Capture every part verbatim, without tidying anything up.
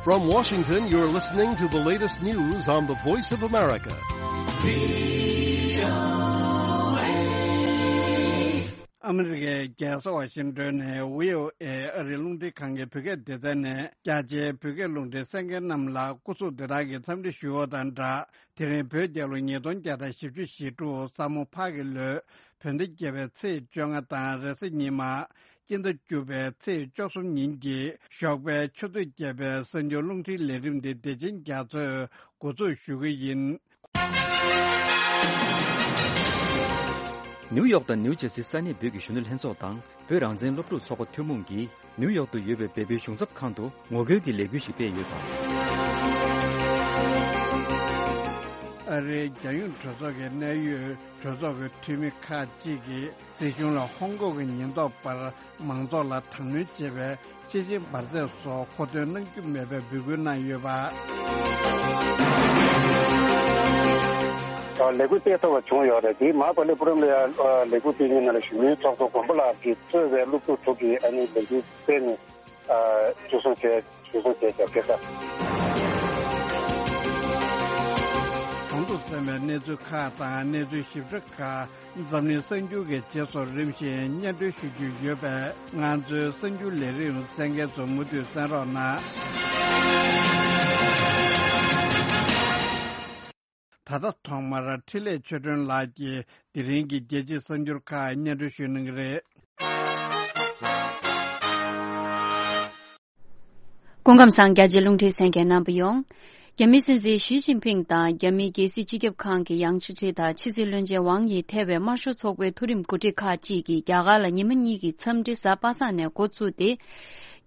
From Washington, you're listening to the latest news on the Voice of America. ཨ་མི་རི་ཀའི་རྒྱལ་ས་ཝ་ཤིང་ཏོན་ནས་བྷི་ཨོ་ཨེ་ཨ་རིའི་རླུང་འཕྲིན་ཁང་གི་བོད་སྐད་སྡེ་ཚན་ནས་རྒྱ་ཆེའི་བོད་སྐད་རླུང་འཕྲིན་གསན་མཁན་རྣམས་ལ་སྐུ་གཟུགས་བདེ་ཐང་གི་འཚམས་འདྲི་ཞུ་བ་དང་སྦྲགས། དེ་རིང་བོད་རྒྱལ་ལོ་ཉིས་སྟོང་བརྒྱ་དང་བཞི་བཅུ་ཞེ་དྲུག་ས་མོ་ཕག་གི་ལོའི་བོད་ཟླ་བརྒྱད་པའི་ཚེས་བཅོ་ལྔ་དང་རེས་གཟའ་ཉི་མ། སྤྱི་ཟླ་བཅུ་པའི་ཚེས་བཅུ་གསུམ་ཉིན་གྱི་ཞོགས་པའི་ཆུ་ཚོད་བརྒྱད་པའི་གསར་འགྱུར་རླུང་འཕྲིན་ལས་རིམ་འདི་བདེ་ཆེན་རྒྱ་མཚོས་འགོ་འཛུགས་ཞུ་གི་ཡིན། ནིའུ་ཡོག་དང་ནིའུ་ཇར་སིའི་ས་གནས་བོད་ཀྱི་གཞོན་ནུ་ལྷན་ཚོགས་དང་བོད་རང་བཙན་སློབ་ཕྲུག་ཚོགས་པ་ཐུན་མོང་གིས། ནིའུ་ཡོག་ཏུ་ཡོད་པའི་བལ་པོའི་གཞུང་ཚབ་ཁང་དུ་ངོ་རྒོལ་གྱི་ལས་འགུལ་ཞིག་སྤེལ་ཡོད་པ། ཨ་རིའི་རྒྱལ་ཡོངས་གྲོས་ཚོགས་ཀྱི་གནད་ཡོད་གྲོས་ཚོགས་ཀྱི་འཐུས་མི་ཁག་ཅིག་གིས་སྲིད་གཞུང་ལ་ཧོང་ཀོང་གི་ཉེན་རྟོག་པར་མང་ཚོགས་ལ་དྲག་གནོན་བྱས་པའི་ཤེས་བཞིན་འབར་རྫས་སོགས་མཁོ་འདོན་གནང་རྒྱུ་མེད་པའི་འབོད་སྐུལ་གནང་ཡོད་པ། ལས་འགུལ་སྤེལ་ཐུབ་པ་བྱུང་ཡོད་རེད། དེའི་མ་པ་ལེ་པུ་རམ་ལ་ཡང་ལས་འགུལ་སྤེལ་མཁན་ནང་ལ་གཞོན་ནུའི་ཚོགས་གཙོ་མགོན་པོ་ལགས་ཀྱིས་གཙོས་པའི་སློབ་ཕྲུག་དྲུག་གིས་ཨ་ནི་ལས་འགུལ་སྤེལ་ནས། ཨ། འཇུ་བཟུང་བྱས། འཇུ་བཟུང་བྱས་ཀྱང་སྐད་ཆ། གོང་དུ་གསན་པའི་གནས་ཚུལ་ཁག་དང་གནས་ཚུལ་ཞིབ་ཕྲ་ཁག་འཛམ་གླིང་གསར་འགྱུར་གྱི་རྗེས་སུ་རིམ་བཞིན་སྙན་སྒྲོན་ཞུ་རྒྱུ་ཡོད་པས། ང་ཚོའི་གསར་འགྱུར་ལས་རིམ་གསན་མཁན་ཚོ་མུ་མཐུད་གསན་རོགས་གནང་། ད་ལྟ་ཐོག་མར་འཕྲིན་ལས་ཆོས་སྒྲོན་ལགས་ཀྱིས་དེ་རིང་གི་རྒྱལ་སྤྱིའི་གསར་འགྱུར་ཁག་སྙན་སྒྲོན་ཞུ་གནང་གི་རེད། སྐུ་ཁམས་བཟང་། རྒྱ་ཆེའི་རླུང་འཕྲིན་གསན་མཁན་རྣམ་པ་ཡོངས། རྒྱ་མིའི་སྲིད་འཛིན་ཞི་ཅིན་ཕིང་དང་རྒྱ་མིའི་རྒྱལ་སྲིད་སྤྱི་ཁྱབ་ཁང་གི་ཡང་ཅི་ཁྲི་དང་ཕྱི་སྲིད་བློན་ཆེན་ཝང་ཡི་ཐེ་བའི་དམར་ཤོག་ཚོགས་པའི་མཐོ་རིམ་འགོ་ཁྲིད་ཁག་ཅིག་གིས་རྒྱ་གར་ལ་ཉི་མ་གཉིས་ཀྱི་འཚམས་འདྲི་གཟའ་པ་སངས་ནས་འགོ་བཙུགས་ཏེ།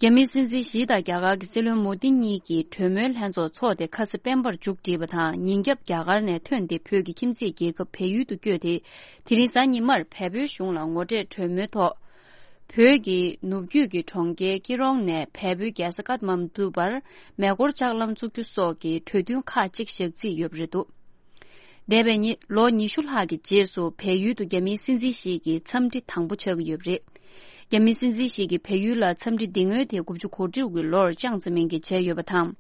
རྒྱ་མིའི་སྲིད་འཛིན་ཞི་དང་རྒྱ་གར་གྱི་སྲིད་བློན་མོ་དི་གཉིས་ཀྱིས་གྲོས་མོལ་ལྷན་ཚོགས་འཚོགས་ཏེ་ཁ་སང་སྤེན་པར་མཇུག་བསྒྲིལ་བ་དང་། ཉིན་རྒྱབ་རྒྱ་གར་ནས་ཐོན་ཏེ་བོད་ཀྱི་ཁྱིམ་མཚེས་རྒྱལ་ཁབ་བལ་ཡུལ་དུ་བསྐྱོད་དེ། དེ་རིང་གཟའ་ཉི་མར་བལ་པོའི་གཞུང་ལ་ངོ་འཕྲད་གྲོས་མོལ་ཐོག་བོད་ཀྱི་ནུབ་རྒྱུད་ཀྱི་གྲོང་ཁྱེར་ཀི་རོང་ནས་བལ་པོའི་རྒྱལ་ས་ཀཏ་མན་ཌུ་བར་མེ་འཁོར་ལྕགས་ལམ་བཙུགས་རྒྱུ་སོགས་ཀྱི་གྲོས་མཐུན་ཁག་ཅིག་བཞག་རྩིས་ཡོད་པ་རེད་འདུག་འདས་པའི་ཉི་ལོ་ཉི་ཤུ་ལྷག་གི་རྗེས་སུ་བལ་ཡུལ་དུ་རྒྱ་མིའི་སྲིད་འཛིན་ཞིག་གི་འཚམས་འདྲི་དང་པོ་ཆགས་ཀྱི་ཡོད་པ་རེད། རྒྱ་མིའི་སྲིད་འཛིན་ཞིག་གིས་བལ་ཡུལ་ལ་འཚམས་འདྲི་འདི་སྔོན་དེ་དགུ་བཅུ་གོ་དྲུག་གི་ལོར་ཅང་ཙེ་མིན་གྱིས་བྱས་ཡོད་པ་དང་།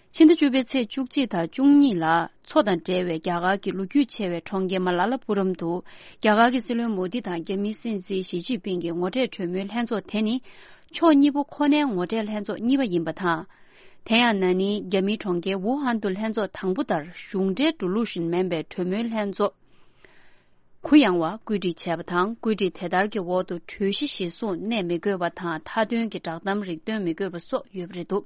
ཕྱི་ཟླ་བཅུ་པའི་ཚེས་བཅུ་གཅིག་དང་བཅུ་གཉིས་ལ་མཚོ་དང་འབྲེལ་བའི་རྒྱ་གར་གྱི་ལོ་རྒྱུས་ཆེ་བའི་གྲོང་ཁྱེར་མ་ལ་ལ་པུ་རམ་དུ། རྒྱ་གར་གྱི་སྲིད་བློན་མོ་དི་དང་རྒྱ་མིའི་སྲིད་འཛིན་ཞི་ཅིན་ཕིང་གི་ངོ་འཕྲད་གྲོས་མོལ་ལྷན་ཚོགས་དེ་ནི། ཕྱོགས་གཉིས་པོ་ཁོ་ནའི་ངོ་འཕྲད་ལྷན་ཚོགས་གཉིས་པ་ཡིན་པ་དང་། དེ་ཡང་ན་ནིང་རྒྱ་མིའི་གྲོང་ཁྱེར་ཝུ་ཧན་དུ་ལྷན་ཚོགས་དང་པོ་ལྟར་གཞུང་འབྲེལ་འགྲོ་ལུགས་བཞིན་མིན་པའི་གྲོས་མོལ་ལྷན་ཚོགས་གུ་ཡངས་པ་བཀོད་སྒྲིག་བྱས་པ་དང་། བཀོད་སྒྲིག་དེ་ལྟར་གྱི་འོག་ཏུ་གྲོས་གཞི་གཞིར་བཟུང་གནས་མི་དགོས་པ་དང་། མཐའ་དོན་གྱི་བསྒྲགས་གཏམ་རིགས་སྟོན་མི་དགོས་པ་སོགས་ཡོད་པ་རེད་འདུག་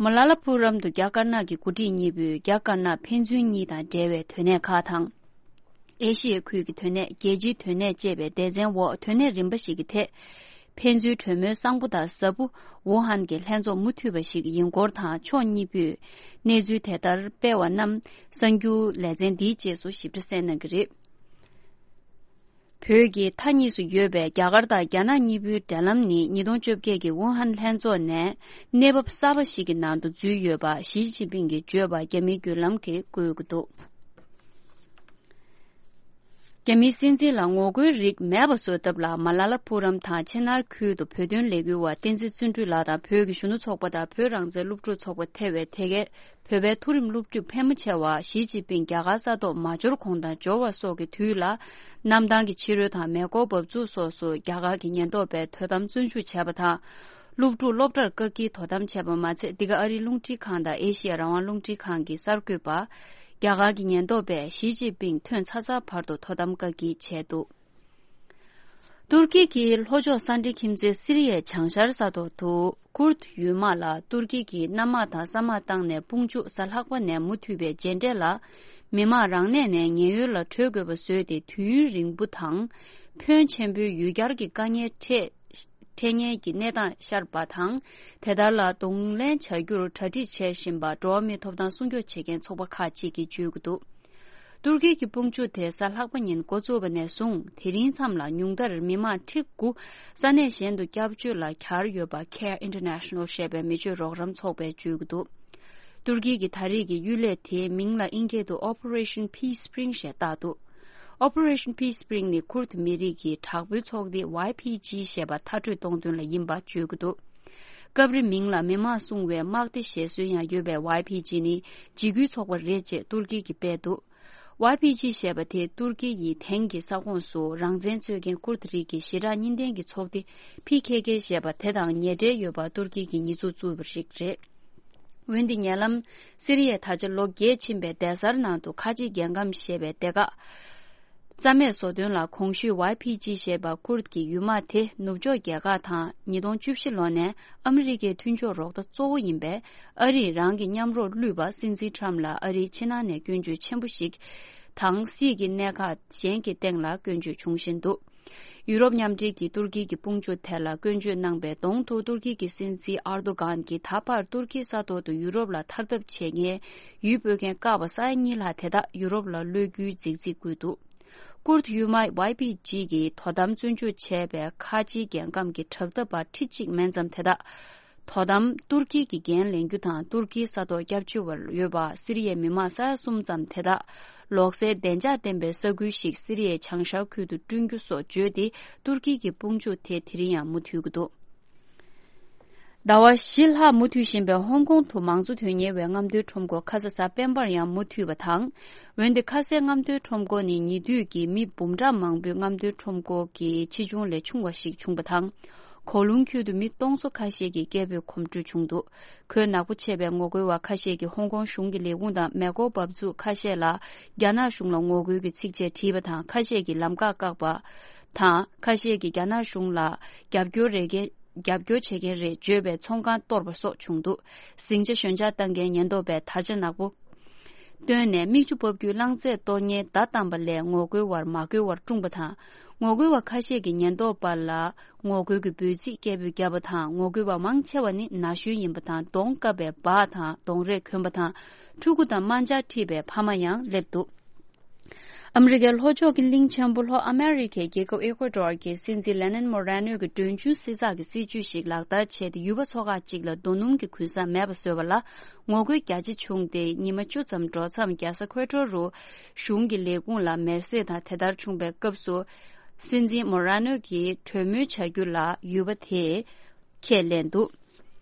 མ་ལ་ལ་པུ་རམ་དུ་རྒྱ་དཀར་ནག་གི་འགོ་ཁྲིད་གཉིས་པོས་རྒྱ་དཀར་ནག་ཕན་ཚུན་གཉིས་དང་འབྲེལ་བའི་དོན་གནད་ཁག་དང་། ཨེ་ཤི་ཡའི་ཁུལ་གྱི་དོན་གནད། རྒྱལ་སྤྱིའི་དོན་གནད་བཅས་པའི་སྡེ་ཚན་འོག་དོན་གནད་རིམ་པ་ཞིག་གི་ཐད། ཕན་ཚུན་གྲོས་མོལ་གསང་པོ་དང་ཟབ་པོ། ཝུ་ཧན་གྱི་ལྷན་ཚོགས་མུ་མཐུད་པ་ཞིག་ཡིན་སྐོར་དང་། ཕྱོགས་གཉིས་པོས་གནས་ཚུལ་དེ་ལྟར་སྤེལ་བ་རྣམས་གསར་འགྱུར་ལེ་ཚན་འདིའི་རྗེས་སུ་ཞིབ་ཕྲ་གསན་གནང་གི་རེད། བོད་ཀྱི་མཐའ་གཉིས་སུ་ཡོད་པའི་རྒྱ་གར་དང་རྒྱ་ནག་གཉིས་པོའི་འབྲེལ་ལམ་ནི་ཉིས་སྟོང་བཅོ་བརྒྱད་ཀྱི་ཝུ་ཧན་ལྷན་ཚོགས་ནས་གནས་བབ་གསར་པ་ཞིག་གི་ནང་དུ་འཛུལ་ཡོད་པ་ཞི་ཅིན་ཕིང་གིས་བརྗོད་པ་རྒྱ་མིའི་བརྒྱུད་ལམ་གྱིས་བཀོད་ཀྱི་འདུག་རྒྱ་མིའི་སྲིད་འཛིན་ལ་ངོ་རྒོལ་རིགས་མེད་པ་བཟོ་ཐབས་ལ་མ་ལ་ལ་པུ་རམ་དང་ཆེ་ན་ཁུལ་དུ་བོད་དོན་ལས་འགུལ་བ་བསྟན་འཛིན་བརྩོན་འགྲུས་ལགས་དང་བོད་ཀྱི་གཞོན་ནུ་ཚོགས་པ་དང་བོད་རང་བཙན་སློབ་ཕྲུག་ཚོགས་པ་ཐེ་བའི་ཐེ་གའི་བོད་པའི་མཐོ་རིམ་སློབ་ཕྲུག་ཕལ་མོ་ཆེ་བ་ཞི་ཅིན་ཕིང་རྒྱ་གར་ས་ཐོག་མ་འབྱོར་གོང་དང་འབྱོར་བ་སོགས་ཀྱི་དུས་ལ་གནམ་ཐང་གི་ཕྱི་རོལ་དང་མེ་འཁོར་འབབ་ཚུགས་སོགས་སུ་རྒྱ་གར་གྱི་ཉེན་རྟོག་པས་དོ་དམ་བཙོན་འཇུག་བྱས་པ་དང་། སློབ་ཕྲུག་སློབ་གྲྭར་བཀག་སྐྱིལ་དོ་དམ་བྱས་པ་མ་ཚད། འདི་ག་ཨ་རིའི་རླུང་འཕྲིན་ཁང་དང་ཨེ་ཤི་ཡ་རང་དབང་རླུང་འཕྲིན་ཁང་གི་གསར་འགོད་པ། རྒྱ་གར་གྱི་ཉེན་རྟོག་པས་ཞི་ཅིན་ཕིང་ཐོན་ཚར་ཚར་བར་དུ་དོ་དམ་བཀག་སྐྱིལ་བྱས་འདུག་ཏུར་ཀི་གི་ལྷོ་ཕྱོགས་ས་འབྲེལ་ཁྱིམ་མཚེས་སི་རི་ཡའི་བྱང་ཤར་ས་ཐོག་ཏུ་ཁུར་ཡུལ་དམག་ལ་ཏུར་ཀི་གིས་གནམ་དམག་དང་ས་དམག་བཏང་ནས་དཔུང་འཇུག་གཟའ་ལྷག་པ་ནས་མུ་མཐུད་པའི་རྗེས་འབྲས་ལ། མི་དམངས་རང་གནས་ནས་ཉེན་གཡོལ་ལ་བྲོས་དགོས་པ་བཟོས་ཏེ། དུས་ཡུན་རིང་པོ་དང་ཕོན་ཆེན་པོའི་ཡུལ་གྱར་གྱི་དཀའ་ངལ་འཕྲད་འཕྲད་ཉེན་གྱི་གནས་སྟངས་ཤར་བ་དང་། དེ་ལྟར་ལ་གདོང་ལེན་བྱ་རྒྱུར་གྲ་སྒྲིག་བྱེད་བཞིན་པ་འགྲོ་བ་མིའི་ཐོབ་ཐང་སྲུང་སྐྱོབ་བྱེད་མཁན་ཚོགས་པ་ཁག་ཅིག་གིས་བརྗོད་ཀྱི་འདུག་ཏུར་ཀི་གི་དཔུང་འཇུག་དེ་གཟའ་ལྷག་པ་ཉིན་འགོ་བཙུགས་པ་ནས་བཟུང་དེ་རིང་མཚམས་ལ་ཉུང་མཐར་མི་དམངས་ཁྲི་དགུ་ས་གནས་གཞན་དུ་སྐྱབས་བཅོལ་ལ་གྱར་ཡོད་པ་Care International ཞེས་པའི་མི་སྤྱོད་རོགས་རམ་ཚོགས་པས་བརྗོད་ཀྱི་འདུག་ཏུར་ཀི་གི་ད་རེས་ཀྱི་གཡུལ་ལས་དེའི་མིང་ལ་ཨིན་སྐད་དུ་Operation Peace Spring ཞེས་བཏགས་འདུག Operation Peace Spring ནི་ཁུར་མི་རིགས་ཀྱི་དྲག་པོའི་ཚོགས་སྡེ་ཝའི་ཕི་ཇི་ཞེས་པ་མཐར་སྐྲོད་གཏོང་དོན་ལ་ཡིན་པ་བརྗོད་ཀྱི་འདུག་སྐབས་རེ་མིང་ལ་མི་དམངས་སྲུང་བའི་དམག་སྡེ་ཞེས་གསོལ་ཡང་ཡོད་པའི་ཝའི་ཕི་ཇི་ནི་འཇིགས་སྐུལ་ཚོགས་པ་རེད་ཅེས་ཏུར་ཀི་གིས་སྤེལ་འདུག་ཝའི་ཕི་ཇི་ཞེས་པ་དེ་ཏུར་ཀི་ཡི་དེང་གི་ས་ཁོངས་སུ་རང་བཙན་རྩོད་མཁན་ཀུར་ཏི་རིགས་ཀྱི་ཞི་དྲག་གཉིས་ལྡན་གྱི་ཚོགས་སྡེ་ཕི་ཁེ་ཁེ་ཞེས་པ་དེ་དང་ཉེ་འབྲེལ་ཡོད་པ་ཏུར་ཀི་གིས་ཉེས་འཛུགས་བཙུགས་པ་ཞིག་རེད། འོན་ཏེ་ཉེ་ལམ་སི་རི་ཡས་ད་ཆ་ལོ་བརྒྱད་ཕྱིན་པའི་སྡེ་གཟར་ནང་དུ་ཁ་ཆེ་རྒྱལ་ཁམས་ཞེས་པའི་སྡེ་ཁག་རྩ་མེད་བཟོ་དོན་ལ་གོང་ཞུས་ཝའི་ཕི་ཇི་ཞེས་པ་ཀུར་གྱི་ཡུལ་དམག་དེ་ནུབ་ཕྱོགས་རྒྱལ་ཁག་དང་ཉིས་སྟོང་བཅུ་བཞི་ལོ་ནས་ཨ་མི་རི་ཀའི་མཐུན་ཕྱོགས་རོགས་ཟླ་གཙོ་བོ་ཡིན་པའི་ཨ་རིས་རང་གི་མཉམ་རོགས་བསླུས་པ་སྲིད་འཛིན་ཁྲམ་ལ་ཨ་རིའི་ཕྱི་ནང་ནས་སྐྱོན་བརྗོད་ཆེན་པོ་ཞིག་དང་སྲིད་ཀྱི་གནད་འགག་གཞན་གྱི་སྟེང་ལ་སྐྱོན་བརྗོད་བྱུང་བཞིན་འདུག་ཡུ་རོབ་མཉམ་འབྲེལ་གྱིས་ཏུར་ཀི་གི་དཔུང་འཇུག་དེ་ལ་སྐྱོན་བརྗོད་གནང་པའི་གདོང་དུ་ཏུར་ཀི་གི་སྲིད་འཛིན་ཨར་དོ་གྷན་གྱིས་ད་བར་ཏུར་ཀིའི་ས་ཐོག་ཏུ་ཡུ་རོབ་ལ་ཐར་ཐབས་བྱེད་མཁན་ཡུལ་སྤོ་མཁན་བཀག་པ་ས་ཡ་གཉིས་ལྷག་དེ་དག་ཡུ་རོབ་ལ་གློད་རྒྱུའི་རྫིག་རྫིག་བསྐུལ་འདུག་ཀུར་ཡུལ་དམག་ཝའི་ཕི་ཇི་གི་དོ་དམ་བཙོན་འཇུག་བྱས་པའི་ཁ་ཆེའི་རྒྱལ་ཁམས་ཀྱི་དྲག་འཐབ་པ་ཁྲི་གཅིག་མན་ཙམ་དེ་དག་དོ་དམ་ཏུར་ཀི་གི་འགན་ལེན་རྒྱུ་དང་ཏུར་ཀིའི་ས་ཐོག་སྐྱབས་བཅོལ་བར་ཡོད་པ་སི་རི་ཡའི་མི་དམངས་ས་ཡ་གསུམ་ཙམ་དེ་དག་ལོག་སའི་བདེ་འཇགས་ལྡན་པའི་ས་ཁུལ་ཞིག་སི་རི་ཡའི་བྱང་ཤར་ཁུལ་དུ་བསྐྲུན་རྒྱུ་སོགས་བརྗོད་དེ་ཏུར་ཀི་གི་དཔུང་འཇུག་དེ་དེ་རིང་ཡང་མུ་མཐུད་ཀྱི་འདུག་ཟླ་བ་བཞི་ལྷག་མུ་མཐུད་བཞིན་པའི་ཧོང་ཀོང་དུ་མང་གཙོ་དོན་གཉེར་བའི་རྔམ་སྟོན་ཁྲོམ་སྐོར་ཁ་ས་གཟའ་སྤེན་པར་ཡང་མུ་མཐུད་པ་དང་། འོན་ཏེ་ཁ་སའི་རྔམ་སྟོན་ཁྲོམ་སྐོར་ནི་ཉེ་དུས་ཀྱི་མི་འབུམ་ཕྲག་མང་པོའི་རྔམ་སྟོན་ཁྲོམ་སྐོར་གྱི་ཆེ་ཆུང་ལས་ཆུང་བ་ཞིག་བྱུང་བ་དང་། གོ་ལུང་ཁུལ་དུ་མི་སྟོང་ཚོ་ཁ་ཤས་ཀྱིས་སྐད་འབོད་གོམ་བགྲོད་བྱུང་འདུག་གོད་ནག་པོ་ཆེ་བའི་ངོ་རྒོལ་བ་ཁ་ཤས་ཀྱིས་ཧོང་ཀོང་གཞུང་གི་ལས་ཁུངས་དང་མེ་འཁོར་འབབ་ཚུགས་ཁ་ཤས་ལ་རྒྱ་ནག་གཞུང་ལ་ངོ་རྒོལ་གྱི་ཚིག་བཅད་བྲིས་པ་དང་། ཁ་ཤས་ཀྱིས་ལམ་ཁ་བཀག་པ་དང་། ཁ་ཤས་ཀྱིས་རྒྱ་ནག་གཞུང་ལ་རྒྱབ་སྐྱོར་རེ་རྒྱབ་སྐྱོར་བྱེད་མཁན་རེད་བརྗོད་པའི་ཚོང་ཁང་གཏོར་བ་སོགས་བྱུང་འདུག་ཟིང་ཆ་ཞོད་འཇགས་བཏང་མཁན་ཉེན་རྟོག་པས་དར་ཆ་ནག་པོ་བཏོན་ནས་མིག་ཆུ་འབབ་རྒྱུའི་རླངས་རྫས་གཏོར་མཁན་བརྡ་བཏང་པ་ལས་ངོ་རྒོལ་བར་མ་རྒོལ་བར་བཀྲུངས་པ་དང་། ངོ་རྒོལ་བ་ཁ་ཤས་ཀྱིས་ཉེན་རྟོག་པ་ལ་ངོ་རྒོལ་གྱི་འབོད་ཚིག་སྐད་འབོད་བརྒྱབ་པ་དང་། ངོ་རྒོལ་བ་མང་ཆེ་བ་ནི་ན་གཞོན་ཡིན་པ་དང་། གདོང་བཀབ་པའི་འབག་དང་གདོང་རས་གྱོན་པ་དང་ཕྲུ་གུ་དང་དམར་འབྱར་འཁྲིས་པའི་ཕ་མ་ཡང་སླེབས་འདུག་ཨ་མི་རི་ཀའི་ལྷོ་ཕྱོགས་ཀྱི་གླིང་ཆེན་པོ་ལྷོ་ཨ་མེ་རི་ཁའི་རྒྱལ་ཁབ་ཨེ་ཀོ་ཏོར་གྱི་སྲིད་འཛིན་ལེ་ནན་མོ་རེ་ནོ་གིས་གྲོན་ཆུང་བསྲི་ཚགས་ཀྱི་སྲིད་ཇུས་ཤིག་ལག་བསྟར་བྱས་ཏེ། ཡུལ་པ་ཚོ་ཁག་ཅིག་ལ་རྡོ་སྣུམ་གྱི་གུན་གསབ་མེད་པ་བཟོས་པ་ལ་ངོ་རྒོལ་རྒྱ་ཆེ་བྱུང་སྟེ། ཉི་མ་བཅུ་ཙམ་འགྲོ་མཚམས་རྒྱལ་ས་ཁོས་ཏྲོ་རུ་གཞུང་གི་ལས་ཁུངས་ལ་མེར་སྲེག་དང་། དེ་ལྟར་བྱུང་བའི་སྐབས་སུ་སྲིད་འཛིན་མོ་རེ་ནོ་གིས་གྲོས་མོལ་བྱ་རྒྱུ་ལ་ཡུལ་པ་དེས་ཁས་ལེན་འདུག་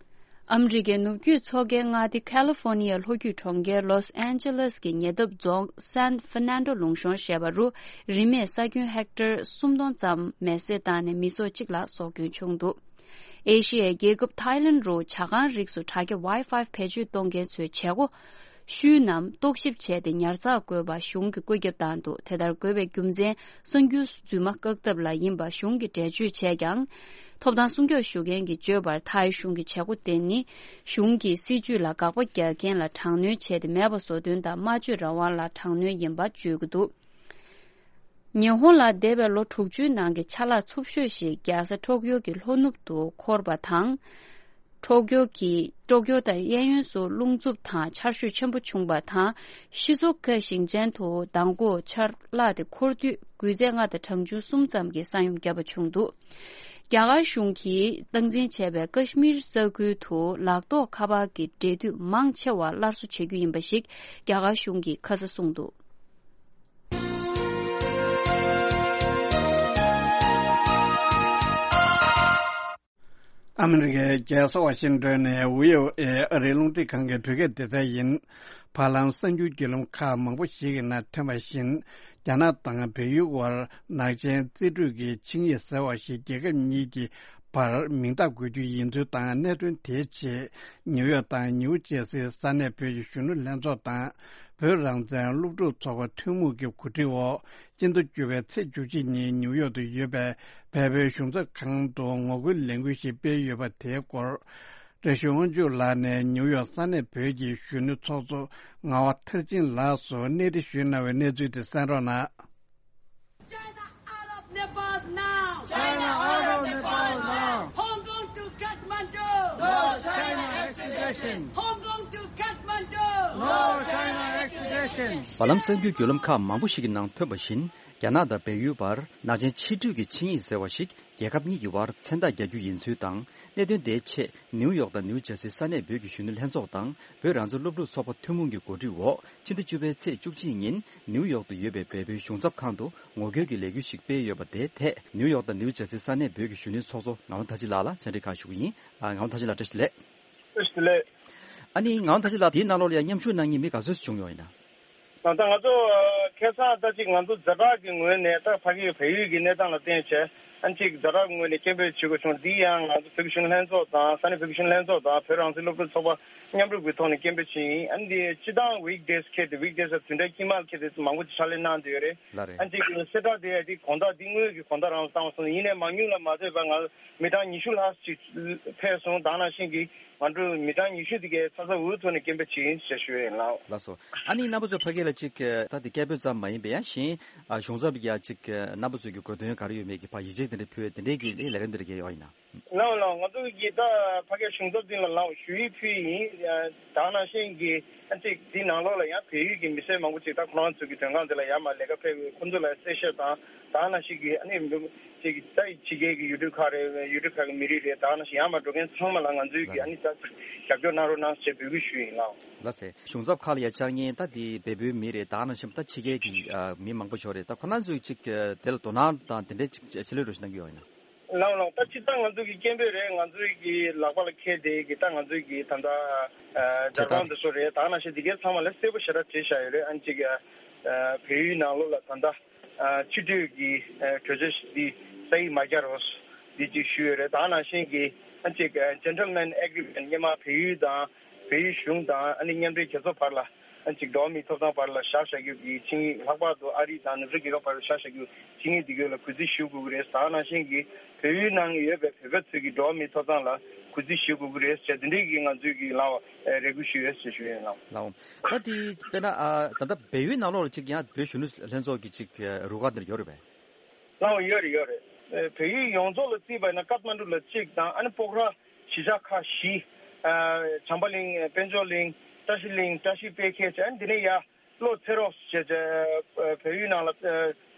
ཨ་མི་རི་ཀའི་ནུབ་རྒྱུད་མཚོ་ཁའི་མངའ་སྡེ་ཁ་ལི་ཧྥོ་ནི་ཡའི་ལྷོ་རྒྱུད་གྲོང་ཁྱེར་ལོས་ཨན་ཇེ་ལེས་ཀྱི་ཉེ་འདབས་རྫོང་སན་ཧྥེར་ནན་ཏོ་ལུང་གཤོང་ཞེས་པ་རུ་རིན་མེད་ས་ཁྱོན་ཧེག་ཊར་སུམ་སྟོང་ཙམ་མེ་བསྲེགས་བཏང་ནས་མི་ཚོགས་གཅིག་ལ་སྲོག་སྐྱོན་བྱུང་འདུག་ཨེ་ཤི་ཡའི་རྒྱལ་ཁབ་ཐའི་ལན་རུ་ཇ་ཁང་རིགས་སུ་དྲ་རྒྱ་ཝའི་ཕའི་བེད་སྤྱོད་གཏོང་མཁན་ཚོའི་བྱེད་སྒོ་ཤུལ་རྣམས་རྟོག་ཞིབ་བྱས་ཏེ་ཉར་ཚགས་དགོས་པ་གཞུང་གིས་བཀོད་ཁྱབ་བཏང་འདུག་དེ་ལྟར་དགོས་པའི་རྒྱུ་མཚན་གསར་འགྱུར་རྫུན་མ་བཀག་ཐབས་ལ་ཡིན་པ་གཞུང་གིས་འགྲེལ་བརྗོད་བྱས་ཀྱང་། ཐོབ་ཐང་སྲུང་སྐྱོབ་ཞུ་མཁན་གྱིས་བརྗོད་པར། ཐའི་གཞུང་གི་བྱེད་སྒོ་དེ་ནི་གཞུང་གི་སྲིད་ཇུས་ལ་དགག་པ་རྒྱག་མཁན་ལ་དྲག་གནོན་བྱས་ཏེ། མེད་པ་བཟོ་དོན་དང་སྨྲ་བརྗོད་རང་དབང་ལ་དྲག་གནོན་ཡིན་པ་བརྗོད་ཀྱི་འདུག་ཉི་ཧོང་ལ་འདས་པའི་ལོ་དྲུག་ཅུའི་ནང་གི་ཆར་ལག་འཚུབ་ཤོས་ཤིག་རྒྱལ་ས་ཊོ་ཀིའོ་གི་ལྷོ་ནུབ་ཏུ་འཁོར་བ་དང་། ཊོ་ཀིའོ་གི་ཊོ་ཀིའོ་དང་གཡས་གཡོན་སུ་རླུང་འཚུབ་དང་ཆར་ཞོད་ཆེན་པོ་བྱུང་བ་དང་། ཤི་ཛོ་ཀ་ཞིང་ཆེན་དུ་མདང་དགོང་ཆར་ལག་དེ་འཁོར་དུས་འགུལ་ཚད་ལྔ་དང་གྲངས་ཆུང་གསུམ་ཙམ་གྱི་ས་ཡོམ་བརྒྱབ་པ་བྱུང་འདུག་རྒྱ་གར་གཞུང་གིས་སྟངས་འཛིན་བྱས་པའི་ཀ་ཤི་མིར་ས་ཁུལ་དུ་ལག་ཐོགས་ཁ་པར་གྱི་འབྲེལ་མཐུད་མང་ཆེ་བ་སླར་གསོ་བྱེད་རྒྱུ་ཡིན་པ་ཞིག་རྒྱ་གར་གཞུང་གིས་ཁ་ས་གསུངས་འདུག་ཨ་མི་རི་ཀའི་རྒྱལ་ས་ཝ་ཤིང་ཏོན་ནས་བྷི་ཨོ་ཨེ་ཨ་རིའི་རླུང་འཕྲིན་ཁང་གི་བོད་སྐད་སྡེ་ཚན་ཡིན། བར་ལམ་གསར་འགྱུར་བརྒྱུད་ལམ་ཁག་མང་པོ་ཞིག་གི་ནང་ཐོན་པ་བཞིན། རྒྱ་ནག་དང་བལ་ཡུལ་དབར་ནག་ཅན་རྩིས་སྤྲོད་ཀྱི་ཆིངས་ཡིག་ཟེར་བ་ཞིག་རྒྱལ་ཁབ་གཉིས་ཀྱི་བར་མིང་རྟགས་འགོད་རྒྱུ་ཡིན་ཚུལ་དང་། གནད་དོན་དེའི་ཆེད་ནིའུ་ཡོག་དང་ནིའུ་ཇེ་སིའི་ས་གནས་བོད་ཀྱི་གཞོན་ནུ་ལྷན་ཚོགས་དང་། བོད་རང་བཙན་སློབ་ཕྲུག་ཚོགས་པ་ཐུན་མོང་གི་གོ་སྒྲིག་འོག་སྤྱི་ཟླ་བཅུ་པའི་ཚེས་བཅུ་གཅིག་ཉིན་ནིའུ་ཡོག་ཏུ་ཡོད་པའི་བལ་པོའི་གཞུང་ཚབ་ཁང་དུ་ངོ་རྒོལ་ལས་འགུལ་ཞིག་སྤེལ་ཡོད་པ་དེའི་སྐོར། བཀྲ་ཤིས་དབང་ཕྱུག་ལགས་ནས་ནིའུ་ཡོག་ས་གནས་བོད་ཀྱི་གཞོན་ནུ་ཚོགས་གཙོ་ངག་དབང་མཐར་ཕྱིན་ལགས་སུ་གནས་འདྲི་ཞུས་གནང་བའི་གནས་ཚུལ་དེ་གསན་རོགས་གནང་། China out of Nepal now! China out of Nepal now! Hong Kong to Kathmandu! No China extradition! Hong Kong to Kathmandu! No China extradition! བར་ལམ་གསར་འགྱུར་བརྒྱུད་ལམ་ཁག་མང་པོ་ཞིག་གི་ནང་ཐོན་པ་བཞིན། རྒྱ་ནག་དང་བལ་ཡུལ་བར་ནག་ཅན་ཕྱི་འབྲེལ་གྱི་ཆིངས་ཡིག་ཟེར་བ་ཞིག་རྒྱལ་ཁབ་གཉིས་ཀྱི་བར་མཚན་རྟགས་རྒྱག་རྒྱུ་ཡིན་ཚུལ་དང་། གནད་དོན་དེའི་ཆེད་ནིའུ་ཡོག་དང་ནིའུ་ཇར་སི་ས་གནས་བོད་ཀྱི་གཞོན་ནུ་ལྷན་ཚོགས་དང་བོད་རང་བཙན་སློབ་ཕྲུག་ཚོགས་པ་ཐུན་མོང་གི་གོ་སྒྲིག་འོག་ཕྱི་ཟླ་བཅུ་པའི་ཚེས་བཅུ་གཅིག་ཉིན་ནིའུ་ཡོག་ཏུ་ཡོད་པའི་བལ་པོའི་གཞུང་ཚབ་ཁང་དུ་ངོ་རྒོལ་གྱི་ལས་འགུལ་ཞིག་སྤེལ་ཡོད་པ་དེའི་ཐད་ནིའུ་ཡོག་དང་ནིའུ་ཇར་སི་ས་གནས་བོད་ཀྱི་གཞོན་ནུའི་ཚོགས་གཙོ་ངག་དབང་ཐར་ཅི་ལགས་ལ་བཅར་འདྲི་ཁག་ཞུ་གི་ཡིན། ཨ། ངག་དབང་ཐར་ཅི་ལགས་བཀྲ་ཤིས་བདེ་ལེགས། བཀྲ་ཤིས་བདེ་ལེགས། ཨ་ནི་ངག་དབང་ཐར་ཅི་ལགས་དེའི་ནང་ལོགས་ལ་ཡང་མཉམ་ཞུགས་གནང་མཁན་མི་ག་ཚོད་ཞིག་བྱུང་ཡོད་ཡིན་ན། ད་ལྟ་ང་ཚོ་ཁ་སང་ད་ཅིག་ང་ཚོ་ཛ་དྲག་གི་ངོས་ནས་ད་ཕ་གི་བལ་ཡུལ་གྱི་གནས་སྟངས་ལ་བརྟེན་བྱས་ཨ་ཅིག་ཛ་དྲག་གི་ངོས་ནས་སྐད་འབོད་བྱེད་དགོས་བྱུང་། འདི་ཡང་ང་ཚོ་བོད་ཀྱི་གཞོན་ནུ་ལྷན་ཚོགས་དང་ས་གནས་བོད་ཀྱི་གཞོན་ནུ་ལྷན་ཚོགས་དང་བོད་རང་བཙན་སློབ་ཕྲུག་ཚོགས་པ་མཉམ་རུབ་ཀྱི་ཐོག་ནས་སྐད་འབོད་བྱས་ཡིན། ཨ་ནི་འདི་སྤྱི་བཏང་weekdays་ཁེལ་ཏེ་weekdays་བདུན་ཕྲག་དཀྱིལ་མ་ཁེལ་ཏེ་མང་པོ་ཅིག་ཕྱག་ལས་གནང་བསྡད་ཡོད་རེད། ལགས་རེད། ཨ་ཅིག་གསལ་བསྒྲགས་དེ་ཡ་དེ་དགོང་དག་འདི་དངོས་ཀྱི་དགོང་དག་རང་ལ་བཏང་བ་སོང་ཡིན་ནའི་མང་ཉུང་ལ་མ་ལྟོས་པར་ང་མི་གྲངས་ཉི་ཤུ་ལྷག་ཅིག་ཕེབས་སོང་། དེ་ནང་བཞིན་གྱི་ང་ཚོ་མི་གྲངས་ཉི་ཤུ་དེ་གའི་ཚ་ཚ་འུར་འུར་ཐོག་ནས་སྐད་འབོད་བྱེད་ཡིན་ཞེས་ཞུ་ཡིན་ལགས། ལགས་སོ། ཨ་ནི་རྣམ་པ་ཚོ་ཕ་གི་ལ་ཅིག་ད་དེ་སྐད་འབོད་ཙམ་མ་ཡིན་པའི་ཡང་གཞན་གཞུང་ཚབ་ཀྱི་ཡ་ཅིག་རྣམ་པ་ཚོས་ཀྱི་གོ་དོན་ག་རེ་ཡོད་མེད་ཀྱི་ཕར་ཡིག་ཆ་དེ་འདྲ་ཕུལ་བའི་དེ་འདྲའི་གི་ལས་རིམ་དེ་འདྲ་གས་ཡོད་ཡིན་ན། ལགས་ལགས། ང་ཚོ་གི་ད་ཕ་གི་གཞུང་ཚབ་འདི་ལ་ལགས་ཞུ་ཡིག་ཕུལ་ཡིན། དེ་ནང་བཞིན་གྱི་ཨ་ཅིག་འདི་ནང་ལོགས་ལ་ཡང་བལ་ཡུལ་གྱི་མི་སེར་མང་པོ་ཅིག་ད་ཁོ་རང་ཚོ་གི་མགྲོན་ཁང་འདི་ལ་ཡར་མར་ལས་ཀ་ཕེབས་ཡོད། ཁོ་ཚོ་ལ་གསལ་བཤད་དང་དེ་ནང་བཞིན་གྱི་ཨ་ནི་ཅིག་ད་ཕྱི་རྒྱལ་གྱི་ཡུལ་གྲུ་ཁག་རེད། ཡུལ་གྲུ་ཁག་གི་མི་རིགས་རེད། དེ་ནང་བཞིན་ཡར་མར་འགྲོ་མཁན་ཚང་མ་ལ་ང་ཚོའི་གི་ཨ་ནི་ད་རྒྱབ་སྐྱོར་གནང་རོགས་གནང་ཞེས་འབོད་སྐུལ་ཞུ་ཡིན་ལགས། ལགས་སེ། གཞུང་ཚབ་ཁག་ལ་ཡ་བཅར་མཁན་ད་དེ་བལ་པོའི་མི་རེད། དེ་ནང་བཞིན་ད་ཕྱི་རྒྱལ་གྱི་ཨ་མི་མང་པོ་ཞིག་རེད། ད་ཁོ་རང་ཚོས་ཅིག་དེ་ལ་དོ་སྣང་དང་དེ་འདྲའི་ཅིག་ཆེད་ལས་རོགས་ཞིག་གནང་གི་ཡོད་ཡིན་ན། ལགས་ལགས། ད་སྤྱིར་བཏང་ང་ཚོ་གི་སྐད་འབོད་རེད། ང་ཚོའི་གི་ལག་པ་ལ་འཁྱེར་བསྡད་གི་ད་ང་ཚོའི་གི་ད་ལྟ་ཨ་ཇ་ཁང་དེ་ཚོ་རེད། དེ་ནང་བཞིན་དེ་གའི་ཚང་མ་ལ་གསལ་པོ་ཞེ་དྲག་བྲིས་བཞག་ཡོད་རེད། ཨ་ནི་ཅིག་ཨ་བལ་ཡུལ་ནང་ལོགས་ལ་ད་ལྟ་ཨ་ཕྱི་སྡོད་ཀྱི་ཨ་གྲོས་ཆོད་འདི་ས་ཡིག་མ་རྒྱག་རོགས་འདི་ཅིག་ཞུས་ཡོད་རེད། དེ་ནང་བཞིན་གྱི་ཨ་ཅིག་ཨ་gentleman agreement སྔོན་མ་བལ་ཡུལ་དང་བལ་ཡུལ་གཞུང་དང་ཨ་ནི་མཉམ་འབྲེལ་རྒྱལ་ཚོགས་བར་ལ་ཨ་ཅིག་འགྲོ་བ་མིའི་ཐོབ་ཐང་བར་ལ་བཞག་བཞག་རྒྱུ་གི་ཆིངས་ཡིག་ལྷག་པར་དུ་ཨ་རི་དང་ནུབ་ཕྱོགས་རྒྱལ་ཁབ་བར་ལ་བཞག་བཞག་རྒྱུ་ཆིངས་ཡིག་འདི་གའི་ལ་གུས་བརྩི་ཞུ་དགོས་ཀྱི་རེད། དེ་ནང་བཞིན་གྱི་བལ་ཡུལ་ནང་ཡོད་པའི་བོད་པ་ཚོས་ཀྱི་འགྲོ་བ་མིའི་ཐོབ་ཐང་ལ་གུས་བརྩི་ཞུ་དགོས་ཀྱི་རེད་ཟེར་དེ་འདྲའི་གི་ང་ཚོས་ཀྱི་ལ་རེ་སྐུལ་ཞུ་ཡོད་ཟེར་ཞུ་ཡོད་ལགས། ལགས། ད་དེ་དཔེར་ན་ཨ་ད་ལྟ་བལ་ཡུལ་ནང་ལོགས་ལ་ཅིག་ཡང་བོད་གཞོན་ནུ་ལྷན་ཚོགས་ཀྱི་ཅིག་རུ་ཁག་འདིར་ཡོད་རེད་པས། ལགས་ཡོད་རེད་ཡོད་རེད། ཨེ་བལ་ཡུལ་ཡོངས་རྫོགས་ལ་བརྩིས་པ་ཡིན་ན་ཀཏ་མན་ཌུ་ལ་གཅིག་དང་ཨ་ནི་སྤོག་ར་གཞིས་ཆགས་ཁག་བཞི། ཨ་བྱམས་པ་གླིང་། དཔལ་འབྱོར་གླིང་། བཀྲ་ཤིས་གླིང་། བཀྲ་ཤིས་དཔེ་མཁས་བྱས་ཨ་ནི་འདི་ནས་ཡར་ལྷོ་ཚེ་རོགས་བྱས་བྱས་བལ་ཡུལ་ནང་ལ་ཨ་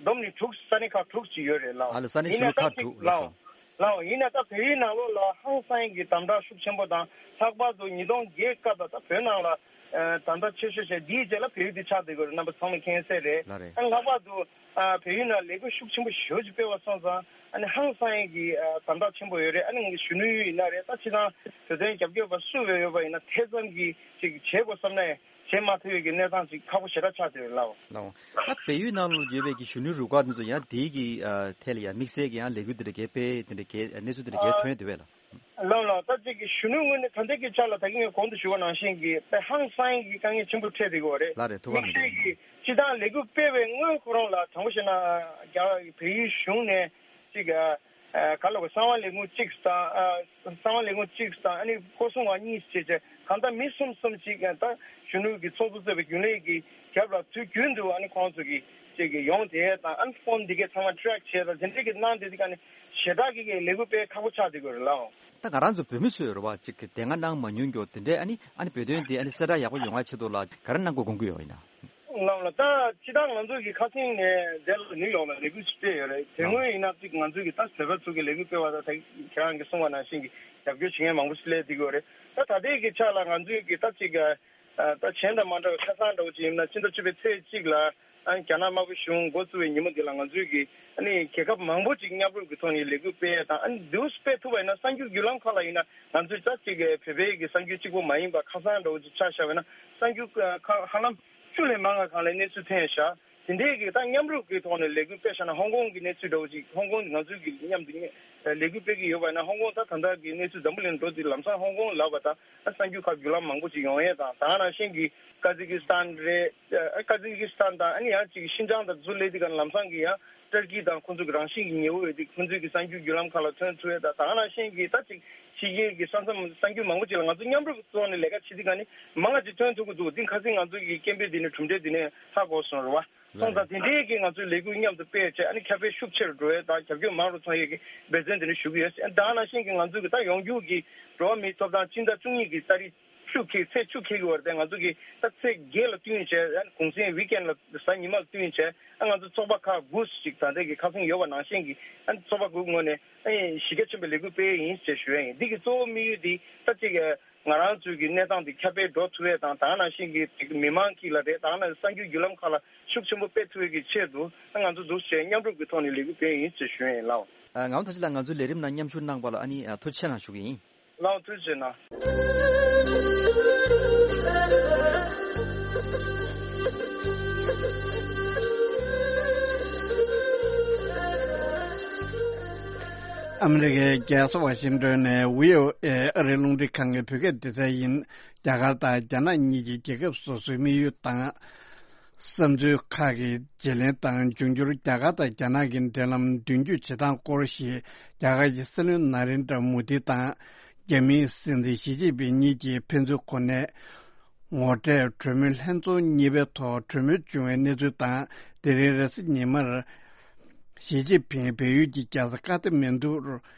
བསྡོམས་ནས་དྲུག་ས་གནས་ཁག་དྲུག་ཅིག་ཡོད་རེད་ལགས། ཨ་ལ་ས་གནས་ཡིན་ནའི་ད་ཅིག་ལགས་ལགས་ཡིན་ནའི་ད་བལ་ཡུལ་ནང་ལོགས་ལ་ཧང་སང་གི་དམ་དྲག་ཤུགས་ཆེན་པོ་དང་ལྷག་པར་དུ་ཉིས་སྟོང་བརྒྱད་སྐབས་ལ་ད་བོད་ནང་ལ་ཨ་དམ་དྲག་ཆེ་ཤོས་བྱས་འདིའི་རྗེས་ལ་བལ་ཡུལ་འདི་ཆགས་བསྡད་ཡོད་རེད། རྣམ་པ་ཚང་མས་མཁྱེན་གསལ་རེད། ལགས་རེད། ཨ་ལྷག་པར་དུ། ཨ་བལ་ཡུལ་ནང་ལས་འགུལ་ཤུགས་ཆེན་པོ་ཞེ་པོ་ཅིག་སྤེལ་བ་སོང་ཙང་ཨ་ནི་ཧང་སང་ཡས་ཀྱི་ཨ་དམ་དྲག་ཆེན་པོ་ཡོད་རེད། ཨ་ནི་ངས་གཞོན་ནུ་ཡིན་ན་རེད། ད་ཕྱི་ནང་བོད་དོན་རྒྱབ་སྐྱོར་པ་སུ་ཡོད་ཡོད་པ་ཡིན་ན་དེ་ཙམ་གྱིས་ཅིག་བྱེད་དགོས་བསམ་ནའི་བྱེད་མ་ཐུབ་ཡས་ཀྱི་གནས་སྟངས་ཅིག་ཁག་པོ་ཞེ་དྲག་ཆགས་བསྡད་ཡོད་ལགས། ལགས། ད་བལ་ཡུལ་ནང་ལ་ཡོད་པའི་གི་གཞོན་ནུའི་རུ་ཁག་དེ་ཚོ་ཡང་དེའི་གི་ཨ་ཐད་ལ་ཡང་དམིགས་བསལ་གྱི་ཡང་ལས་འགུལ་དེ་འདྲ་གས་སྤེལ་དེ་འདྲ་གས་གནས་ཚུལ་དེ་འདྲ་གས་ཐོན་ཡོད་དེ་བས་ལགས། ལགས་ལགས། ད་ཅིག་གི་གཞོན་ནུའི་ངོས་ནས་ད་ལྟའི་གི་ཆ་ལ་ད་གིན་ངས་གོང་དུ་ཞུས་པ་ནང་བཞིན་གྱི་དཔེ་ཧང་སང་གི་དཀའ་ངལ་ཆེན་པོ་འཕྲད་བསྡད་ཡོད་རེད། ལགས་རེད། ཐུགས་ཁག་མེད་དམིགས་བསལ་གྱི་སྤྱི་བཏང་ལས་འགུལ་སྤེལ་བའི་སྔོན་ཁོ་རང་ལ་དྲང་པོ་བཤད་ན་རྒྱ་བལ་ཡུལ་གཞུང་ནས་ཅིག་ཨ་ག་ལ་གོ་གསང་བ་ལས་ཁུངས་གཅིག་དང་ཨ་གསང་བ་ལས་ཁུངས་གཅིག་དང་ཨ་ནི་སྐོར་སྲུང་བ་གཉིས་བྱས་བྱས་གང་ལྟར་མི་གསུམ་གསུམ་ཅིག་ད་གཞོན་ནུ་གི་ཚོགས་གཙོ་གཙོས་པའི་རྒྱུན་ལས་ཀྱི་རྒྱབ་ལ་དུས་རྒྱུན་དུ་ཨ་ནི་ཁོང་ཚོ་གི་ཅིག་གི་ཡོང་དེ་དང་ཨ་ནི་ཕོན་འདི་གའི་ཚང་མ་ཊེག་བྱས་དང་དེ་འདྲའི་གི་གནང་དེ་དེ་ག་ནི་ཞེ་དྲག་གི་ལས་འགུལ་སྤེལ་ཁག་པོ་ཆགས་བསྡད་ཡོད་རེད་ལགས། ད་ང་རང་ཚོ་བོད་མི་ཚོས་རེད་བ་ཅིག་གི་དེ་སྔ་གནང་མ་མྱོང་མཁན་དེ་འདྲའི་ཨ་ནི་ཨ་ནི་བོད་དོན་དེ་ཨ་ནི་གསལ་བསྒྲགས་ཡག་པོ་ཡོང་བ་ཆེད་དུ་ལ་ག་རེ་གནང་དགོས་དགོངས་ཀྱི་ཡོད་ཡིན་ན། ལགས་ལགས། ད་སྤྱིར་བཏང་ང་ཚོ་གི་ཁ་སང་ནས་འདི་ལ་ནིའུ་ཡོག་ལ་ལས་འགུལ་ཞིག་སྤེལ་ཡོད་རེད། དེ་སྔོན་ཡིན་ན་ཅིག་ང་ཚོ་གི་ད་བོད་པ་ཚོ་གི་ལས་འགུལ་སྤེལ་བ་ད་ད་ཁྱེད་རང་གིས་གསུངས་པ་ནང་བཞིན་གྱི་རྒྱབ་སྐྱོར་བྱེད་མཁན་མང་པོ་ཞིག་སླེབས་བསྡད་ཀྱི་ཡོད་རེད། ད་ད་ལྟའི་གི་ཆ་ལ་ང་ཚོའི་གི་ད་ཅིག་ད་གཞན་དང་མ་འདྲ་བའི་ཁ་སང་འདྲ་བོ་ཅིག་ཡིན་ན་ཕྱི་ཟླ་བཅུ་པའི་ཚེས་གཅིག་ལ་ཨ་རྒྱ་ནག་དམར་པོ་གཞུང་འགོ་བཙུགས་པའི་ཉིན་མོ་འདི་ལ་ང་ཚོའི་གི་ཨ་ནི་རྒྱལ་ཁབ་མང་པོ་ཅིག་མཉམ་རུབ་ཀྱི་ཐོག་ནས་ལས་འགུལ་སྤེལ་ཡས་དང་ཨ་ནི་འདུག་སྤེལ་ཐུབ་པ་ཡིན་ན་གསར་འགྱུར་བརྒྱུད་ལམ་ཁག་ལ་ཡིན་ན་ང་ཚོའི་ད་ཅིག་བོད་པའི་གི་གསར་འགྱུར་གཅིག་པོ་མ་ཡིན་པ་ཁ་སང་འདྲ་བོ་ཅིག་ཆ་བཞག་པ་ཡིན་ན་གསར་འགྱུར་ཁག་ཧ་ལམ་བཅུ་ལས་མང་བ་གང་ལ་གནས་ཚུལ་ཐོན་བཞག་དེ་འདྲའི་གི་ད་མཉམ་རུབ་ཀྱི་ཐོག་ནས་ལས་འགུལ་སྤེལ་བཞག་ན་ཧོང་ཀོང་གི་གནས་ཚུལ་འདྲ་བོ་ཅིག་ཧོང་ཀོང་ང་ཚོའི་གི་མཉམ་དུ་ལས་འགུལ་སྤེལ་གི་ཡོད་པ་ཡིན་ན་ཧོང་ཀོང་ད་ད་ལྟ་གི་གནས་ཚུལ་འཛམ་བུ་གླིང་འགྲོ་དུས་ལམ་སང་ཧོང་ཀོང་ལབ་པ་ད་ཨ་གསར་འགྱུར་ཁག་བརྒྱུད་ལམ་མང་པོ་ཅིག་ཡོང་ཡས་དང་ད་ག་ནང་བཞིན་གི་ཀ་ཛི་ཀི་སི་ཐན་རེད། ཨ་ཀ་ཛི་ཀི་སི་ཐན་དང་ཨ་ནི་ཡང་ཅིག་ཤིན་ཅང་དང་ཚུར་སླེབས་དུས་ག་ལམ་སང་གི་ཡང་ཏུར་ཀི་དང་ཁོང་ཚོ་གི་རང་བཞིན་གྱི་ཉེ་བོ་ཡོད་དུས་ཁོང་ཚོའི་གི་གསར་འགྱུར་བརྒྱུད་ལམ་ཁག་ལ་ཐོན་ཐུབ་ཡས་དང་ད་ག་ནང་བཞིན་གི་ད་ཅིག་ཕྱི་རྒྱལ་གྱི་ས་མཚམས་གསར་འགྱུར་མང་པོ་ཅིག་ལ་ང་ཚོ་མཉམ་རུབ་ཀྱི་ཐོག་ནས་ལས་ཀ་བྱེད་དུས་ག་ནི་མང་ང་ཅིག་ཐོན་ཐུབ་ཀྱི་འདུག་འདི་ཁ་སང་ང་ཚོ་གི་སྐད་འབོད་འདི་ནས་གྲུབ་འབྲས་འདི་ནས་ཧ་གོ་སོང་རེད་བ། སོང་ཙང་དེ་འདྲའི་གི་ང་ཚོའི་ལས་འགུལ་མཉམ་དུ་སྤེལ་བྱས་ཨ་ནི་ཁྱབ་སྤེལ་ཤུགས་ཆེ་རུ་འགྲོ་ཡས་དང་རྒྱབ་སྐྱོར་མང་རུ་ཐོན་ཡས་ཀྱི་འབད་བརྩོན་འདི་ནས་ཞུ་གི་ཡོད། ད་ག་ནང་བཞིན་གི་ང་ཚོའི་གི་ད་ཡོང་རྒྱུ་གི་འགྲོ་བ་མིའི་ཐོབ་ཐང་སྤྱི་ཟླ་བཅུ་གཉིས་གི་ཏ་རིག་ བཅུ་འཁེལ་ཚེས་བཅུ་འཁེལ་གྱི་བར་དེ་ང་ཚོ་གི་ད་ཚེས་བརྒྱད་ལ་བསྟུན་བྱས། ཨ་ནི་གུང་སེང་ཝིག་ཨེན་ལ་གཟའ་ཉི་མ་ལ་བསྟུན་བྱས། ཨ་ང་ཚོ་ཚོགས་པ་ཁག་དགུ་ཞིག་ད་ལྟ་གི་ཁ་སང་ཡོད་པ་ནང་བཞིན་གྱི། ཨ་ནི་ཚོགས་པ་དགུ་ངོས་ནས་ཨ་ནི་གཞི་རྒྱ་ཆེན་པོའི་ལས་འགུལ་སྤེལ་ཡིན་ཞེས་ཞུ་ཡ་ཡིན། འདི་གི་གཙོ་བོ་དམིགས་ཡུལ་འདི་ད་ཅིག་ང་རང་ཚོའི་གི་གནས་སྟངས་འདི་ཁྱབ་སྤེལ་འགྲོ་ཐུབ་ཡས་དང་། ད་ག་ནང་བཞིན་གྱི་མི་མང་གི་ལ་རེད། ད་ག་ནང་གསར་འགྱུར་བརྒྱུད་ལམ་ཁག་ལ་ཤུགས་ཆེན་པོ་སྤེལ་ཐུབ་ཡས་ཀྱི་ཆེད་དུ། ཨ་ང་ཚོ་འདུག་བྱས་མཉམ་རུབ་ཀྱི་ཐོག་ནས་ལས་འགུལ་སྤེལ་ཡིན་ཞེས་ཞུ་ཡ་ཡིན་ལགས། ཨ་ངག་དབང་ཐར་ཤིང་ལགས། ང་ཚོའི་ལས་རིམ་ནང་མཉམ་ཞུགས་གནང་བ་ལ་ཨ་ནི་ཨ་ཐུགས་རྗེ་ཆེ་གནང་ཞུ་གི་ཡིན། ལགས་འོང་། ཐུགས་རྗེ་གནང་། ཨ་མི་རི་ཀའི་རྒྱལ་ས་ཝ་ཤིང་ཏོན་ནས་བྷི་ཨོ་ཨེ་ཨ་རིའི་རླུང་འཕྲིན་ཁང་གི་བོད་སྐད་སྡེ་ཚན་ཡིན། རྒྱ་གར་དང་རྒྱ་ནག་གཉིས་ཀྱིས་རྒྱལ་ཁབ་སོ་སོའི་དམིགས་ཡུལ་དང་བསམ་ཚུལ་ཁག་གི་བརྗེ་ལེན་དང་། འབྱུང་འགྱུར་རྒྱ་གར་དང་རྒྱ་ནག་གི་འབྲེལ་ལམ་མདུན་སྐྱོད་བྱེད་སྟངས་སྐོར་ཞིག་རྒྱ་གར་གྱི་སྲིད་བློན་ན་རེན་དྲ་མོ་དི་དང་རྒྱ་མིའི་སྲིད་འཛིན་ཞི་ཅིན་ཕིང་གཉིས་ཀྱིས་ཕན་ཚུན་གོ་གནས་ངོ་འཕྲད་གྲོས་མོལ་ལྷན་ཚོགས་གཉིས་པའི་ཐོག་གྲོས་མོལ་བྱུང་བའི་གནས་ཚུལ་དང་། དེ་རིང་རེས་གཟའ་ཉི་མར་ཞི་ཅིན་ཕིང་བལ་ཡུལ་གྱི་རྒྱལ་ས་ཀ་ཐ་མན་ཌུར་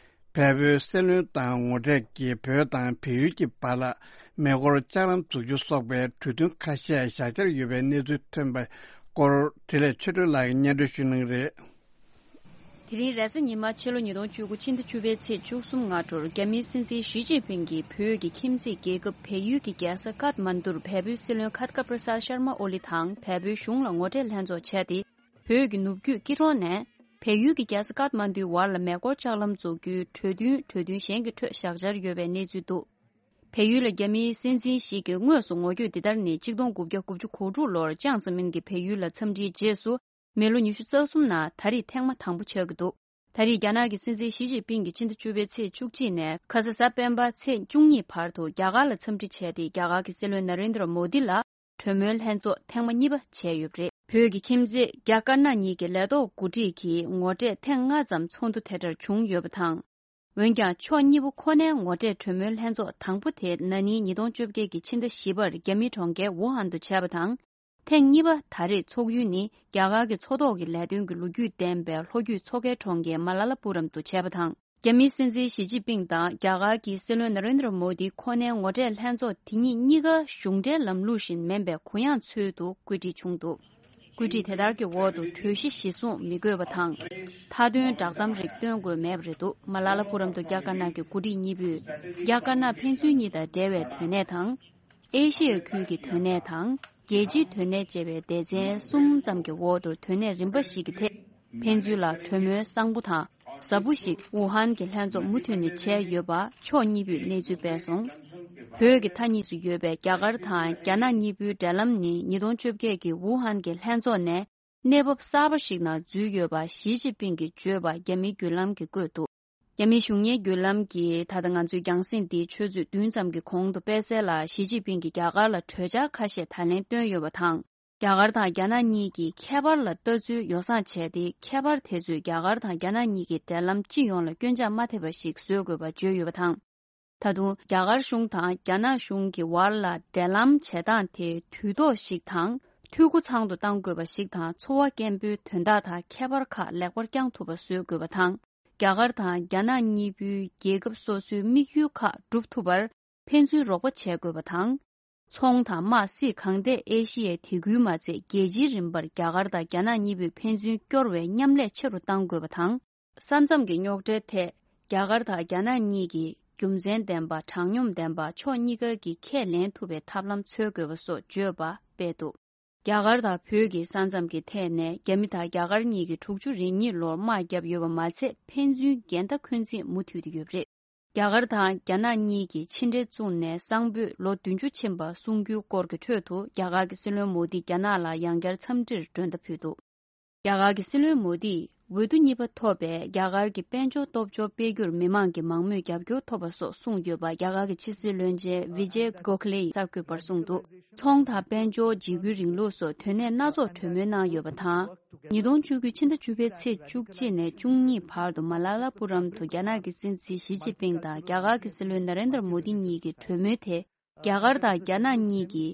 བལ་པོའི་སྲིད་བློན་དང་ངོ་འཕྲད་ཀྱིས། བོད་དང་བལ་ཡུལ་གྱི་བར་ལ་མེ་འཁོར་ལྕགས་ལམ་འཛུགས་རྒྱུ་སོགས་པའི་གྲོས་མཐུན་ཁ་ཤས་བཞག་འཆར་ཡོད་པའི་གནས་ཚུལ་ཐོན་པའི་སྐོར། འཕྲིན་ལས་ཆོས་སྒྲོན་ལགས་ཀྱིས་སྙན་སྒྲོན་ཞུ་གནང་གི་རེད། དེ་རིང་རེས་གཟའ་ཉི་མ་ཕྱི་ལོ་ཉིས་སྟོང་བཅུ་དགུ་ཕྱི་ཟླ་བཅུ་པའི་ཚེས་བཅུ་གསུམ་སྔ་དྲོར་རྒྱ་མིའི་སྲིད་འཛིན་ཞི་ཅིན་ཕིང་གིས་བོད་ཀྱི་ཁྱིམ་མཚེས་རྒྱལ་ཁབ་བལ་ཡུལ་གྱི་རྒྱལ་ས་ཀཐ་མན་ཌུར་བལ་པོའི་སྲིད་བློན་ཁ་ཏ་ཀ་པྲ་སཱད་ཤར་མ་ཨོ་ལི་དང་བལ་པོའི་གཞུང་ལ་ངོ་འཕྲད་ལྷན་ཚོགས་བྱས་ཏེ། བོད་ཀྱི་ནུབ་རྒྱུད་སྐྱིད་གྲོང་ནས་བལ་ཡུལ་གྱི་རྒྱལ་ས་ཀཐ་མན་ཌུའི་བར་ལ་མེ་འཁོར་ལྕགས་ལམ་འཛུགས་རྒྱུའི་གྲོས་མཐུན་གྲོས་མཐུན་གཞན་གྱི་ཁྲོད་བཞག་འཆར་ཡོད་པའི་གནས་ཚུལ་འདུག་བལ་ཡུལ་ལ་རྒྱ་མིའི་སྲིད་འཛིན་ཞིག་གིས་དངོས་སུ་ངོ་བསྐྱོད་འདི་ལྟར་ནི། ཆིག་སྟོང་དགུ་བརྒྱ་དགུ་བཅུ་གོ་དྲུག་ལོར་ཅང་ཙེ་མིན་གྱིས་བལ་ཡུལ་ལ་འཚམས་འདྲིའི་རྗེས་སུ། མི་ལོ་ཉི་ཤུ་རྩ་གསུམ་ནང་ད་རེས་ཐེངས་མ་དང་པོ་ཆགས་ཀྱི་འདུག་ད་རེས་རྒྱ་ནག་གི་སྲིད་འཛིན་ཞི་ཅིན་ཕིང་གིས་ཕྱི་ཟླ་བཅུ་པའི་ཚེས་བཅུ་གཅིག་ནས་ཁ་ས་གཟའ་སྤེན་པ་ཚེས་བཅུ་གཉིས་བར་དུ་རྒྱ་གར་ལ་འཚམས་འདྲི་བྱས་ཏེ། རྒྱ་གར་གྱི་སྲིད་བློན་ན་རེན་དྲ་མོ་དི་ལ་གྲོས་མོལ་ལྷན་ཚོགས་ཐེངས་མ་གཉིས་པ་བྱས་ཡོད་པ་རེད། བོད་ཀྱི་ཁྱིམ་མཚེས་རྒྱ་དཀར་ནག་གཉིས་ཀྱི་ལས་ཐོག་འགོ་ཁྲིད་ཀྱིས་ངོ་འཕྲད་ཐེངས་ལྔ་ཙམ་ཚོགས་འདུ་དེ་འདྲར་བྱུང་ཡོད་པ་དང་། འོན་ཀྱང་ཕྱོགས་གཉིས་པོ་ཁོ་ནའི་ངོ་འཕྲད་གྲོས་མོལ་ལྷན་ཚོགས་དང་པོ་དེ་ན་ནིང་ཉིས་སྟོང་བཅོ་བརྒྱད་ཀྱི་ཕྱི་ཟླ་བཞི་པར་རྒྱ་མིའི་གྲོང་ཁྱེར་ཝུ་ཧན་དུ་བྱས་པ་དང་། ཐེངས་གཉིས་པ་ད་རེས་ཚོགས་ཡུལ་ནི་རྒྱ་གར་གྱི་མཚོ་ཐོག་གི་ལས་དོན་གྱི་ལོ་རྒྱུས་ལྡན་པའི་ལྷོ་རྒྱུད་མཚོ་ཁའི་གྲོང་ཁྱེར་མ་ལ་ལ་པུ་རམ་དུ་བྱས་པ་དང་། རྒྱ་མིའི་སྲིད་འཛིན་ཞི་ཅིན་ཕིང་དང་རྒྱ་གར་གྱི་སྲིད་བློན་ན་རེན་དྲ་མོ་དི་ཁོ་ནའི་ངོ་འཕྲད་ལྷན་ཚོགས་དེ་ཉིད་གཉིས་ཀ་གཞུང་འབྲེལ་ལམ་ལུགས་བཞིན་མིན་པའི་གུ་ཡངས་ཚུལ་དུ་བཀོད་སྒྲིག་བྱུང་འདུག་བཀོད་སྒྲིག་དེ་ལྟར་གྱི་འོག་ཏུ་གྲོས་གཞི་གཞིར་བཟུང་མི་དགོས་པ་དང་། མཐའ་དོན་བསྒྲགས་གཏམ་རིགས་སྟོན་དགོས་མེད་པ་རེད་འདུག་མ་ལ་ལ་པུ་རམ་དུ་རྒྱ་དཀར་ནག་གི་འགོ་ཁྲིད་གཉིས་པོས་རྒྱ་དཀར་ནག་ཕན་ཚུན་གཉིས་དང་འབྲེལ་བའི་དོན་གནད་དང་། ཨེ་ཤི་ཡ་ཁུལ་གྱི་དོན་གནད་དང་། རྒྱལ་སྤྱིའི་དོན་གནད་བཅས་པའི་སྡེ་ཚན་གསུམ་ཙམ་གྱི་འོག་ཏུ་དོན་གནད་རིམ་པ་ཞིག་གི་ཐད་ཕན་ཚུན་ལ་གྲོས་མོལ་གསང་པོ་དང་ཟབ་པོ་ཞིག་ཝུ་ཧན་གྱི་ལྷན་ཚོགས་མུ་མཐུད་ནས་བྱས་ཡོད་པ་ཕྱོགས་གཉིས་པོས་གནས་ཚུལ་སྤེལ་སོང་། བོད་ཀྱི་མཐའ་གཉིས་སུ་ཡོད་པའི་རྒྱ་གར་དང་རྒྱ་ནག་གཉིས་པོའི་འབྲེལ་ལམ་ནི་ཉིས་སྟོང་བཅོ་བརྒྱད་ཀྱི་ཝུ་ཧན་གྱི་ལྷན་ཚོགས་ནས་གནས་བབ་གསར་པ་ཞིག་ནང་འཛུལ་ཡོད་པ་ཞི་ཅིན་ཕིང་གིས་བརྗོད་པ་རྒྱ་མིའི་བརྒྱུད་ལམ་གྱིས་བཀོད་འདུག་རྒྱ་མིའི་གཞུང་གཉེར་བརྒྱུད་ལམ་གྱིས་ད་ལྟ་ང་ཚོའི་རྒྱང་སྲིང་འདི་ཆུ་ཚོད་བདུན་ཙམ་གྱི་གོང་དུ་སྤེལ་གསལ་ལ། ཞི་ཅིན་ཕིང་གིས་རྒྱ་གར་ལ་གྲོས་འཆར་ཁ་ཤས་ད་ལན་བཏོན་ཡོད་པ་དང་། རྒྱ་གར་དང་རྒྱ་ནག་གཉིས་ཀྱིས་ཁྱད་པར་ལ་ལྟ་ཚུལ་ཡོ་བསྲང་བྱས་ཏེ། ཁྱད་པར་དེ་ཚོས་རྒྱ་གར་དང་རྒྱ་ནག་གཉིས་ཀྱི་འབྲེལ་ལམ་སྤྱི་ཡོངས་ལ་སྐྱོན་ཆག་མ་ཐེབས་པ་ཞིག་བཟོ་དགོས་པ་བརྗོད་ཡོད་པ་དང་། ད་དུང་རྒྱ་གར་གཞུང་དང་རྒྱ་ནག་གཞུང་གི་བར་ལ་འབྲེལ་ལམ་བྱེད་སྟངས་དེ་དུས་ཐོག་ཞིག་དང་། འཐུས་སྒོ་ཚང་དུ་གཏང་དགོས་པ་ཞིག་དང་། འཚོ་བ་སྐྱེན་པོའི་དོན་དག་དང་ཁྱད་པར་ཁག་ལེགས་པར་བསྐྱང་ཐུབ་པ་བཟོ་དགོས་པ་དང་། རྒྱ་གར་དང་རྒྱ་ནག་གཉིས་པོའི་རྒྱལ་ཁབ་སོ་སོའི་དམིགས་ཡུལ་ཁག་འགྲུབ་ཐུབ་པར་ཕན་ཚུན་རོགས་པ་བྱེད་དགོས་པ་དང་། ཚོང་དང་དམག་སྲིད་གང་ཐད་ཨེ་ཤི་ཡའི་དེ་ཁུལ་མ་ཚད་རྒྱལ་སྤྱིའི་རིམ་པར་རྒྱ་གར་དང་རྒྱ་ནག་གཉིས་པོས་ཕན་ཚུན་སྐྱོར་བའི་མཉམ་ལས་ཆེ་རུ་གཏང་དགོས་པ་དང་། ས་མཚམས་ཀྱི་རྙོག་དྲའི་ཐད་རྒྱ་གར་དང་རྒྱ་ནག་གཉིས་ཀྱིས་རྒྱུ་མཚན་ལྡན་པ། དྲང་སྙོམས་ལྡན་པ། ཕྱོགས་གཉིས་ཀ་གིས་ཁས་ལེན་ཐུབ་པའི་ཐབས་ལམ་འཚོལ་དགོས་པ་སོགས་བརྗོད་པ་སྤེལ་འདུག་རྒྱ་གར་དང་བོད་ཀྱི་ས་མཚམས་ཀྱི་ཐད་ནས་རྒྱ་མི་དང་རྒྱ་གར་གཉིས་ཀྱིས་དྲུག་ཅུ་རེ་གཉིས་ལོར་དམག་བརྒྱབ་ཡོད་པ་མ་ཚད། ཕན་ཚུན་འགལ་ཟླ་འཁོན་འཛིན་མུ་མཐུད་དུ་ཡོད་པ་རེད། རྒྱ་གར་དང་རྒྱ་ནག་གཉིས་ཀྱིས་ཕྱི་འབྲེལ་བཙུགས་ནས་སང་ཕོད་ལོ་བདུན་ཅུ་ཕྱིན་པ་གསུང་རྒྱུའི་སྐོར་གྱི་ཁྲོད་དུ། རྒྱ་གར་གྱི་སྲིད་བློན་མོ་དིས་རྒྱ་ནག་ལ་ཡང་བསྐྱར་འཚམས་འདྲིར་མགྲོན་བརྡ་ཕུལ་འདུག་རྒྱ་གར་གྱི་སྲིད་བློན་མོ་དིས་འོས་བསྡུ་གཉིས་པ་ཐོབ་པའི་རྒྱ་གར་གྱི་དཔལ་འབྱོར་སྟོབས་འབྱོར་སྤེལ་རྒྱུར་མི་མང་གི་མང་མོས་རྒྱབ་སྐྱོར་ཐོབ་པ་སོགས་གསུངས་ཡོད་པ་རྒྱ་གར་གྱི་ཕྱི་སྲིད་བློན་ཆེན་བི་ཇེ་གོ་ཁི་ལེ་ཡིས་གསར་འགོད་པར་གསུངས་འདུག་ཚོང་དང་དཔལ་འབྱོར། འཇིགས་སྐུལ་རིང་ལུགས་སོགས་དོན་གནད་སྣ་ཚོགས་གྲོས་མོལ་གནང་ཡོད་པ་དང་། ཉིས་སྟོང་བཅུ་དགུ་ཕྱི་ཟླ་བཅུ་པའི་ཚེས་བཅུ་གཅིག་ནས་བཅུ་གཉིས་བར་དུ་མ་ལ་ལ་པུ་རམ་དུ་རྒྱ་ནག་གི་སྲིད་འཛིན་ཞི་ཅིན་ཕིང་དང་རྒྱ་གར་གྱི་སྲིད་བློན་ན་རེན་དར་མོ་དི་གཉིས་ཀྱི་གྲོས་མོལ་དེ། རྒྱ་གར་དང་རྒྱ་ནག་གཉིས་ཀྱི་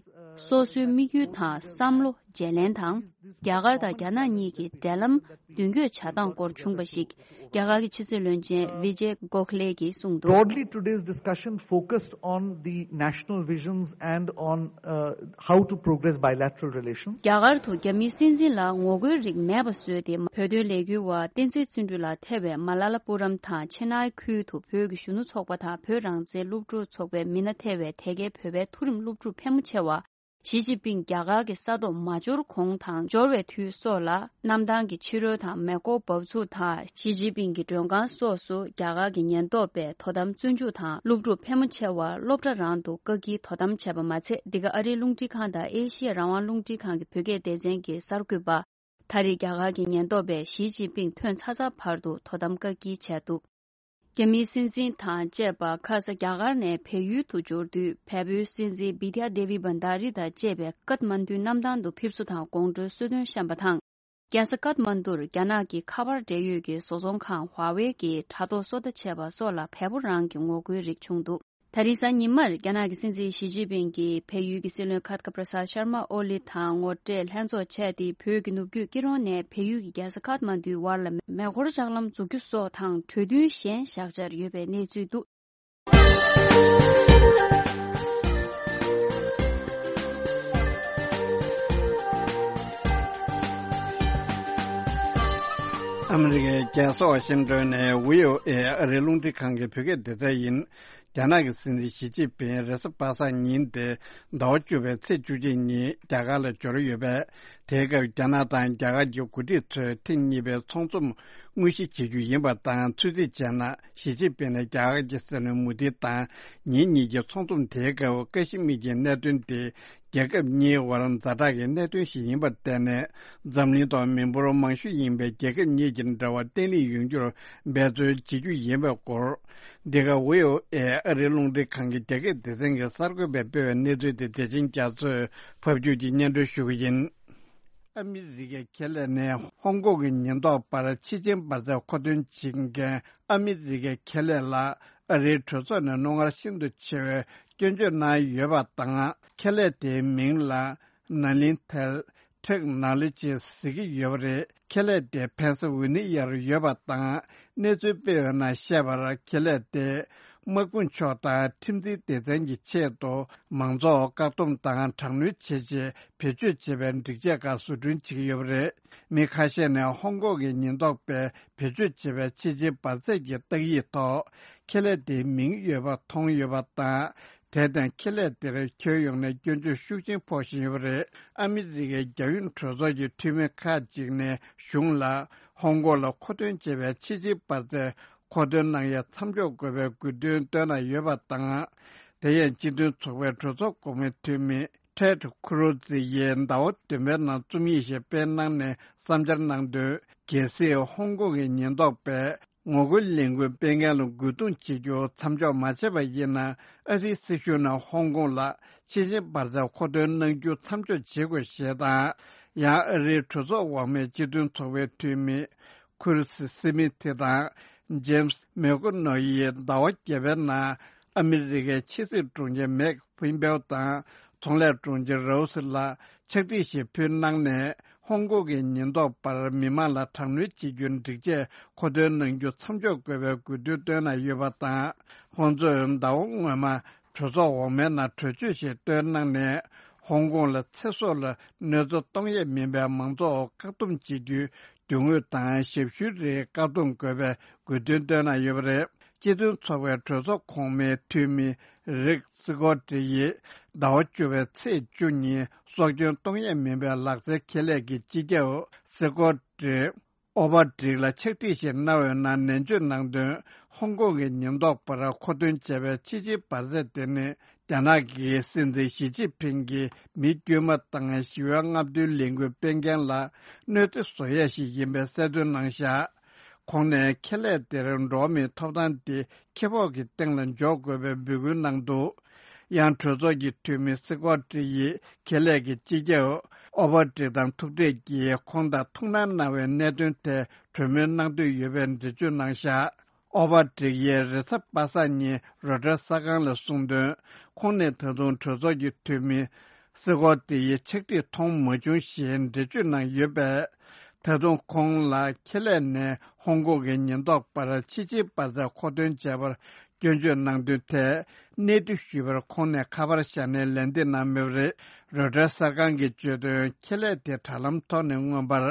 སོ་སོའི་དམིགས་ཡུལ་དང་བསམ་བློ། བརྗེ་ལེན་དང་། རྒྱ་གར་དང་རྒྱ་ནག་གཉིས་ཀྱི་འབྲེལ་ལམ་མདུན་སྐྱོད་བྱ་སྟངས་སྐོར་བྱུང་བ་ཞིག་རྒྱ་གར་གྱི་ཕྱི་སྲིད་བློན་ཆེན་བི་ཇེ་གོ་ཁ་ལེ་གིས་གསུངས་འདུག། Broadly, today's discussion focused on the national visions and on, uh, how to progress bilateral relations. རྒྱ་གར་དུ་རྒྱ་མིའི་སྲིད་འཛིན་ལ་ངོ་རྒོལ་རིགས་མེད་པ་བཟོས་ཏེ། བོད་དོན་ལས་འགུལ་བ་བསྟན་འཛིན་བརྩོན་འགྲུས་ལགས་ཐེ་བའི་མ་ལ་ལ་པུ་རམ་དང་ཆེ་ནའི་ཁུལ་དུ་བོད་ཀྱི་གཞོན་ནུ་ཚོགས་པ་དང་བོད་རང་བཙན་སློབ་ཕྲུག་ཚོགས་པའི་མི་སྣ་ཐེ་བའི་དེ་གའི་བོད་པའི་མཐོ་རིམ་སློབ་ཕྲུག་ཕལ་མོ་ཆེ་བ། ཞི་ཅིན་ཕིང་རྒྱ་གར་གྱི་ས་ཐོག་མ་འབྱོར་གོང་དང་འབྱོར་བའི་དུས་སོགས་ལ་གནམ་ཐང་གི་ཕྱི་རོལ་དང་མེ་འཁོར་འབབ་ཚུགས་དང་། ཞི་ཅིན་ཕིང་གི་མགྲོན་ཁང་སོགས་སུ་རྒྱ་གར་གྱི་ཉེན་རྟོག་པས་དོ་དམ་བཙོན་འཇུག་དང་། སློབ་ཕྲུག་ཕལ་མོ་ཆེ་བ་སློབ་གྲྭ་རང་དུ་བཀག་སྐྱིལ་དོ་དམ་བྱས་པ་མ་ཚད། འདི་ག་ཨ་རིའི་རླུང་འཕྲིན་ཁང་དང་ཨེ་ཤི་ཡ་རང་དབང་རླུང་འཕྲིན་ཁང་གི་བོད་སྐད་སྡེ་ཚན་གྱི་གསར་འགོད་པ། ད་རེས་རྒྱ་གར་གྱི་ཉེན་རྟོག་པས་ཞི་ཅིན་ཕིང་ཐོན་ཚར་ཚར་བར་དུ་དོ་དམ་བཀག་སྐྱིལ་བྱས་འདུག། རྒྱ་མིའི་སྲིད་འཛིན་དང་བཅས་པ་ཁ་ས་རྒྱ་གར་ནས་བལ་ཡུལ་དུ་འབྱོར་དུས། བལ་པོའི་སྲིད་འཛིན་བི་དྷྱ་དེ་བི་བྷན་དྷ་རི་དང་བཅས་པས་ཀཏ་མན་དུའི་གནམ་ཐང་དུ་ཕེབས་བསུ་དང་དགོང་དྲོའི་གསོལ་སྟོན་བཤམས་པ་དང་། རྒྱལ་ས་ཀཏ་མན་དུར་རྒྱ་ནག་གི་ཁ་པར་འབྲེལ་ཡོད་ཀྱི་བཟོ་ཚོང་ཁང་ཧྭ་ཝེ་གིས་དྲ་ཐོག་སོ་ལྟ་བྱས་པ་སོགས་ལ་བལ་པོ་རང་གི་ངོ་རྒོལ་རིགས་བྱུང་འདུག། ད་རེས་གཟའ་ཉི་མར་རྒྱ་ནག་གི་སྲིད་འཛིན་ཞི་ཅིན་ཕིང་གིས་བལ་ཡུལ་གྱི་སྲིད་བློན་ཁཱ་ཏི་ཀ་པྲ་སཱད་ཤར་མ་ཨོ་ལི་དང་ངོ་སྤྲོད་ལྷན་ཚོགས་བྱས་ཏེ། བོད་ཀྱི་ནུབ་རྒྱུད་སྐྱིད་གྲོང་ནས་བལ་ཡུལ་གྱི་རྒྱལ་ས་ཀཏ་མན་དུའི་བར་ལ་མེ་འཁོར་ལྕགས་ལམ་འཛུགས་རྒྱུ་སོགས་དང་གྲོས་མཐུན་གཞན་བཞག་འཆར་ཡོད་པའི་གནས་ཚུལ་འདུག། ཨ་མི་རི་ཀའི་རྒྱལ་ས་ཝ་ཤིང་ཏོན་ནས་བྷི་ཨོ་ཨེ་ཨ་རིའི་རླུང་འཕྲིན་ཁང་གི་བོད་སྐད་སྡེ་ཚན་ཡིན། རྒྱ་ནག་གི་སྲིད་འཛིན་ཞི་ཅིན་ཕིང་རེས་གཟའ་པ་སངས་ཉིན་ཏེ་ཟླ་བ་བཅུ་པའི་ཚེས་བཅུ་གཅིག་ཉིན་རྒྱ་གར་ལ་འབྱོར་ཡོད་པས། དེའི་སྐབས་རྒྱ་ནག་དང་རྒྱ་གར་གྱི་འགོ་ཁྲིད་ཚོས་ཐེངས་གཉིས་པའི་ཚོགས་འཛོམས་དངོས་གཞི་བྱེད་རྒྱུ་ཡིན་པ་དང་། ཚོད་རྩིས་བྱས་ན། ཞི་ཅིན་ཕིང་ནས་རྒྱ་གར་གྱི་སྲིད་བློན་མོ་དི་དང་ཉིན་གཉིས་ཀྱི་ཚོགས་འཛོམས་དེའི་སྐབས་ཀ་ཤི་མིར་གྱི་གནད་དོན་དེ། རྒྱལ་ཁབ་གཉིས་བར་ཛ་དྲག་གི་གནད་དོན་ཞིག་ཡིན་པར་བརྟེན་ནས། འཛམ་གླིང་ཐོག་མི་འབོར་མང་ཤོས་ཡིན་པའི་རྒྱལ་ཁབ་གཉིས་ཀྱི་འབྲེལ་བ་བརྟན་ལྷིང་ཡོང་རྒྱུར་འབད་བརྩོན་བྱེད་རྒྱུ་ཡིན་པའི་སྐོར། འདི་ག་བྷི་ཨོ་ཨེ་ཨ་རིའི་རླུང་འཕྲིན་ཁང་གི་རྒྱ་སྐད་སྡེ་ཚན་གྱི་གསར་འགོད་པས་སྤེལ་བའི་གནས་ཚུལ་དེ་བདེ་ཆེན་རྒྱ་མཚོས་ཕབ་སྒྱུར་གྱིས་སྙན་སྒྲོན་ཞུ་གི་ཡིན། ཨ་མི་རི་ཀའི་ཁེ་ལས་ནས་ཧོང་ཀོང་གི་ཉེན་རྟོག་པར་ཕྱི་རྐྱེན་འབར་རྫས་མཁོ་འདོན་བྱེད་མཁན་ཨ་མི་རི་ཀའི་ཁེ་ལས་ལ་ཨ་རིའི་གྲོས་ཚོགས་ནས་རྣོ་ངར་ཤིན་ཏུ་ཆེ་བའི་སྐྱོན་བརྗོད་གནང་ཡོད་པ་དང་། ཁེ་ལས་དེའི་མིང་ལ་ནཱ་ལིན་ཐལ་ཊེག་ནོ་ལོ་ཇི་ཟེར་གྱི་ཡོད་པ་རེད། ཁེ་ལས་དེ་ཕན་ས་ཝི་ནི་ཡར་ཡོད་པ་དང་། གནས་ཚུལ་སྤེལ་ཡོད་ནང་བཤད་པར། ཁེ་ལས་དེ་དམག་དཔུང་ཕྱོགས་དང་ཁྲིམས་འཛིན་སྡེ་ཚན་གྱི་ཆེད་དུ་མང་ཚོགས་བཀག་སྡོམ་དང་དྲག་གནོན་བྱེད་ཆེད་བེད་སྤྱོད་བྱེད་པའི་སྒྲིག་ཆས་ཁག་བཟོ་སྐྲུན་བྱེད་ཀྱི་ཡོད་པ་རེད། མི་ཁ་ཤས་ནས་ཧོང་ཀོང་གི་ཉེན་རྟོག་པས་བེད་སྤྱོད་བྱེད་པའི་ཕྱི་རྐྱེན་འབར་རྫས་ཀྱི་རྟགས་ཡིག་ཐོག་ཁེ་ལས་དེའི་མིང་ཡོད་པ་མཐོང་ཡོད་པ་དང་། དེར་བརྟེན་ཁེ་ལས་དེར་ཁྱོན་ཡོངས་ནས་སྐྱོན་བརྗོད་ཤུགས་ཆེན་ཕོག་བཞིན་ཡོད་པ་རེད། ཨ་མི་རི་ཀའི་རྒྱལ་ཡོངས་གྲོས་ཚོགས་ཀྱི་འཐུས་མི་ཁག་ཅིག་ནས་གཞུང་ལ་ཧོང་ཀོང་ལ་མཁོ་འདོན་བྱེད་པའི་ཕྱི་རྐྱེན་འབར་རྫས་མཁོ་འདོན་གནང་ཡས་མཚམས་འཇོག་དགོས་པའི་དགོས་འདུན་བཏོན་གནང་ཡོད་པ་དང་། དེ་ཡང་སྤྱི་མཐུན་ཚོགས་པའི་གྲོས་ཚོགས་གོང་མའི་འཐུས་མི་ཊེཌ་ཁུ་རུ་ཛི་ཡིས་ཟླ་བ་བདུན་པའི་ནང་རྩོམ་ཡིག་ཞིག་སྤེལ་གནང་ནས་བསམ་འཆར་གནང་དོན། གལ་སྲིད་ཧོང་ཀོང་གི་ཉེན་རྟོག་པས་ངོ་རྒོལ་ལས་འགུལ་སྤེལ་མཁན་ལ་རྒོལ་རྡུང་བྱེད་རྒྱུ་མཚམས་འཇོག་མ་བྱས་པ་ཡིན་ན། ཨ་རིའི་སྲིད་གཞུང་ནས་ཧོང་ཀོང་ལ་ཕྱི་རྐྱེན་འབར་རྫས་མཁོ་འདོན་གནང་རྒྱུ་མཚམས་འཇོག་བྱེད་དགོས་ཞེས་དང་། ཡང་ཨ་རིའི་གྲོས་ཚོགས་འོག་མའི་སྤྱི་མཐུན་ཚོགས་པའི་འཐུས་མི་ཁུར་སི་སི་མི་ཐི་དང་ཇེམ་སི་མེ་ཀོ་ནོ་ཡིས་ཟླ་བ་བརྒྱད་པའི་ནང་ཨ་མི་རི་ཀའི་ཕྱི་སྲིད་དྲུང་ཆེ་མེག་ཕིན་པེའོ་དང་ཚོང་ལས་དྲུང་ཆེ་རའོ་སི་ལ་ཕྱག་བྲིས་ཤིག་ཕུལ་གནང་ནས། ཧོང་ཀོང་གི་ཉེན་རྟོག་པར་མི་མང་ལ་དྲག་གནོན་བྱེད་རྒྱུའི་སྒྲིག་ཆས་མཁོ་འདོན་གནང་རྒྱུ་མཚམས་འཇོག་དགོས་པའི་དགོས་འདུན་བཏོན་གནང་ཡོད་པ་དང་། ཁོང་ཚོས་ཟླ་བ་སྔོན་མ་གྲོས་ཚོགས་འོག་མའི་ནང་གྲོས་ཆོད་ཞིག་བཏོན་གནང་ནས། ཧོང་ཀོང་ལ་ཚེ་སྲོག་ལ་གནོད་འཚེ་གཏོང་ཡས་མིན་པའི་མང་ཚོགས་བཀག་སྡོམ་བྱེད་རྒྱུའི་དོན་དངོས་དང་ཞབས་ཞུའི་རིགས་བཀག་སྡོམ་དགོས་པའི་དགོས་འདུན་བཏོན་གནང་ཡོད་པ་རེད། སྤྱི་མཐུན་ཚོགས་པའི་གྲོས་ཚོགས་གོང་མའི་འཐུས་མི་རིག་སི་ཀོ་ཏི་ཡིས་ཟླ་བ་བཅུ་པའི་ཚེས་བཅུ་ཉིན་སྲོག་སྐྱོན་གཏོང་ཡས་མིན་པའི་ལག་རྩལ་ཁེ་ལས་ཀྱི་སྤྱི་ཁྱབ་སི་ཀོ་ཏི་ཨོ་བྷ་ཌིག་ལ་ཕྱག་བྲིས་ཤིག་གནང་བའི་ནང་ནན་བརྗོད་གནང་དོན། ཧོང་ཀོང་གི་ཉེན་རྟོག་པར་མཁོ་འདོན་བྱས་པའི་ཕྱི་རྐྱེན་འབར་རྫས་དེ་ནི། རྒྱ་ནག་གི་སྲིད་འཛིན་ཞི་ཅིན་ཕིང་གིས་མི་དཀྱུས་མ་དང་ཞི་བའི་རྔམ་སྟོན་ལས་འགུལ་སྤེལ་མཁན་ལ་གནོད་འཚེ་བཟོ་ཡས་ཤིག་ཡིན་པའི་གསལ་སྟོན་གནང་བཞག། ཁོང་ནས་ཁེ་ལས་དེར་འགྲོ་བ་མིའི་ཐོབ་ཐང་དེ་ཁེ་སྤོགས་ཀྱི་སྟེང་ལ་འཇོག་དགོས་པའི་འབོད་སྐུལ་གནང་འདུག། ཡང་གྲོས་ཚོགས་ཀྱི་འཐུས་མི་སི་ཀོ་ཏི་ཡིས་ཁེ་ལས་ཀྱི་སྤྱི་ཁྱབ་ཨོ་བྷ་ཏྲིག་དང་ཐུག་འཕྲད་ཀྱིས་ཁོང་དང་ཐུགས་སྣང་གནང་བའི་གནད་དོན་ཐད་གྲོས་མོལ་གནང་འདོད་ཡོད་པའི་འགྲེལ་བརྗོད་གནང་བཞག། ཨོ་བྷ་ཏྲིག་ཡིས་རེས་གཟའ་པ་སངས་ཉིན་རོའི་ཊར་གསར་ཁང་ལ་གསུངས་དོན། ཁོང་ནས་ད་དུང་གྲོས་ཚོགས་ཀྱི་འཐུས་མི་ སའི་གོ་དེ་ཡི་ཕྱག་བྲིས་མཐོང་མ་བྱུང་ཞེས་འགྲེལ་བརྗོད་གནང་ཡོད་པས། ད་དུང་ཁོང་ལ་ཁེ་ལས་ནས་ཧོང་ཀོང་གི་ཉེན་རྟོག་པར་ཕྱི་རྒྱལ་འབར་རྫས་མཁོ་འདོན་བྱས་པར་སྐྱོན་བརྗོད་གནང་དོན་ཐད་གནས་དུ་ཞུས་པར། ཁོང་ནས་ཁ་པར་བཞག་ནས་ལན་འདེབས་གནང་མེད་པ་རེད། རོའི་ཊར་གསར་ཁང་གིས་བརྗོད་དོན། ཁེ་ལས་དེ་དྲ་ལམ་ཐོག་ནས་མངོན་པར།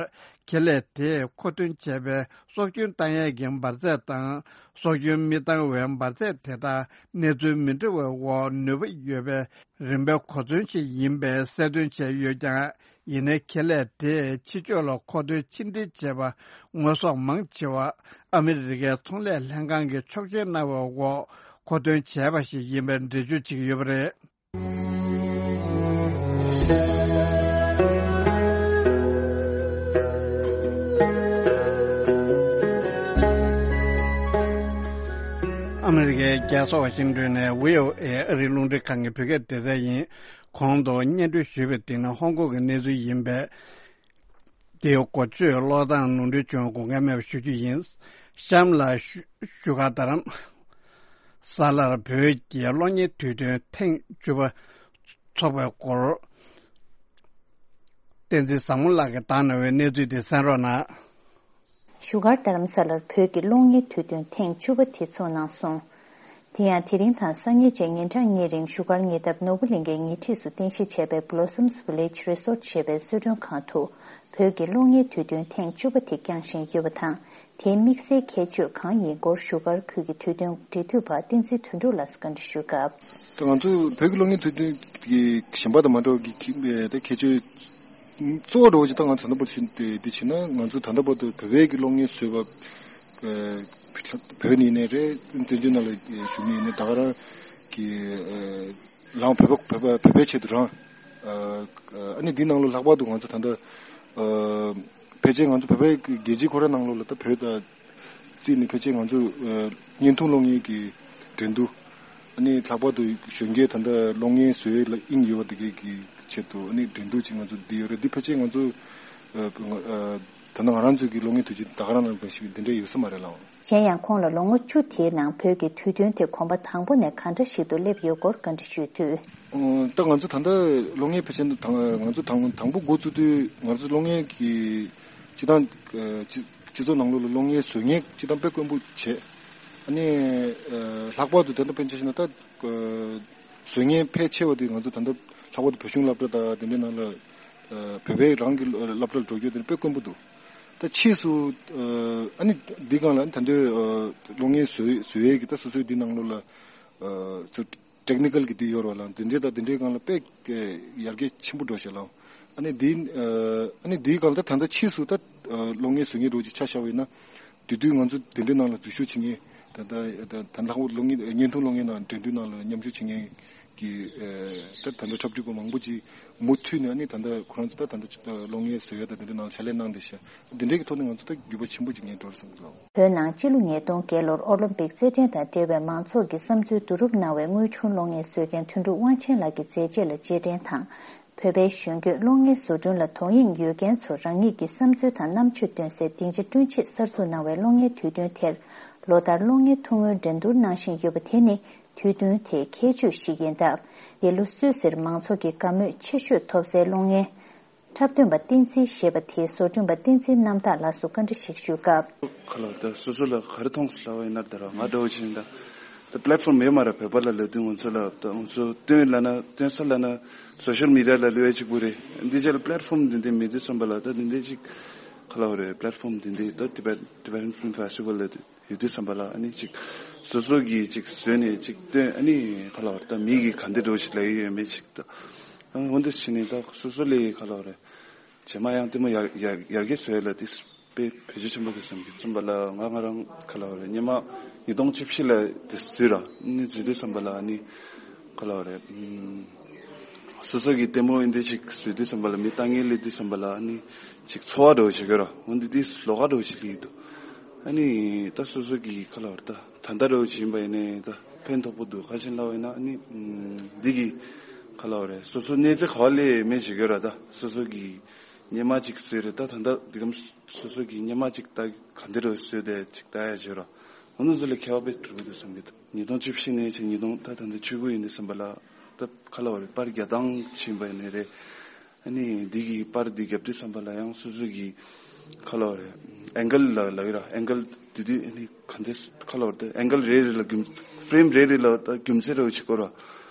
ཁེ་ལས་དེས་མཁོ་འདོན་བྱས་པའི་སྲོག་སྐྱོན་བཏང་ཡས་ཀྱི་འབར་རྫས་དང་། སྲོག་སྐྱོན་མི་བཏང་བའི་འབར་རྫས་དེ་དག་གནས་ཚུལ་མི་འདྲ་བའི་འོག་ནུས་པ་ཡོད་པའི་རིམ་པའི་གོ་མཚོན་ཞིག་ཡིན་པའི་གསལ་སྟོན་བྱས་ཡོད་ཀྱང་། ཡིན་ནའི་ཁེ་ལས་དེས་ཕྱི་ཕྱོགས་ལ་མཁོ་འདོན་ཕྱིར་འདྲེན་བྱས་པ་དངོས་ཟོག་མང་ཆེ་བ་ཨ་མི་རི་ཀའི་ཚོང་ལས་ལྷན་ཁང་གིས་ཆོག་མཆན་གནང་བའི་འོག་མཁོ་འདོན་བྱས་པ་ཞིག་ཡིན་པའི་འགྲེལ་བརྗོད་བྱེད་ཀྱི་ཡོད་པ་རེད། ཨ་མི་རི་ཀའི་རྒྱལ་ས་ཝ་ཤིང་ཏོན་ནས་བྷི་ཨོ་ཨེ་ཨ་རིའི་རླུང་འཕྲིན་ཁང་གི་བོད་སྐད་སྡེ་ཚན་ཡིན། གོང་དུ་སྙན་སྒྲོན་ཞུས་པའི་སྟེང་ན་ཧོང་ཀོང་གི་གནས་ཚུལ་ཡིན་པས། དེའི་འགོ་བརྗོད་ཀློག་སྟངས་ནོར་འཁྲུལ་བྱུང་དགོངས་འགལ་མེད་པ་ཞུ་རྒྱུ་ཡིན། གཤམ་ལ་བཞུགས་སྒར་རྡ་རམ་ས་ལར་བོད་ཀྱི་གློག་བརྙན་དུས་སྟོན་ཐེངས་བཅུ་པ་འཚོགས་པའི་སྐོར། བསྟན་འཛིན་བཟང་མོ་ལགས་ཀྱིས་བཏང་གནང་བའི་གནས་ཚུལ་དེ་གསན་རོགས་གནང་། བཞུགས་སྒར་རྡ་རམ་ས་ལར་བོད་ཀྱི་གློག་བརྙན་དུས་སྟོན་ཐེངས་བཅུ་པ་དེ་འཚོགས་གནང་སོང་། དེ་ཡང་དེ་རིང་དང་སང་ཉིན་བཅས་ཉིན་གྲངས་གཉིས་རིང་བཞུགས་སྒར་ཉེ་འདབས་ནོར་བུ་གླིང་གའི་ཉེ་འཁྲིས་སུ་རྟེན་གཞི་བྱས་པའི་Blossoms Village Resort ཞེས་པའི་གསོལ་མགྲོན་ཁང་དུ་བོད་ཀྱི་གློག་བརྙན་དུས་སྟོན་ཐེངས་བཅུ་པ་དེ་བསྐྱངས་བཞིན་ཡོད་པ་དང་། དེའི་དམིགས་བསལ་ཁྱད་ཆོས་གང་ཡིན་སྐོར་བཞུགས་སྒར་ཁུལ་གྱི་དུས་སྟོན་འབྲེལ་མཐུད་པ་བསྟན་འཛིན་དོན་གྲུབ་ལགས་སུ་བཀའ་འདྲི་ཞུས་སྐབས། ད་ང་ཚོ་བོད་ཀྱི་གློག་བརྙན་དུས་སྟོན་གྱི་གཞན་པ་དང་མ་འདྲ་བ་གི་ཁྱད་ད་ཁྱད་ཆོས་གཙོ་བོ་འདྲ་བོ་ཅིག་ད་ང་ཚོ་ད་ལྟ་བར་དུ་ཕྱིན་ཏེ་འདི་བྱས་ན། ང་ཚོ་ད་ལྟ་བར་དུ་བོད་པའི་གི་གློག་བརྙན་བཟོས་པ་བོད་ནས་ཡིན་ནའི་རེད། བཙན་བྱོལ་ནང་ལ་བཞུགས་ནས་ཡིན་ནའི་ད་ག་རང་གི་རང་བོད་པ་བོད་པ་བོད་པའི་ཆེད་དུ་རང་ཨ་ནི་འདི་ནང་ལོ་ལྷག་པར་དུ་ང་ཚོ་ད་ལྟ་ཕལ་ཆེར་ང་ཚོ་བོད་པའི་རྒྱལ་སྤྱི་ཁོ་རང་ནང་ལོགས་ལ་ད་བོད་དང་བརྩིས་ནས་ཕལ་ཆེར་ང་ཚོ་བརྙན་ཐུང་གློག་བརྙན་གྱི་འགྲན་བསྡུར། ཨ་ནི་ལྷག་པར་དུ་གཞོན་སྐྱེས་ད་ལྟ་གློག་བརྙན་བཟོ་ཡས་ལ་དབྱིངས་ཡོད་པ་དེ་གའི་གི་ཆེད་དུ་ཨ་ནི་འགྲན་བསྡུར་ཅིག་ང་ཚོ་འདི་ཡོད་རེད། འདི་ཕལ་ཆེར་ང་ཚོ་ད་ལྟ་ང་རང་ཚོའི་གི་གློག་བརྙན་དུས་ཆེན་ད་ག་རང་ནང་བཞིན་འདི་འདྲ་ཡོད་ས་མ་རེད་ལགས། གཞན་ཡང་ཁོང་ལ་ལོ་ངོ་བཅུ་དེའི་ནང་བོད་ཀྱི་དུས་སྟོན་དེ་གོམ་པ་དང་པོ་ནས་གང་འདྲ་ཞིག་ཏུ་སླེབས་ཡོད་སྐོར་བཀའ་འདྲི་ཞུས་དུས། ད་ང་ཚོ་ད་ལྟ་གློག་བརྙན་ཕལ་ཆེར་དང་ང་ཚོ་དང་དང་པོ་འགོ་བཙུགས་དུས་ང་ཚོ་གློག་བརྙན་གྱི་སྤྱི་བཏང་སྤྱི་ཚོགས་ནང་ལོགས་ལ་གློག་བརྙན་བཟོ་མཁན་སྤྱི་བཏང་དཔེ་དཀོན་པོ་བྱས། ཨ་ནི་ལྷག་པར་དུ་ད་ལྟ་དཔེར་ན་ཆ་བཞག་ན་ད་བཟོ་མཁན་ཕལ་ཆེ་བ་དེ་ང་ཚོ་ད་ལྟ་ལྷག་པར་དུ་བོད་གཞུང་སློབ་གྲྭ་དང་དེ་འདྲའི་ནང་ལ་བོད་པའི་རང་གི་སློབ་གྲྭར་འགྲོ་རྒྱུ་དེ་དཔེ་དཀོན་པོ་འདུག་ད་ཕྱིས་སུ་ཨ་ནི་འདི་སྒང་ལ་ད་འདོད་གློག་བརྙན་བཟོ་བཟོ་ཡས་ཀྱི་ད་སོ་སོའི་འདི་ནང་ལོགས་ལ་ཚུར་ཊེག་ནི་ཀལ་གྱི་འདི་ཡོད་རེད་བ་ལགས། འདི་འདྲའི་དང་འདི་འདྲའི་སྒང་ལ་དཔེ་ཡར་རྒྱས་ཆེན་པོ་འགྲོ་ཤག་ལགས། ཨ་ནི་འདི་ཨ་ནི་འདིའི་སྒང་ལ་ད་ད་ལྟ་ཕྱིས་སུ་ད་གློག་བརྙན་བཟོ་མཁན་འདྲ་བོ་ཅིག་ཆ་བཞག་པ་ཡིན་ན། དེ་དུས་ང་ཚོ་འདི་འདྲའི་ནང་ལ་འཛུལ་ཞུགས་བྱེད་མཁན་ད་ད་ད་ད་ལྷག་པར་གློག་བརྙན་བརྙན་ཐུང་གློག་བརྙན་ནང་འགྲན་བསྡུར་ནང་ལ་མཉམ་ཞུགས་བྱེད་མཁན་གྱི་ད་ད་ལྟ་འཁྲབ་ཁྲིད་པ་མང་པོ་ཅིག་མུ་མཐུད་ནས་ཨ་ནི་ད་ལྟ་ཁོ་རང་ཚོ་ད་ད་ལྟ་གློག་བརྙན་བཟོ་ཡ་ད་འདི་འདྲའི་ནང་ལ་ཕྱག་ལས་གནང་བསྡད་ཤག་འདི་འདྲའི་གི་ཐོག་ནས་ང་ཚོ་ད་འགྱུར་བ་ཆེན་པོ་ཅིག་ངས་འགྲོ་རེད་བསམ་གྱི་འདུག་བོད་ནང་སྤྱི་ལོ་ཉིས་སྟོང་བརྒྱད་ལོར་ཨོ་ལིམ་པིག་རྩེད་འགྲན་དང་འབྲེལ་བའི་མང་ཚོགས་ཀྱི་བསམ་ཚུལ་བསྡུ་རུབ་གནང་བའི་དངོས་བྱུང་གློག་བརྙན་བཟོ་མཁན་དོན་གྲུབ་དབང་ཆེན་ལགས་ཀྱི་མཛད་རྗེས་ལ་རྗེས་དྲན་དང་། བོད་པའི་གཞོན་སྐྱེས་གློག་བརྙན་བཟོ་སྐྲུན་ལ་དོ་དབྱིངས་ཡོད་མཁན་ཚོར་རང་ཉིད་ཀྱི་བསམ་ཚུལ་དང་རྣམ་དཔྱོད་སྟོན་སའི་སྡིངས་ཆ་བསྐྲུན་ཆེད་གསར་འཛུགས་གནང་བའི་གློག་བརྙན་དུས་སྟོན་དེར། ལོ་ལྟར་གློག་བརྙན་ཐུང་ངུའི་འགྲན་བསྡུར་གནང་བཞིན་ཡོད་པ་དེ་ནི་དུས་སྟོན་དེའི་ཁྱད་ཆོས་ཤིག་ཡིན་སྟབས། འདི་ལོ་སུད་སིར་མང་ཚོགས་ཀྱི་དགའ་མོས་ཆེ་ཤོས་ཐོབ་སའི་གློག་བརྙན། འཁྲབ་སྟོན་པ་བསྟན་འཛིན་ཞེས་པ་དེའི་བཟོ་སྐྲུན་པ་བསྟན་འཛིན་རྣམ་དག་ལགས་སུ་བཀའ་འདྲི་ཞིག་ཞུས་སྐབས། ཁ་ལོ་ད་སོ་སོ་ལ་ག་རེ་མཐོང་སོང་ལབ་པ་ཡིན་ན། ད་ར་ང་འདྲ་བོ་ཞིག་ཡིན་ད། ད་པི་ལེ་ཊི་ཕོམ་མེད་མ་ར། བོད་པ་ལ་ལབ་དུས་ང་ཚོ་ལ་ད་ང་ཚོ་སྟོན་ལབ་ན་སྟོན་ས་ལབ་ན་སོ་ཤལ་མི་ཌི་ཡ་ལ་ལུས་ཡ་གཅིག་པུ་རེད། འདི་ཅག་ལ་པི་ལེ་ཊི་ཕོམ་འདི་འདྲ་མེད་དུས་ཙམ་པ་ལ། ད་འདི་འདྲ་ཅིག་ཁ་ལོ་རེད། པི་ལེ་ཊི་ཕོམ་འདི་འདྲ་ད་ཊི་བེཊ་ཊི་བེ་ཊན་ཕིལམ་ཕེ་སི་ཊི་ཝལ་ལ་ཡོད་དུས་ཙམ་པ་ལ། ཨ་ནི་ཅིག་སོ་སོ་གིས་ཅིག་བཟོས་ནས་ཅིག་སྟོན། ཨ་ནི་ཁ་ལོ་རེད། ད་མི་གིས་ག་འདྲ་འདྲ་བོ་ཞིག་ལབ་ཡོད་མེད་ཅིག་ད། ཨ་འོ་འདི་བྱས་ནས་ད་སོ་སོ་ལས་ཁ་ལོ་རེད། རྗེས་མ་ཡང་ལྟད་མོ་ཡར་ཡར་ཡར་རྒྱས་བཟོ་ཡ་ལ་དེ་དཔེ་བེད་སྤྱོད་ཆེན་པོ་འདུག་བསམ་གྱི། ཙམ་པ་ལ་ང་ང་རང་ཁ་ལ་བ་རེད། སྔོན་མ་ཉིས་སྟོང་བཅུ་བཞི་ལ་དེ་བཟོས་ར། ཨ་ནི་བཟོས་དུས་ཙམ་པ་ལ་ཨ་ནི་ཁ་ལ་བ་རེད། ཨམ། སོ་སོ་གི་ལྟད་མོ་འདི་འདྲ་ཅིག་བཟོས་དུས་ཙམ་པ་ལ་མི་ལྟ་མཁན་སླེབས་དུས་ཙམ་པ་ལ་ཨ་ནི་ཅིག་ཚོར་བ་འདྲ་བོ་ཞིག་ཡོད་ར། འོ་འདི་དེ་ལོགས་ཀ་འདྲ་བོ་ཞིག་སླེབས་ཀྱི་འདུག་ཨ་ནི་ད་སོ་སོ་གི་ཁ་ལ་བ་རེད། ད་ད་ལྟ་འདྲ་བོ་ཞིག་ཡིན་པ་ཡིན་ནའི་ད་ཕན་ཐོགས་པོ་འདུག་ག་རེ་བྱས་ནས་ལབ་པ་ཡིན་ན། ཨ་ནི་ཨམ། འདི་གི་ཁ་ལ་བ་རེད། སོ་སོ་གནས་ཚུལ་ག་བ་སླེབས་མེད་ཞིག་ཡོད་ར། ད་སོ་སོ་གི་སྔོན་མ་ཅིག་བཟོས་རེད། ད་ད་ལྟ་འདི་གམ་སོ་སོ་གི་སྔོན་མ་ཅིག་ད་ག་འདི་རུ་བཟོས་ཏེ་ཅིག་ལྟ་ཡ་བྱོས་ར། འོ་ན་ཚོ་ལ་ཁྱད་པར་དཔེ་འགྲོ་གི་འདུག་བསམ་གྱི་འདུག་ཉིས་སྟོང་བཅུ་བཞི་ནས་ཅིག་ཉིས་སྟོང་ད་ད་ལྟ་བཅུ་དགུ་ཡིན་དུས་ཙམ་པ་ལ། ད་ཁ་ལོ་རེ་པར་རྒྱག་སྟངས་ཕྱིན་པ་ཡིན་ནི་རེད། ཨ་ནི་འདི་གི་པར་འདི་རྒྱབ་དུས་ཙམ་པ་ལ་ཡང་སོ་སོ་གི་ཁ་ལོ་རེ་ཨེང་གལ་ལ་ལ་ཡོད་ར། ཨེང་གལ་དེ་དུས་ཨ་ནི་ག་འདྲས་ཁ་ལོ་རེ་ད་ཨེང་གལ་རེ་རེ་ལ་རྒྱུ་ཕེ་རེམ་རེ་རེ་ལ་ད་རྒྱུ་མཚན་རེ་བ་ཅིག་སྐོར་བ།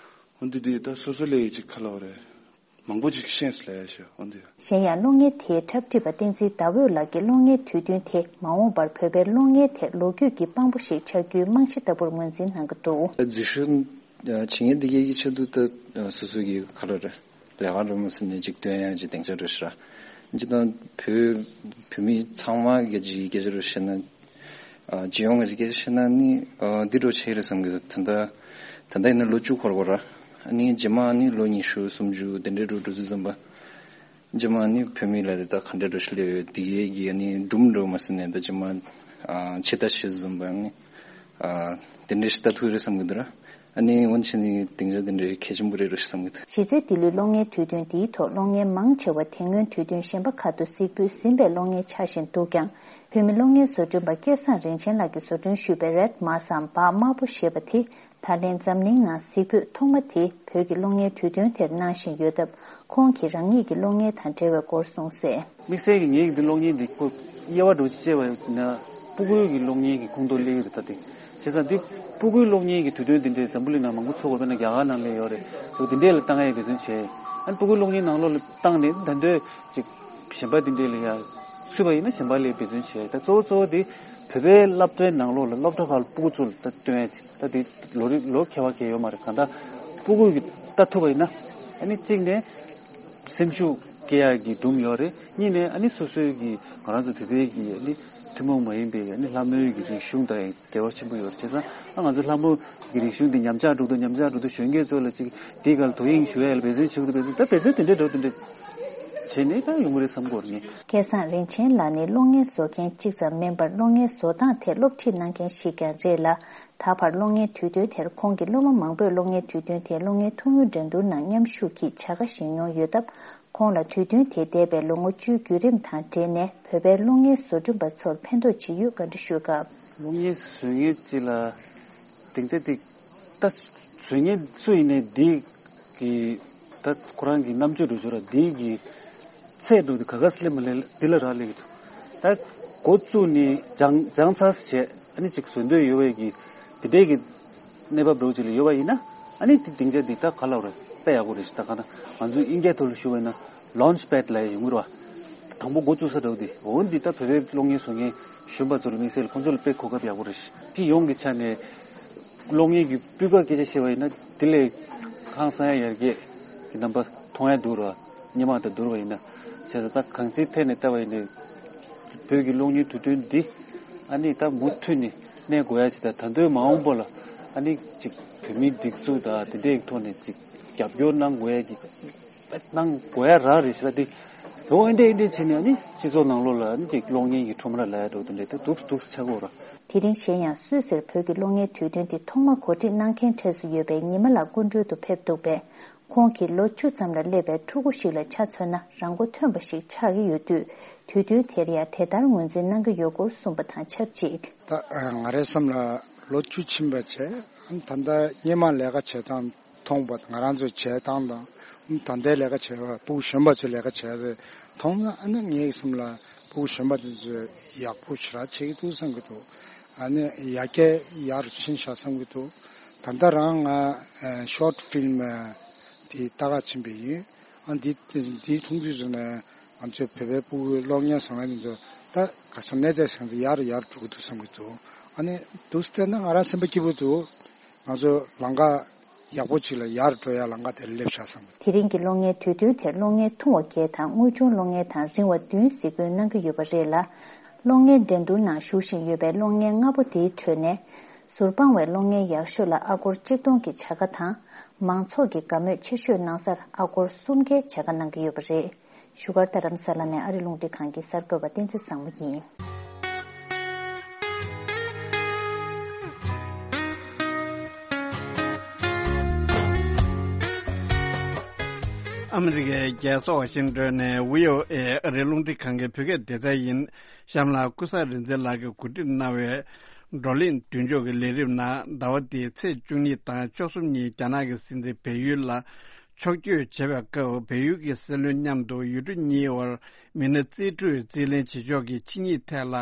འོ་འདི་དུས་ད་སོ་སོ་ལས་ཅིག་ཁ་ལོ་རེ་མང་པོ་ཅིག་ཤེས་སུ་ལས་ཤོ་འོ་འདི། གཞན་ཡང་གློག་བརྙན་དེའི་འཁྲབ་ཁྲིད་པ་བསྟན་འཛིན་ཟླ་འོད་ལགས་ཀྱིས་གློག་བརྙན་དུས་སྟོན་དེ་མ་འོངས་པར་བོད་པའི་གློག་བརྙན་ཐད་ལོ་རྒྱུས་ཀྱི་དཔང་པོ་ཞིག་ཆགས་རྒྱུའི་རྨང་གཞི་ལྟ་བུར་ངོས་འཛིན་གནང་གི་འདུག་འཛུལ་ཞུགས་བྱེད་མཁན་འདི་གའི་གི་ཆེད་དུ་ད་སོ་སོ་གི་ག་རེ་རེད། ལས་ཀ་རུ་མ་སི་ནས་ཅིག་སྟོན་ཡ་ཅིག་སྡིངས་ཆ་རུ་ཤི་ར། ཇི་ལྟར་བོད་བོད་མི་ཚང་མ་གི་ཅིག་སྐད་ཆ་རུ་བཤད་ན། སྤྱི་ཡོངས་ཀྱི་སྐད་ཆ་བཤད་ན་ནི་འདི་འདྲ་བྱས་རེད་བསམ་གི་འདུག་ད་ལྟ་ད་ལྟ་ཡིན་ན་ལོ་བཅུ་འཁོར་གོ་ར། ནི་རྗེས་མ་ནི་ལོ་ཉི་ཤུ་སུམ་ཅུ་དེ་འདྲའི་རུ་འགྲོ་དུས་ཙམ་པ། རྗེས་མ་ནི་བོད་མི་ལ་རེད་ད་ག་འདྲ་འགྲོ་ཤི་ལེ་ཡོད་དེ་གའི་གི་ནི་སྒྲུང་འགྲོ་མ་སི་ནས་ད་རྗེས་མ་ཆེ་ད་ཤི་ཙམ་པ་ནི། དེ་འདྲའི་ཤི་ད་ཐུག་རེད་བསམ་གི་འདུག་ར། ཨ་ནི་འོན་ཆེ་ནི་སྡིངས་ཆ་དེ་འདྲའི་གལ་ཆེན་པོ་རེད་རུ་བསམ་གི་འདུག་གཞི་རྩའི་ལྡི་ལིའི་གློག་བརྙན་དུས་སྟོན་འདིའི་ཐོག་གློག་བརྙན་མང་ཆེ་བ་དེ་སྔོན་དུས་སྟོན་གཞན་པ་ཁག་ཏུ་གཟིགས་འབུལ་ཟིན་པའི་གློག་བརྙན་ཆགས་བཞིན་འདུག་ཀྱང་། བོད་མི་གློག་བརྙན་བཟོ་སྐྲུན་པ་སྐལ་བཟང་རིན་ཆེན་ལགས་ཀྱིས་བཟོ་སྐྲུན་ཞུས་པའི་རེད་མ་སམ་བག་དམར་པོ་ཞེས་པ་དེ་ད་ལན་འཛམ་གླིང་ནང་གཟིགས་འབུལ་ཐོག་མ་དེ་བོད་ཀྱི་གློག་བརྙན་དུས་སྟོན་དེར་གནང་བཞིན་ཡོད་སྟབས། ཁོང་གིས་རང་ཉིད་ཀྱི་གློག་བརྙན་དང་འབྲེལ་བའི་སྐོར་གསུངས་གསལ། དམིགས་བསལ་གྱི་ངེད་ཀྱི་འདི་གློག་བརྙན་འདི་ཁོ་དབྱེ་བ་འགྲོ་ཅི་བྱས་པ་ཡིན་ན་སྤུ་གུའི་གི་གློག་བརྙན་གྱི་ཁོངས་གཏོགས་སླེབས་ཡོད་རེད་ད་དེ། བྱས་ཙང་འདི་སྤུ་གུའི་གློག་བརྙན་གྱི་དུས་སྟོན་འདི་འདྲའི་འཛམ་བུ་གླིང་ནང་མང་པོ་ཚོགས་དགོས་པས་ན་རྒྱ་གར་ནང་ལ་ཡོད་རེད་འདུག་འདི་འདྲས་ལ་བཏང་ཡས་འབད་བརྩོན་བྱས། ཨ་ནི་སྤུ་གུའི་གློག་བརྙན་ནང་ལོགས་ལ་བཏང་ནས་ད་འདོད་ཅིག་གཞན་པ་འདི་འདྲས་ལ་ཡ་ཚུད་པ་ཡིན་ན་གཞན་པ་ལ་འབད་བརྩོན་བྱས། ད་གཙོ་བོ་གཙོ་བོ་འདི་བོད་པའི་སློབ་གྲྭའི་ནང་ལོགས་ལ་སློབ་གྲྭ་ཁག་ལ་སྤུ་གུ་ཚོ་ལ་ད་སྟོན་ཡས་ད་འདི་ལོ་རེ་ལོ་ཁྱད་པར་གང་ཡོད་མ་རེད། གང་ལྟར་སྤུ་གུ་གི་ལྟ་ཐུབ་པ་ཡིན་ན་ཨ་ནི་གཅིག་ནས། སེམས་ཤུགས་སྐྱེ་ཡག་གི་སྒྲུང་ཡོད་རེད། གཉིས་ནས་ཨ་ནི་སོ་སོའི་གི་ང་རང་ཚོ་བོད་པའི་གི་ཨ་ནི་ཐུན་མོང་མ་ཡིན་པའི་ཨ་ནི་ལྷ་མོའི་གི་རིག་གཞུང་དང་འབྲེལ་བ་ཆེན་པོ་ཡོད་རེད། བྱས་ཙང་ཨ་ང་ཚོ་ལྷ་མོ་གི་རིག་གཞུང་འདི་ཉམས་ཆག་འགྲོ་དུས་ཉམས་ཆག་འགྲོ་དུས་གཞོན་སྐྱེས་ཚོ་ལ་ཅིག་དེའི་སྒང་ལ་དོ་དབྱིངས་ཞུ་ཡ་ལ་འབད་བརྩོན་བྱེད་དགོས་འདུག་འབད་བརྩོན་ད་འབད་བརྩོན་དེ་འདྲ་འགྲོ་དེ་འདྲ་བྱས་ནས་ད་ཡོང་གི་རེད་བསམ་གི་ཡོད་རེད་ངས། སྐལ་བཟང་རིན་ཆེན་ལགས་ནི་གློག་བརྙན་བཟོ་མཁན་གཅིག་ཙམ་མིན་པར་གློག་བརྙན་བཟོ་སྟངས་ཐད་སློབ་ཁྲིད་གནང་མཁན་ཞིག་ཀྱང་རེད་ལ། ད་བར་གློག་བརྙན་དུས་སྟོན་དེར་ཁོང་གི་སློབ་མ་མང་པོས་གློག་བརྙན་དུས་སྟོན་དེ་གློག་བརྙན་ཐུང་ངུ་འགྲན་བསྡུར་ནང་མཉམ་ཞུགས་ཀྱིས་བྱ་དགའ་བཞེས་མྱོང་ཡོད་སྟབས། ཁོང་ལ་དུས་སྟོན་དེ་འདས་པའི་ལོ་ངོ་བཅུའི་བརྒྱུད་རིམ་དང་འབྲེལ་ནས་བོད་པའི་གློག་བརྙན་བཟོ་སྐྲུན་པ་ཚོར་ཕན་ཐོགས་ཇི་ཡོད་བཀའ་འདྲི་ཞུས་སྐབས། གློག་བརྙན་བཟོ་མཁན་ཅིག་ལ་སྡིངས་ཆ་དེ་ད་བཟོ་མཁན་སུ་ཡིན་ནའི་འདི་གི་ད་ཁོ་རང་གི་རྣམ་དཔྱོད་འགྲོ་ཆོག་ར་འདི་གི་ཚད་འགྲོ་དུས་ག་ག་སེ་ལེ་མ་ལེ་འདི་ལ་རག་ལས་ཀྱི་འདུག་ད་འགོ་བཙུགས་ནས་སྦྱང་སྦྱང་ཚར་བྱས་ཨ་ནི་ཅིག་བཟོ་འདོད་ཡོད་པའི་གི་དེ་འདྲའི་གི་གནས་བབ་འདྲ་བོ་ཅིག་ལ་ཡོད་པ་ཡིན་ན་ཨ་ནི་དེ་སྡིངས་ཆ་འདི་ད་ག་ལབ་རེད་དཔེ་ཡག་པོ་རེད་ཤག་ད་ག་ན་ང་ཚོ་དབྱིན་སྐད་ཐོག་ལ་ཞུ་བ་ཡིན་ན་ལོན་ཆི་པེ་ཌི་ལབ་ཡ་ཡོང་གི་རེད་བ། དང་པོ་འགོ་བཙུགས་ས་འདྲ་བོ་འདི་འོ་འདི་ད་བོད་པའི་གློག་བརྙན་བཟོ་མཁན་གཞོན་པ་ཚོ་ལ་དམིགས་བསལ་ཁོང་ཚོ་ལ་དཔེ་གོ་སྐབས་ཡག་པོ་རེད་ཤག་སྤྱི་ཡོངས་ཀྱི་ཆ་ནས་གློག་བརྙན་གྱི་སྤུས་ཀ་སྐད་ཆ་བཤད་པ་ཡིན་ན་དེ་ལས་ཧང་སང་ཡ་ཡར་རྒྱས་ཀྱི་རྣམ་པ་མཐོང་ཡ་འདུག་ར་སྔོན་མ་དང་བསྡུར་བ་ཡིན་ན། བྱས་ཙང་ད་གང་ཅིའི་ཐད་ནས་བལྟས་པ་ཡིན་ན་བོད་ཀྱི་གློག་བརྙན་དུས་སྟོན་འདི་ཨ་ནི་ད་མུ་མཐུད་ནས། གནས་དགོས་ཡ་ཅིག་དང་ད་དུང་མ་འོངས་པ་ལ་ཨ་ནི་ཅིག་བོད་མིའི་སྒྲིག་འཛུགས་དང་དེ་འདྲའི་ཐོག་ནས་ཅིག་རྒྱབ་སྐྱོར་གནང་དགོས་ཡ་གི་གནང་དགོས་ཡ་རག་རེད་ཤག་དེ་འོ་ཨེ་འདྲས་ཨེ་འདྲས་བྱས་ནས་ཨ་ནི་སྤྱི་ཚོགས་ནང་ལོགས་ལ་ཨ་ནི་ཅིག་གློག་བརྙན་གྱི་ཁྲོམ་ར་ལབ་ཡ་འདྲ་བོ་དེ་འདྲས་ད་འདུག་འདུག་ཆགས་ཀྱི་ཡོད་ར། དེ་རིང་གཞན་ཡང་སུད་སིར་བོད་ཀྱི་གློག་བརྙན་དུས་སྟོན་དེ་ཐོག་མ་གོ་སྒྲིག་གནང་མཁན་གྲས་སུ་ཡོད་པའི་ཉི་མ་ལགས་སྐུ་མགྲོན་དུ་ཕེབས་འདུག་པས། ཁོང་གིས་ལོ་བཅུ་ཙམ་ལ་སླེབས་པའི་ཕྲུ་གུ་ཞིག་ལ་ཆ་མཚོན་ན་རང་མགོ་ཐོན་པ་ཞིག་ཆགས་ཀྱི་ཡོད་དུས། དུས་སྟོན་དེར་ཡང་དེ་ལྟར་ངོས་འཛིན་གནང་གི་ཡོད་སྐོར་གསུངས་པ་དང་ཆབས་ཅིག་ད་ང་རའི་བསམ་ལ་ལོ་བཅུ་ཕྱིན་པ་བྱས། ད་ལྟ་སྔོན་མ་ལས་ཀ་བྱེད་སྟངས་མཐོང་པ་ང་རང་ཚོའི་བྱེད་སྟངས་དང་། ད་ལྟའི་ལས་ཀ་བྱེད་པ་ཕྲུ་གུ་གཞོན་པ་ཚོའི་ལས་ཀ་བྱེད་པ་མཐོང་ན་ཨ་ནི་ངའི་བསམ་ལ་ཕྲུ་གུ་གཞོན་པ་དེ་ཚོས་ཡག་པོ་ཞེ་དྲག་བྱེད་ཀྱི་འདུག་བསམ་གྱི་འདུག་ཨ་ནི་ཡར་རྒྱས་ཡག་རུ་ཕྱིན་ཤག་བསམ་གྱི་འདུག་ད་ལྟ་རང་ང་ཤོར་ཊི་ཕིལམ་དེ་ལྟ་ག་ཕྱིན་པ་ཡིན། ཨ་འདི་འདི་མཐོང་དུས་ཙམ་ནས་ང་ཚོའི་བོད་པའི་ཕྲུ་གུའི་གློག་བརྙན་བཟོ་མཁན་དེ་ཚོ་ད་ག་ས་གནས་ཚད་ཟིན་ཏེ་ཡར་ཡར་འགྲོ་གི་འདུག་བསམ་གྱི་འདུག་ཨ་ནི་འདུག་སེ་བལྟས་ན་ང་རང་སེམས་པ་སྐྱིད་པོ་འདུག་ང་ཚོ་ལམ་ཁ་ཡག་པོ་ཅིག་ལ་ཡར་འགྲོ་ཡ་ལམ་ཁ་དེར་སླེབས་ཤག་བསམ། དེ་རིང་གི་གློག་བརྙན་དུས་སྟོན་དེར་གློག་བརྙན་ཐུང་བ་བརྒྱད་དང་དངོས་བྱུང་གློག་བརྙན་དང་རིང་བ་བདུན་གཟིགས་འབུལ་གནང་གི་ཡོད་པ་རེད་ལ། གློག་བརྙན་འགྲན་བསྡུར་ནང་ཞུགས་བཞིན་ཡོད་པའི་གློག་བརྙན་ལྔ་པོ་དེའི་ཁྲོད་ནས། ཟུར་དཔང་བའི་གློག་བརྙན་ཡག་ཤོས་ལ་ཨ་སྒོར་གཅིག་སྟོང་གི་བྱ་དགའ་དང་། མང་ཚོགས་ཀྱི་དགའ་མོས་ཆེ་ཤོས་གནང་སར་ཨ་སྒོར་གསུམ་བརྒྱའི་བྱ་དགའ་གནང་གི་ཡོད་པ་རེད། བཞུགས་སྒར་རྡ་རམ་ས་ལ་ནས་ཨ་རི་རླུང་འཕྲིན་ཁང་གི་གསར་འགོད་པ་བསྟན་འཛིན་བཟང་མོ་ཡིན། ཨ་མི་རི་ཀའི་རྒྱལ་ས་ཝ་ཤིང་ཏོན་ནས་བྷི་ཨོ་ཨེ་ཨ་རིའི་རླུང་འཕྲིན་ཁང་གི་བོད་སྐད་སྡེ་ཚན་ཡིན། གཤམ་ལ་ཀུན་བཟང་རིག་འཛིན་ལགས་ཀྱིས་གོ་སྒྲིག་གནང་བའི་ བགྲོ་གླེང་མདུན་ལྕོག་གི་ལས་རིམ་ནང་ཟླ་བ་འདིའི་ཚེས་བཅུ་གཉིས་དང་བཅུ་གསུམ་ཉིན་རྒྱ་ནག་གི་སྲིད་འཛིན་བལ་ཡུལ་ལ་ཕྱོགས་བསྐྱོད་བྱེད་པའི་སྐབས། བལ་ཡུལ་གྱི་སྲིད་བློན་མཉམ་དུ་ཡུལ་གྲུ་གཉིས་བར་མི་སྣ་རྩིས་སྤྲོད་རྩིས་ལེན་བྱེད་ཕྱོགས་ཀྱི་ཆིངས་ཡིག་ཐད་ལ་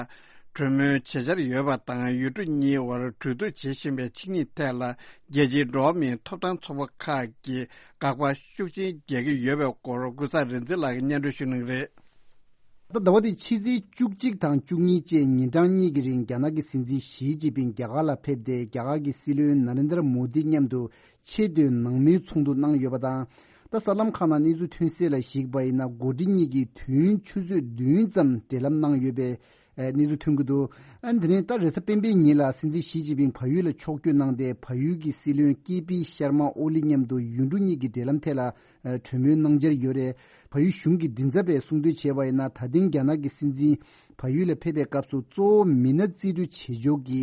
གྲོས་མོལ་བྱེད་འཆར་ཡོད་པ་དང་། ཡུལ་གྲུ་གཉིས་བར་གྲོས་བསྡུར་བྱེད་བཞིན་པའི་ཆིངས་ཡིག་ཐད་ལ་རྒྱལ་སྤྱིའི་འགྲོ་བ་མིའི་ཐོབ་ཐང་ཚོགས་པ་ཁག་གིས་དགག་པ་ཤུགས་ཆེན་རྒྱག་གི་ཡོད་པའི་སྐོར་ཀུན་བཟང་རིག་འཛིན་ལགས་ཀྱིས་སྙན་སྒྲོན་ཞུ་གནང་གི་རེད། ད་ཟླ་བ་འདིའི་ཕྱི་ཚེས་བཅུ་གཅིག་དང་བཅུ་གཉིས་བཅས་ཉིན་གྲངས་གཉིས་ཀྱི་རིང་རྒྱ་ནག་གི་སྲིད་འཛིན་ཞི་ཅིན་ཕིང་རྒྱ་གར་ལ་ཕེབས་ཏེ། རྒྱ་གར་གྱི་སྲིད་བློན་ན་རེན་དྲ་མོ་དི་མཉམ་དུ་ཆེས་མཐོའི་ནང་མོལ་ཚོགས་འདུ་གནང་ཡོད་པ་དང་། ད་གསར་ལམ་ཁག་ནང་གནས་ཚུལ་ཐོན་གསལ་ལ་གཞིགས་པ་ཡིན་ན། འགོ་ཁྲིད་གཉིས་ཀྱིས་དུས་ཡུན་ཆུ་ཚོད་བདུན་ཙམ་འབྲེལ་ལམ་གནང་ཡོད་པའི་ཨ་གནས་ཚུལ་ཐོན་གྱི་འདུག་ཨ་དེ་ནས་ད་རེས་གཟའ་སྤེན་པའི་ཉིན་ལ་སྲིད་འཛིན་ཞི་ཅིན་ཕིང་བལ་ཡུལ་ལ་ཕྱོགས་བསྐྱོད་གནང་སྟེ། བལ་ཡུལ་གྱི་སྲིད་བློན་ཀེ་པི་ཤར་མ་ཨོ་ལི་མཉམ་དུ་ཡུལ་གྲུ་གཉིས་ཀྱི་འབྲེལ་ལམ་ཐད་ལ་ཨ་གྲོས་མོལ་གནང་འཆར་ཡོད་རེད། བལ་ཡུལ་གཞུང་གི་མགྲིན་ཚབ་པས་གསུངས་དོན་བྱས་པ་ཡིན་ན། ད་ཐེངས་རྒྱ་ནག་གི་སྲིད་འཛིན་བལ་ཡུལ་ལ་ཕེབས་པའི་སྐབས་སུ་གཙོ་བོ་མི་སྣ་རྩིས་སྤྲོད་བྱེད་ཕྱོགས་ཀྱི་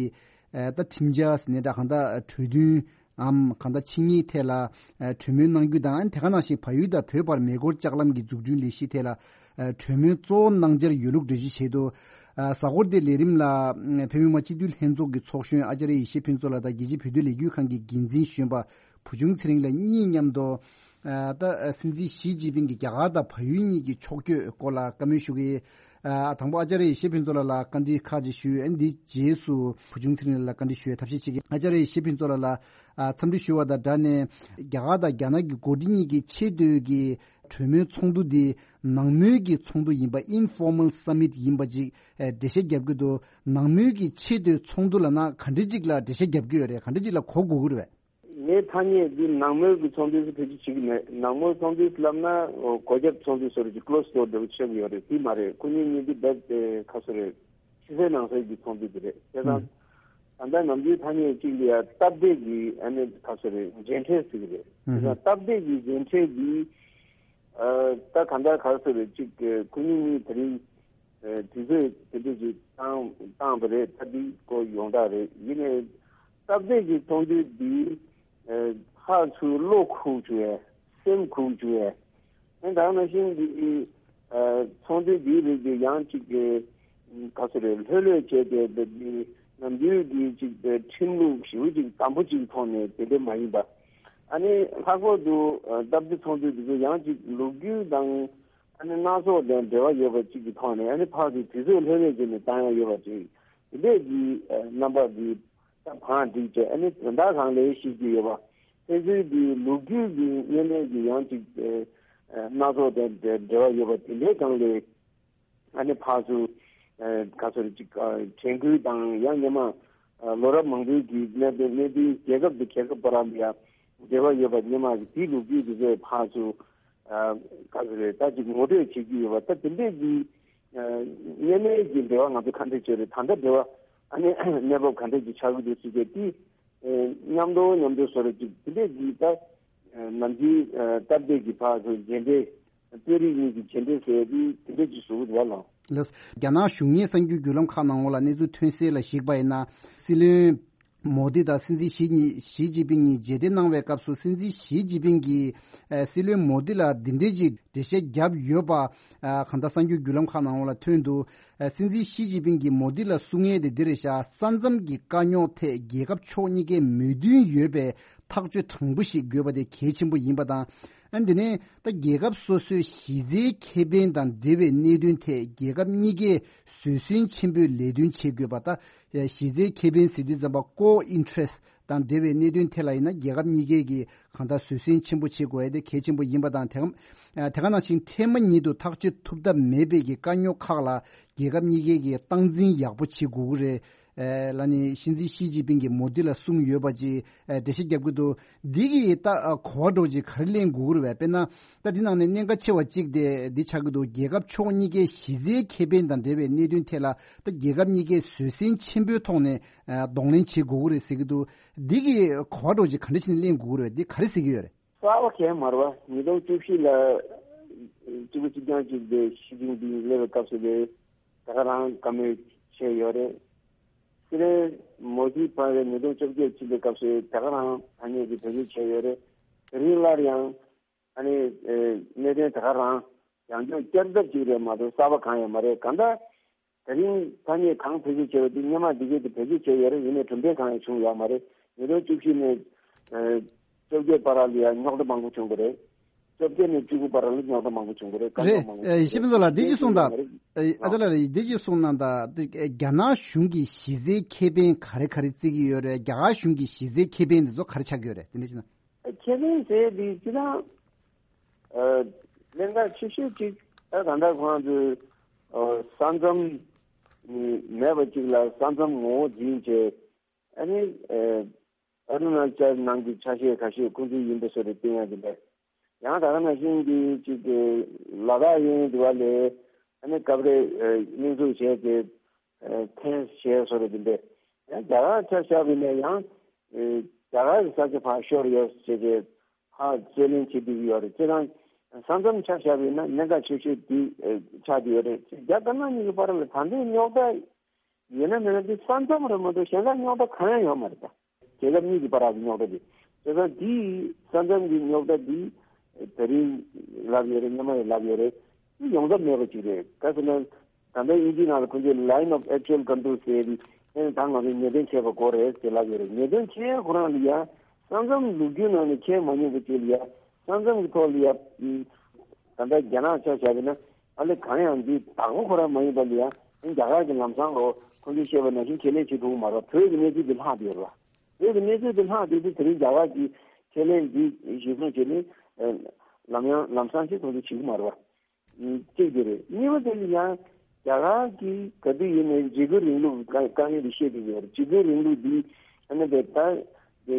ཨ་ད་ཁྲིམས་འཆར་ཟེར་ནའི་འདྲ། གང་ལྟར་གྲོས་མཐུན་འམ་གང་ལྟར་ཆིངས་ཡིག་ཐད་ལ་ཨ་གྲོས་མོལ་གནང་རྒྱུ་དང་། དེ་ག་ནང་བཞིན་བལ་ཡུལ་དང་བོད་བར་མེ་འཁོར་ལྕགས་ལམ་གྱི་འཛུགས་སྐྲུན་ལས་གཞི་ཐད་ལ་ཨ་གྲོས་མོལ་གཙོ་བོ་གནང་འཆར་ཡོད་ལུགས་འགྲེལ་བརྗོད་བྱས་འདུག་ཨ་གཟའ་འཁོར་འདིའི་ལས་རིམ་ལ་ཨ་བོད་མི་མང་སྤྱི་འཐུས་ལྷན་ཚོགས་ཀྱི་ཚོགས་གཞོན་ཨ་ཙརྱ་ཡེ་ཤེས་ཕུན་ཚོགས་ལགས་དང་། རྒྱལ་སྤྱིའི་བོད་དོན་ལས་འགུལ་ཁང་གི་འགན་འཛིན་གཞོན་པ་བུ་ཆུང་ཚེ་རིང་ལགས་གཉིས་མཉམ་དུ། ཨ་ད་ཨ་སྲིད་འཛིན་ཞི་ཅིན་ཕིང་གིས་རྒྱ་གར་དང་བལ་ཡུལ་གཉིས་ཀྱི་ཕྱོགས་བསྐྱོད་སྐོར་ལ་བཀའ་མོལ་ཞུ་གི་ཡོད། ཨ་དང་པོ་ཨ་ཙརྱ་ཡེ་ཤེས་ཕུན་ཚོགས་ལགས་ལ་བཀའ་འདྲི་ཁག་ཅིག་ཞུས། ཨ་འདིའི་རྗེས་སུ་བུ་ཆུང་ཚེ་རིང་ལགས་ལ་བཀའ་འདྲི་ཞུ་བའི་ཐབས་ཤེས་བྱེད་ཀྱི། ཨ་ཙརྱ་ཡེ་ཤེས་ཕུན་ཚོགས་ལགས་ལ་ཨ་འཚམས་འདྲི་ཞུ་བ་དང་སྦྲགས་ནས། རྒྱ་གར་དང་རྒྱ་ནག་གི་འགོ་ཁྲིད་གཉིས་ཀྱི་ཆེས་མཐོའི་གི་གྲོས་མོལ་ཚོགས་འདུ་འདི་ནང་མོལ་གྱི་ཚོགས་འདུ་ཡིན་པ། Informal Summit ཡིན་པ་ཅིག་ཨ་འགྲེལ་བཤད་རྒྱབ་ཀྱི་འདུག་ནང་མོལ་གྱི་ཆེས་མཐོའི་ཚོགས་འདུ་ལབ་ན་ག་འདྲ་ཅིག་ལ་འགྲེལ་བཤད་རྒྱབ་ཀྱི་ཡོད་རེད། ག་འདྲ་ཅིག་ལ་གོ་དགོས་ཀྱི་རེད་པས། ངའི་ཐ་སྙད་འདི་ནང་མོལ་གྱི་ཚོགས་འདུ་ཟེར་ཐད་ཀྱི་བྱེད་ཀྱི་མེད། ནང་མོལ་ཚོགས་འདུ་ལབ་ན་འོ་སྒོ་རྒྱབ་ཚོགས་འདུ་སོགས་ཀྱི་closed door འདྲ་བོ་ཆགས་ཀྱི་ཡོད་རེད། དེ་མ་རེད། ཁོ་གཉིས་གཉིས་འདི་རྦད་དེ་ཁ་སོ་རེད། ཕྱི་གསལ་ནང་གསལ་གྱི་ཚོགས་འདུ་དེ་རེད། བྱས་ཙང་ད་ལྟ་ནམ་རྒྱུན་ཐ་སྙད་གཅིག་ལ་ཡ་སྟབས་བདེ་གི་ཨ་ནི་ཁ་སོ་རེད། མཇལ་འཕྲད་ཟེར་གྱི་རེད། བྱས་ཙང་སྟབས་བདེ་གི་མཇལ་འཕྲད་འདི་ཨ་ད་ག་འདྲ་ཁ་སོ་རེད། གཅིག་ཁོ་གཉིས་གཉིས་དེ་རིང་ཨ་དུས་ཚོད་དེ་འདྲ་ཞིག་བཏང་བཏང་བ་རེད། ད་འདི་སྐོར་ཡོངས་གྲགས་རེད། ཡིན་ནའི་སྟབས་བདེ་གི་ཚོགས་འདུ་འདི་ཨ་ཕར་ཚུར་བློ་འཁུར་བཅུག་ཡས་སེམས་འཁུར་བཅུག་ཡས། ཨ་ད་ག་ནང་བཞིན་འདི་ཨ་ཚོགས་འདུ་འདིའི་རིགས་འདི་ཡང་གཅིག་གི་ག་ཚོད་རེད། ལྷོད་ལྷོད་བྱས་ཏེ་འདི་འདི་ནམ་རྒྱུན་གྱི་གཅིག་ཁྲིམས་ལུགས་ཞེ་པོ་ཅིག་དམ་པོ་ཅིག་ཐོག་ནས་དེ་འདྲ་མ་ཡིན་པ། ཨ་ནི་ལྷག་པར་དུ་ཨ་སྟབས་བདེ་ཚོགས་འདུ་འདི་ཚོ་ཡང་གཅིག་ལོ་རྒྱུས་དང་ཨ་ནི་སྣ་ཚོགས་དང་འབྲེལ་བ་ཡོད་པ་གཅིག་གི་ཐོག་ནས། ཨ་ནི་ཕར་ཚུར་དུས་ཚོད་ལྷོད་ལྷོད་བྱས་ནས་བཏང་ཡ་ཡོད་པ་ཅིག་དེ་འདྲས་ཀྱི་ཨ་རྣམ་པ་འདི་ད་བང་བསྒྲིགས་བྱས། ཨ་ནི་དོན་དག་སྒང་ལ་བཤད་ཀྱི་ཡོད་པ། ཕན་ཚུན་གྱི་ལོ་རྒྱུས་ཀྱི་གཉེན་ཉེ་གི་ཡང་ཅིག་ཨ་སྣ་ཚོགས་དང་འབྲེལ་བ་ཡོད་པ་དེ་འདྲའི་སྒང་ལ། ཨ་ནི་ཕར་ཚུར་ཨ་ག་ཚོད་རེད། ཅིག་ཨ་དྲན་སྐུལ་དང་། ཡང་སྔོན་མ་ཨ་ལོ་རབས་མང་པོའི་གི་གནད་དོན་གནད་དོན་རྒྱལ་ཁབ་དང་རྒྱལ་ཁབ་བར་ལ་ཡང་འབྲེལ་བ་ཡོད་པ། སྔོན་མ་གི་དེའི་ལོ་རྒྱུས་དེ་ཚོ་ཕར་ཚུར་ཨ་ག་ཚོད་རེད། ད་ཅིག་ངོ་སྤྲོད་བྱེད་ཀྱི་ཡོད་པ། ད་དེ་འདྲས་ཀྱི་ཨ་གཉེན་ཉེ་གི་འབྲེལ་བ་ང་ཚོ་ག་འདྲས་བྱས་རེད། ད་ལྟ་འབྲེལ་བ་ཨ་ནི་གནས་བབ་ག་འདྲས་ཀྱི་ཆགས་ཀྱི་འདུག་ཟེར་གྱི་དེ་ཨ་མཉམ་དུ་མཉམ་དུ་བཟོ་རེད། ཅིག་དེ་འདྲས་ཀྱི་ད་ཨ་ནམ་རྒྱུན་ཨ་སྟབས་བདེ་གི་ཕར་ཚུར་མཇལ་འཕྲད། དཔོན་རིགས་གཉིས་ཀྱི་མཇལ་འཕྲད་ཟེར་ཡ་དེ་དེ་འདྲ་ཅིག་བཟོ་གི་འདུག་བ་ལགས། ལགས། རྒྱ་ནག་གཞུང་གཉེར་གསར་འགྱུར་བརྒྱུད་ལམ་ཁག་ནང་ལོགས་ལ་གནས་ཚུལ་ཐོན་གསལ་ལ་གཞིགས་པ་ཡིན་ན། སྲིད་བློན་མོ་དི་དང་སྲིད་འཛིན་ཞི་གཉིས་ཞི་ཅིན་ཕིང་གཉིས་མཇལ་འཕྲད་གནང་བའི་སྐབས་སུ། སྲིད་འཛིན་ཞི་ཅིན་ཕིང་གིས་ཨ་སྲིད་བློན་མོ་དི་ལ་འདི་འདྲའི་ཅིག་འགྲེལ་བཤད་བརྒྱབ་ཡོད་པ། ཨ་གང་ལྟར་གསར་འགྱུར་བརྒྱུད་ལམ་ཁག་ནང་ལོགས་ལ་ཐོན་འདུག་ཨ་སྲིད་འཛིན་ཞི་ཅིན་ཕིང་གིས་མོ་དི་ལ་གསུང་ཡས་དེ་འདི་རེད་ཤག་ས་མཚམས་ཀྱི་དཀའ་རྙོག་ཐད་རྒྱལ་ཁབ་ཕྱོགས་གཉིས་ཀའི་མོས་མཐུན་ཡོད་པའི་ཐག་གཅོད་དྲང་པོ་ཞིག་དགོས་པ་དེ་གལ་ཆེན་པོ་ཡིན་པ་དང་། ཨ་འདི་ནས་ད་རྒྱལ་ཁབ་སོ་སོའི་གཞི་རྩའི་ཁེ་ཕན་དང་འབྲེལ་བའི་གནད་དོན་ཐད་རྒྱལ་ཁབ་གཉིས་ཀས་བཟོད་བསྲན་ཆེན་པོས་ལས་དོན་བྱེད་དགོས་པ། ད་གཞི་རྩའི་ཁེ་ཕན་ཟེར་དུས་ཙམ་པ་core interest དང་འབྲེལ་བའི་གནད་དོན་ཐད་ལ་ཡིན་ན། རྒྱལ་ཁབ་གཉིས་ཀས་ཀྱིས་གང་ལྟར་བཟོད་བསྲན་ཆེན་པོ་བྱེད་དགོས་ཡ་དེ་གལ་ཆེན་པོ་ཡིན་པ་དང་། དེ་ག་དེ་ག་ནང་བཞིན་འཕྲལ་མ་ཉིད་དུ་ཐག་གཅོད་ཐུབ་ཐབས་མེད་པའི་གི་དཀའ་རྙོག་ཁག་ལ་རྒྱལ་ཁབ་གཉིས་ཀས་ཀྱིས་སྟངས་འཛིན་ཡག་པོ་བྱེད་དགོས་ཀྱི་རེད། ཨེ་ལ་ནི་སྲིད་འཛིན་ཞི་ཅིན་ཕིང་གིས་མོ་དི་ལ་གསུངས་ཡོད་པ་ཅིག་ཨེ་འགྲེལ་བཤད་རྒྱབ་ཀྱི་འདུག་འདི་གི་ད་ཨ་གོ་བ་འདྲ་བོ་ཅིག་ག་རེ་ལེན་དགོས་ཀྱི་རེད་བས། དཔེར་ན་ད་འདི་ནང་ནས་གནད་འགག་ཆེ་བ་གཅིག་དེ་འདི་ཆགས་ཀྱི་འདུག་རྒྱལ་ཁབ་ཕྱོགས་གཉིས་ཀའི་གཞི་རྩའི་ཁེ་ཕན་དང་འབྲེལ་བའི་གནད་དོན་ཐད་ལ་ད་རྒྱལ་ཁབ་གཉིས་ཀས་བཟོད་བསྲན་ཆེན་པོའི་ཐོག་ནས་ཨ་གདོང་ལེན་བྱེད་དགོས་ཀྱི་རེད་ཟེར་གྱི་འདུག་འདི་གི་གོ་བ་འདྲ་བོ་ཅིག་ག་འདྲ་བྱས་ནས་ལེན་དགོས་ཀྱི་རེད། འདི་ག་རེ་ཟེར་གྱི་ཡོད་རེད། གསར་པ་གང་ཡང་མ་རེད་བ། ཉིས་སྟོང་བཅུ་བཞི་ལ་གཅིག་པ་གཅིག་རྐྱང་གཅིག་དེ་ཞི་ཅིན་ཕིང་སླེབས་པའི་སྐབས་སུ་དེ་ད་ག་རང་བཀའ་མོལ་བྱས་ཡོད་རེད། སྲིད་བློན་མོ་དི་ཕར་ཉིས་སྟོང་བཅོ་བརྒྱད་ཕྱིན་པའི་སྐབས་སུ་ད་ག་རང་ཐ་སྙད་ཀྱི་བེད་སྤྱོད་བྱས་ཡོད་རེད། དེ་རིང་སླར་ཡང་ཨ་ནི་ཨེ་གནད་དོན་ད་ག་རང་ཡང་བསྐྱར་བསྐྱར་ལྡབ་ཅིག་རེད་མ་གཏོགས་གསར་པ་གང་ཡང་མ་རེད། གང་ལྟར་ ད་རིང་ཐ་སྙད་གང་བེད་སྤྱོད་བྱས་པ་དེ་སྔོན་མ་འདི་གས་དེ་བེད་སྤྱོད་བྱས་ཡོད་རེད། ཡིན་ནའི་གྲུབ་འབྲས་གང་ཡང་བྱུང་ཡོད་མ་རེད། ཉིས་སྟོང་བཅུ་བཞི་ནས་ཨ་བཅོ་བརྒྱད་བར་ལ་ཡང་རྙོག་དྲ་མང་པོ་བྱུང་གི་རེད། བཅོ་བརྒྱད་ནས་བཅུ་དགུ་བར་ལ་རྙོག་དྲ་མང་པོ་བྱུང་གི་རེད། དཀའ་རྙོག་མང་པོ་བྱུང་གི་རེད། ཨེ་ཡེ་ཤེས་ཕུན་ཚོགས་ལགས། འདི་ཅིག་གསུངས་དང་། ཨེ་ཨ་ཅག་ལགས་རེད། འདི་ཅིག་གསུངས་གནང་དང་། འདི་ཨེ་རྒྱ་ནག་གཞུང་གི་གཞི་རྩའི་ཁེ་ཕན་ག་རེ་ག་རེ་བརྩི་གི་ཡོད་རེད། རྒྱ་གར་གཞུང་གི་གཞི་རྩའི་ཁེ་ཕན་འདི་ཚོ་ག་རེ་ཆགས་ཀྱི་ཡོད་རེད། དེ་འདྲ་ཅིག་ན། ཁེ་ཕན་ཟེར་འདི་སྤྱིར་བཏང་ཨ་གནད་འགག་ཆེ་ཤོས་ཅིག་ད་ད་ལྟ་ཁོང་ཚོས་ཨ་ས་མཚམས་མེད་པ་ཅིག་ལ་ས་མཚམས་ངོ་བོ་འཛིན་བྱས། ཨ་ནི་ཨ་ཨ་རུ་ན་ཅལ་ནང་གི་ཆ་ཤས་ཁ་ཤས་ཁོང་ཚོའི་ཡིན་པ་བཟོ་འདྲ་བསྟན་ཡ་དེ་འདྲ། ཡང་ད་ག་ནང་བཞིན་གྱི་ཅིག་ལ་དྭགས་གཡས་གཡོན་དེ་བ་ལས་ཨ་ནི་སྐབས་རེ་ཨ་དབྱིན་ཚུགས་བྱས་ཏེ་ཨ་འཐེན་བྱས་བཟོ་འདྲ་དེ་འདྲ། ཡང་རྒྱ་གར་ཆ་བཞག་པ་ཡིན་ན་ཡང་ཨ་རྒྱ་གར་གྱི་ས་ཆ་ཕར་ཤོར་ཡོད་ཟེར་ཏེ་ཧ་རྩོད་ལེན་བྱེད་བསྡད་ཀྱི་ཡོད་རེད། ཁྱེད་རང་ས་མཚམས་ཆ་བཞག་པ་ཡིན་ན་གནད་འགག་ཆེ་ཤོས་དེ་ཨ་ཆགས་བསྡད་ཡོད་རེད། རྒྱ་དཀར་ནག་གཉིས་ཀྱི་བར་ལ་ད་ལྟའི་རྙོག་དྲ་ཡོད་ན་མེད་ན་དེ་ས་མཚམས་རེད་མ་གཏོགས་གཞན་དག་རྙོག་དྲ་གང་ཡང་ཡོད་མ་རེད་ད། རྒྱལ་ཁབ་གཉིས་ཀྱི་བར་གྱི་རྙོག་དྲ་དེ། བྱས་ཙང་དེའི་ས་མཚམས་ཀྱི་རྙོག་དྲ་དེ་ད་རིང་ལབ་ཡོད་རེད། སྔོན་མ་ཡང་ལབ་ཡོད་རེད། དེ་ཡོང་ཐབས་མེད་པ་ཅིག་རེད། ག་ཟེར་ན་ད་ལྟ་དབྱིན་ཇིའི་ནང་ལ་ཁོང་ཚོས་Line of Actual Control ཟེར་ཡ་དེ་ཨེ་ད་ང་ཚོས་ངེས་གཏན་འཁྱེར་བ་དགོས་རེད་ཟེར་ལབ་ཡོད་རེད། ངེས་གཏན་འཁྱེར་ཁོ་རང་ལ་ཡ་ས་མཚམས་ལོ་རྒྱུས་ནང་ནས་འཁྱེར་མ་མྱོང་བ་ཅིག་ལ་ཡ་ས་མཚམས་ཀྱི་ཐོག་ལ་ཡ་ད་ལྟ་རྒྱ་ནག་ཆ་བཞག་པ་ན། ཨ་ལེ་གང་ཡང་འདི་བདག་པོ་ཁོ་རང་མ་ཡིན་པ་ལ་ཡ་རྒྱ་གར་གྱི་ལམ་སང་ལོ་ཁོང་ཚོས་བཤད་པ་ནང་བཞིན་ཁས་ལེན་བྱེད་ཐུབ་ཀྱི་མ་རེད་བ། བོད་ཀྱི་གནས་ཚུལ་འདི་ལྷག་བསྡད་ཡོད་རེད་བ། བོད་ཀྱི་གནས་ཚུལ་འདི་ལྷག་བསྡད་དུས་དེ་རིང་རྒྱ་གར་གྱིས་ཁས་ལེན་འདི་གཞིར་བཟུང་བྱས་ནས་ལམ་ཡང་ལམ་སང་ཅིག་ཁོང་ཚོས་བྱེད་ཀྱི་མ་རེད་བ། གཅིག་དེ་རེད། གཉིས་པ་དེ་ལ་ཡང་རྒྱ་གར་གྱིས་ག་དུས་ཡིན་ནའི་འཇིགས་སྐུལ་རིང་ལུགས་དཀའ་དཀའ་ངལ་འདི་བཤད་བསྡད་ཡོད་རེད། འཇིགས་སྐུལ་རིང་ལུགས་འདི་ཨ་ནི་བས་ད་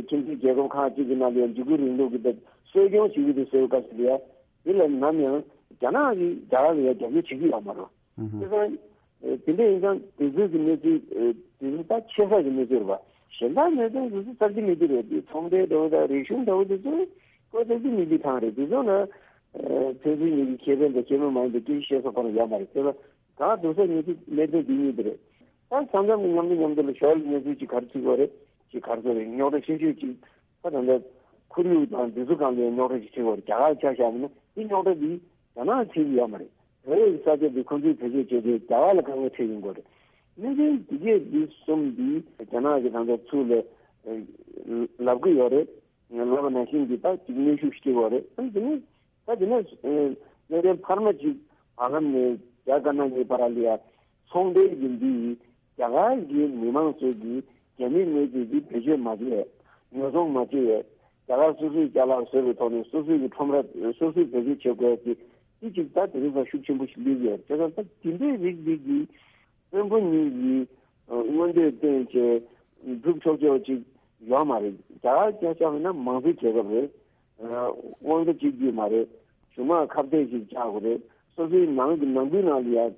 ཁྱིམ་མཚེས་རྒྱལ་ཁབ་ཁག་ཅིག་གི་ནང་ལ་ཡང་འཇིགས་སྐུལ་རིང་ལུགས་ཀྱི་ད་གསོ་སྐྱོང་བྱེད་ཀྱི་འདུག་ཟེར་བའི་སྐབས་སུ་ལ་ཡང་། དེ་ལ་ནམ་ཡང་རྒྱ་ནག་གིས་རྒྱ་གར་ལ་ཡང་རྒྱབ་སྐྱོར་བྱེད་ཀྱི་ཡོད་མ་རེད། ཨུ་ཧུ། དེ་ཙང་དེ་འདྲ་ཡིན་ཙང་དེ་ཚོའི་གི་གནས་ཚུལ་དེ་ཚོ་ད་ཆེ་ས་གི་གནས་ཚུལ་རེད་པ། གཞན་དག་གནས་ཚུལ་དེ་ཚོ་རྩ་ཆེ་མི་འདུག་རེད། དེ་ཚོང་འབྲེལ་འདྲ་བོ་དང་རིག་གཞུང་འདྲ་བོ་དེ་ཚོ་ཁོ་རྩ་ཆེ་མི་འདུག་ཐང་རེད། དེ་ཚོ་ལ་ཕན་ཚུན་གཉིས་ཀྱི་ཁེ་ཕན་དང་ཁེ་ཕན་མ་ཡིན་པའི་སྐད་ཆ་བཤད་ས་ཁོ་རང་ཡོད་མ་རེད། དེ་ལ་གང་འདུག་ས་གནས་ཚུལ་གནད་དོན་འདི་གཉིས་དེ་རེད། ད་ས་མཚམས་ཀྱི་མཉམ་དུ་མཉམ་དུ་ལ་ཞོར་ལ་གནས་ཚུལ་ཅིག་ག་རེ་བྱེད་དགོས་རེད། ཅིག་ག་རེ་ཟེར་རེད། རྙོག་དྲ་ཆེ་ཤོས་ཅིག་ད་ད་ལྟ་ཁོར་ཡུག་དང་འདི་ཚོ་སྒང་ལ་རྙོག་དྲ་ཅིག་ཆེ་བ་རེད། རྒྱ་གར་ཆ་བཞག་པ་ན་འདི་རྙོག་དྲ་འདི་རྒྱ་ནག་ཆེ་གི་ཡོད་མ་རེད། བོད་ཀྱི་ས་ཆ་འདི་ཁོང་ཚོས་བེད་སྤྱོད་བྱས་ཏེ་རྒྱ་གར་ལ་དཀའ་ངལ་འཕྲད་ཡོང་གི་ཡོད་རེད། གནད་དོན་འདི་གས་འདི་གསུམ་འདི་རྒྱ་ནག་གིས་ད་ལྟ་ཚུར་ལ་ལབ་གི་ཡོད་རེད། ལབ་པ་ནང་བཞིན་གྱི་ད་ཅིག་གནོན་ཤུགས་ཤིག་སྐྱེ་བ་རེད། ཨ་ནི་དེ་ནས་ད་དེ་ནས་གནད་དོན་འཕར་མ་ཅིག་བར་ལམ་ནས་རྒྱ་དཀར་ནག་གཉིས་བར་ལ་ཡ་ཚོང་འབྲེལ་གྱི་འདི་ཡིས་རྒྱ་གར་གྱི་མི་མང་ཚོས་ཀྱི་རྒྱ་མི་དངོས་རྫས་ཀྱི་བེད་སྤྱོད་མ་བྱས། ཉོ་ཚོང་མ་བྱས། རྒྱ་གར་སོ་སོའི་ཅ་ལག་བཟོས་པའི་ཐོག་ནས་སོ་སོའི་གི་ཁྲོམ་ར་སོ་སོས་བེད་སྤྱོད་བྱེད་དགོས་ཀྱི་འདི་ཅིག་ད་དེ་རིང་ཙང་ཤུགས་ཆེན་པོ་ཞིག་སླེབས་ཡོད། བྱས་ཙང་ད་དེ་འདྲའི་རིགས་འདི་གི་དཔོན་པོ་གཉིས་ཀྱིས་མངོན་འདོད་བཏོན་བྱས་སྒྲུབ་ཆོག་ཆོག་ཅིག་ཡོད་མ་རེད། རྒྱ་གར་སྐད་ཆ་བཤད་ན་མང་གཙོའི་རྒྱལ་ཁབ་རེད། དབང་ཆ་གཅིག་སྡུད་མ་རེད། གཞུང་དམངས་ཁ་གཏད་ཅིག་བཅག་དགོས་རེད། སོ་སོའི་ནང་གི་ནང་ཁུལ་ནང་ལ་ཡང་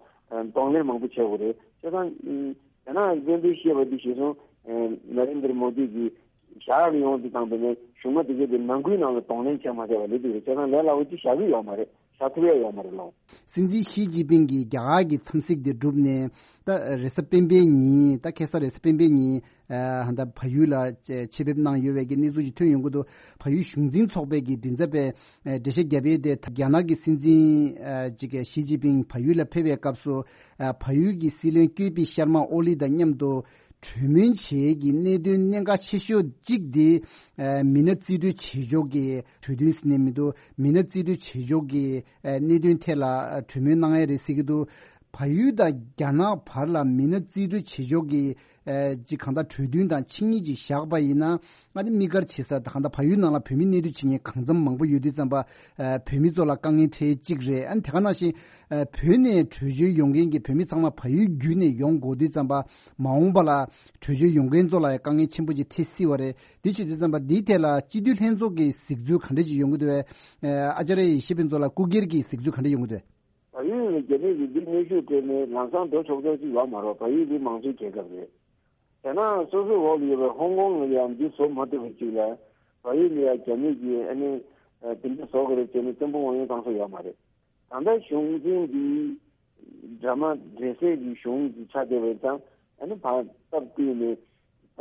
གདོང་ལེན་མང་པོ་བྱེད་དགོས་རེད། བྱས་ཙང་རྒྱ་ནག་གི་དཔོན་པོས་བཤད་པ་འདི་གཞིར་བཟུང་ནཱ་རེན་དྲ་མོ་དི་གིས་བཞག་ཡོང་དུས་ཙམ་པ་ནས་གཞུང་མ་དེ་གས་དེ་ནང་ཁུལ་ནང་ལ་གདོང་ལེན་བྱེད་མ་བྱས་པ་ལས་འདུག་རེད། བྱས་ཙང་ལས་སླ་བོ་ཅིག་བཞག་གི་ཡོད་མ་རེད། བཞག་ཐུབ་ཡ་ཡོད་མ་རེད་ལགས། སྲིད་འཛིན་ཞི་ཅིན་ཕིང་གིས་རྒྱ་གར་གྱི་འཚམས་གཟིགས་དེ་བསྒྲུབས་ནས་ད་རེས་གཟའ་སྤེན་པའི་ཉིན། ད་ཁ་སང་རེས་གཟའ་སྤེན་པའི་ཉིན་ཨ་ད་བལ་ཡུལ་ལ་ཆེད་ཕེབས་གནང་ཡོད་པའི་གི་གནས་ཚུལ་ཞིག་ཐོན་ཡོང་གི་འདུག་བལ་ཡུལ་གཞུང་འཛིན་ཚོགས་པའི་གི་མགྲིན་ཚབ་པས་ཨ་འགྲེལ་བཤད་བརྒྱབ་ཡས་དེ། རྒྱ་ནག་གི་སྲིད་འཛིན་ཨ་ཅིག་ཞི་ཅིན་ཕིང་བལ་ཡུལ་ལ་ཕེབས་པའི་སྐབས་སུ་ཨ་བལ་ཡུལ་གྱི་སྲིད་བློན་ཀེ་པི་ཤར་མ་ཨོ་ལི་དང་མཉམ་དུ་གྲོས་མོལ་བྱེད་ཀྱི་གནད་དོན་གནད་འགག་ཆེ་ཤོས་གཅིག་དེ་ཨ་མི་སྣ་རྩིས་སྤྲོད་བྱེད་ཕྱོགས་ཀྱི་གྲོས་མཐུན་ཟེར་ནས་མི་འདུག་མི་སྣ་རྩིས་སྤྲོད་བྱེད་ཕྱོགས་ཀྱི་ཨ་གནད་དོན་ཐད་ལ་གྲོས་མོལ་གནང་ཡས་རེད་ཟེར་གྱི་འདུག་བལ་ཡུལ་དང་རྒྱ་ནག་བར་ལ་མི་སྣ་རྩིས་སྤྲོད་བྱེད་ཕྱོགས་ཀྱི་ཨ་ཅིག་གང་ལྟར་གྲོས་མཐུན་དང་ཆིངས་ཡིག་ཅིག་བཞག་པ་ཡིན་ན། ཨ་ནི་དམིགས་བཀར་བྱེད་ས་ད་གང་ལྟར་བལ་ཡུལ་ནང་ལ་བོད་མི་གནས་སྡོད་བྱེད་མཁན་གང་འཚམ་མང་པོ་ཡོད་དུས་ཙམ་པ། ཨ་བོད་མི་ཚོ་ལ་དཀའ་ངལ་འཕྲད་ཅིག་རེད། ཨ་ནི་དེ་ག་ནང་བཞིན་ཨ་བོད་ནས་བྲོས་བྱོལ་ཡོང་མཁན་གྱི་བོད་མི་ཚང་མ་བལ་ཡུལ་བརྒྱུད་ནས་ཡོང་དགོས་དུས་ཙམ་པ། མ་འོངས་པ་ལ་བྲོས་བྱོལ་ཡོང་མཁན་ཚོ་ལ་ཡང་དཀའ་ངལ་ཆེན་པོ་ཅིག་འཕྲད་སྲིད་པ་རེད། འདི་བྱེད་དུས་ཙམ་པ་འདིའི་ཐད་ལ་སྤྱི་འཐུས་ལྷན་ཚོགས་ཀྱི་གཟིགས་ཚུལ་ག་འདྲ་ཅིག་ཡོང་གི་འདུག་བས། ཨ་ཨ་ཅཱརྱ་ཡེ་ཤེས་ཕུན་ཚོགས་ལགས་སྐུ་སྒེར་གྱི་གཟིགས་ཚུལ་ག་འདྲ་ཡོང་གི་འདུག་བལ་ཡུལ་ནས་རྒྱ་མི་གིས་འདི་གནོན་ཤུགས་སྤྲད་ནས་ལམ་སང་འགྲོ་ཆོག་ཆོག་ཅིག་ཡོད་མ་རེད། བལ་ཡུལ་འདི་མང་གཙོའི་རྒྱལ་ཁབ་རེད། རྒྱ་ནག་སོ་སོའི་འོག་ལ་ཡོད་པའི་ཧོང་ཀོང་ལ་ཡང་འདི་བཟོ་མ་ཐུབ་པ་ཅིག་ལ་བལ་ཡུལ་ལ་ཡང་རྒྱ་མི་གིས་ཨ་ནི་ཨ་དེ་འདྲ་བཟོ་དགོས་རེད་ཟེར་ནས་བཙན་པོ་དབང་ཡོད་གཏོང་ས་ཡོད་མ་རེད། ད་ལྟ་གཞུང་འཛིན་འདི་འདྲ་མ་འདྲེ་སྲས་ཀྱི་གཞུང་ཅིག་ཆགས་བསྡད་པ་ཡིན་ཙང་ཨ་ནི་ཕར་སྟབས་བསྟུན་ནས་ད་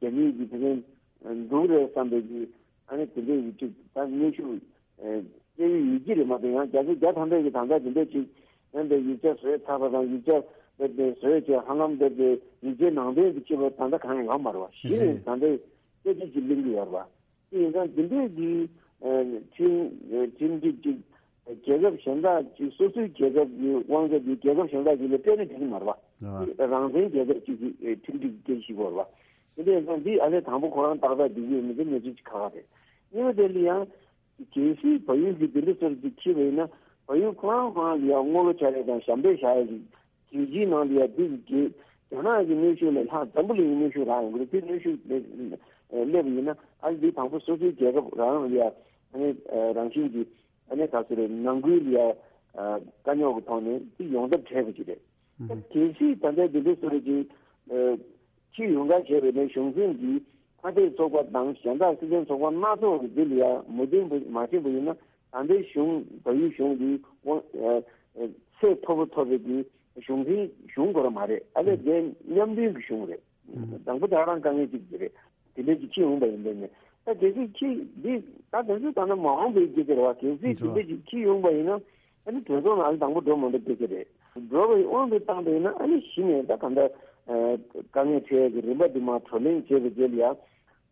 རྒྱ་མི་གིས་དེ་རིང་འགྲུབ་རེད་བསམ་པའི་གི་ཨ་ནི་དེ་འདྲའི་ཡིག་ཆ་ད་གནོན་ཤུགས་སྤྲད་ཀྱི་ཡོད་ཀྱི་རེད་མ་གཏོགས། ཡང་རྒྱ་ཆེ་རྒྱ་ཐམ་པས་ཀྱི་ད་ལྟ་དེ་འདྲ་ཅིག་ཡང་དེ་ཡིག་ཆ་བཟོས་ཚར་བ་དང་ཡིག་ཆ་ དེ་བཟོས་བྱས་ཧ་ལམ་དེ་དེ་ཡིག་ཆའི་ནང་དོན་དུ་སྐྱེས་པ་ད་ལྟ་གང་ཡང་ཡོད་མ་རེད་བ། གཞི་ནས་ད་ལྟའི་དཔེ་ཁྲིད་ཅིག་གླེང་གི་ཡོད་རེད་བ། དེ་ཡིན་ཙང་དེ་འདྲས་ཀྱི་ཁྲིམས་ཁྲིམས་སྒྲིག་ཅིག་རྒྱལ་ཁབ་གཞན་དག་ཅིག་སོ་སོའི་རྒྱལ་ཁབ་ཀྱི་དབང་ཆ་དེ་རྒྱལ་ཁབ་གཞན་དག་ཅིག་ལ་སྤྲད་ན་འགྲིག་གི་མ་རེད་བ། རང་བཙན་རྒྱལ་ཁབ་ཅིག་གི་ཁྲིམས་སྒྲིག་སྐད་ཆ་ཞིག་ཡོད་རེད་བ། དེ་འདྲས་ཡིན་ཙང་འདི་ཨ་ལས་དང་པོ་ཁོ་རང་ཏག་ཏག་འགྲིག་གི་ཡོད་མེད་དེ་གནས་ཚུལ་ཅིག་ཁག་ཁག་རེད། གཉིས་པ་དེ་ལ་ཡང་། གལ་སྲིད་བལ་ཡུལ་གྱི་དེ་འདྲ་སོར་ཅིག་འཁྱེར་བ་ཡིན་ན། བལ་ཡུལ་ཁོ་རང་ཁོ་རང་ལ་ཡང་དངུལ་ལོ་འཆར་ཡས་དང་ཞབས་འདེགས་བཞག་ཡས་ཀྱི་རྒྱལ་སྤྱིའི་ནང་ལ་ཡང་དེ་གི་རྒྱ་ནག་གི་གནོན་ཤུགས་ལས་ལྷག་འཛམ་བུ་གླིང་གི་གནོན་ཤུགས་རག་ཡོང་གི་རེད། དེ་གནོན་ཤུགས་སླེབས་པ་ཡིན་ན་ཨ་ནི་འདི་དང་པོ་སོ་སོའི་རྒྱལ་ཁབ་རང་ལ་ཡང་ཨ་ནི་རང་བཞིན་གྱིས་ཨ་ནི་ག་ཚོད་རེད་ནང་ཁུལ་ལ་ཡང་དཀའ་རྙོག་གི་ཐོག་ནས་དེ་ཡོང་ཐབས་བྲལ་བ་ཅིག་རེད། ད་གལ་སྲིད་ད་ལྟའི་དེ་འདྲ་སོར་ཅིག་ཕྱིར་ཡོང་ག་བྱས་པ་ཡིན་ན་གཞུང་འཛིན་གྱིས་ཁ་གཏད་ཚོགས་པ་དང་གཞན་དག་སྲིད་དོན་ཚོགས་པ་སྣ་ཚོགས་ཀྱི་འདི་ལ་ཡང་མོས་མཐུན་མ་བྱས་པ་ཡིན་ན་ད་ལྟའི་གཞུང་བལ་ཡུལ་གཞུང་འདི་དབང་ཚད་མཐོ་པོ་ཐོབ་པའི་གི་གཞུང་འཛིན་གཞུང་དགོས་ར་མ་རེད། ཨ་ལས་དེ་མཉམ་མཐུན་གྱི་གཞུང་རེད། དང་པོ་དེ་རང་དཀའ་ངལ་གཅིག་དེ་རེད། དེ་འདྲ་ཅིག་ཕྱིར་ཡོང་པ་ཡིན་པས་ནས་ད་གལ་སྲིད་ཕྱིར་འདི་ད་དེ་ཚོ་ད་ནི་མ་འོངས་པའི་སྐད་ཆ་རེད་བ། གལ་སྲིད་དེ་འདྲ་ཅིག་ཕྱིར་ཡོང་པ་ཡིན་ན། ཨ་ནི་གྲོས་ཚོགས་ནང་ལ་དང་པོ་འགྲོ་མ་འགྲོ་སྐད་ཆ་རེད། འགྲོ་བའི་དབང་དུ་བཏང་པ་ཡིན་ན་ཨ་ནི་གཞི་ནས་ད་ག་འདྲ་དཀའ་ངལ་འཕྲད་ཡས་ཀྱི་རིམ་པ་འདི་མར་བགྲོ་གླེང་བྱས་པའི་རྗེས་ལ་ཡང་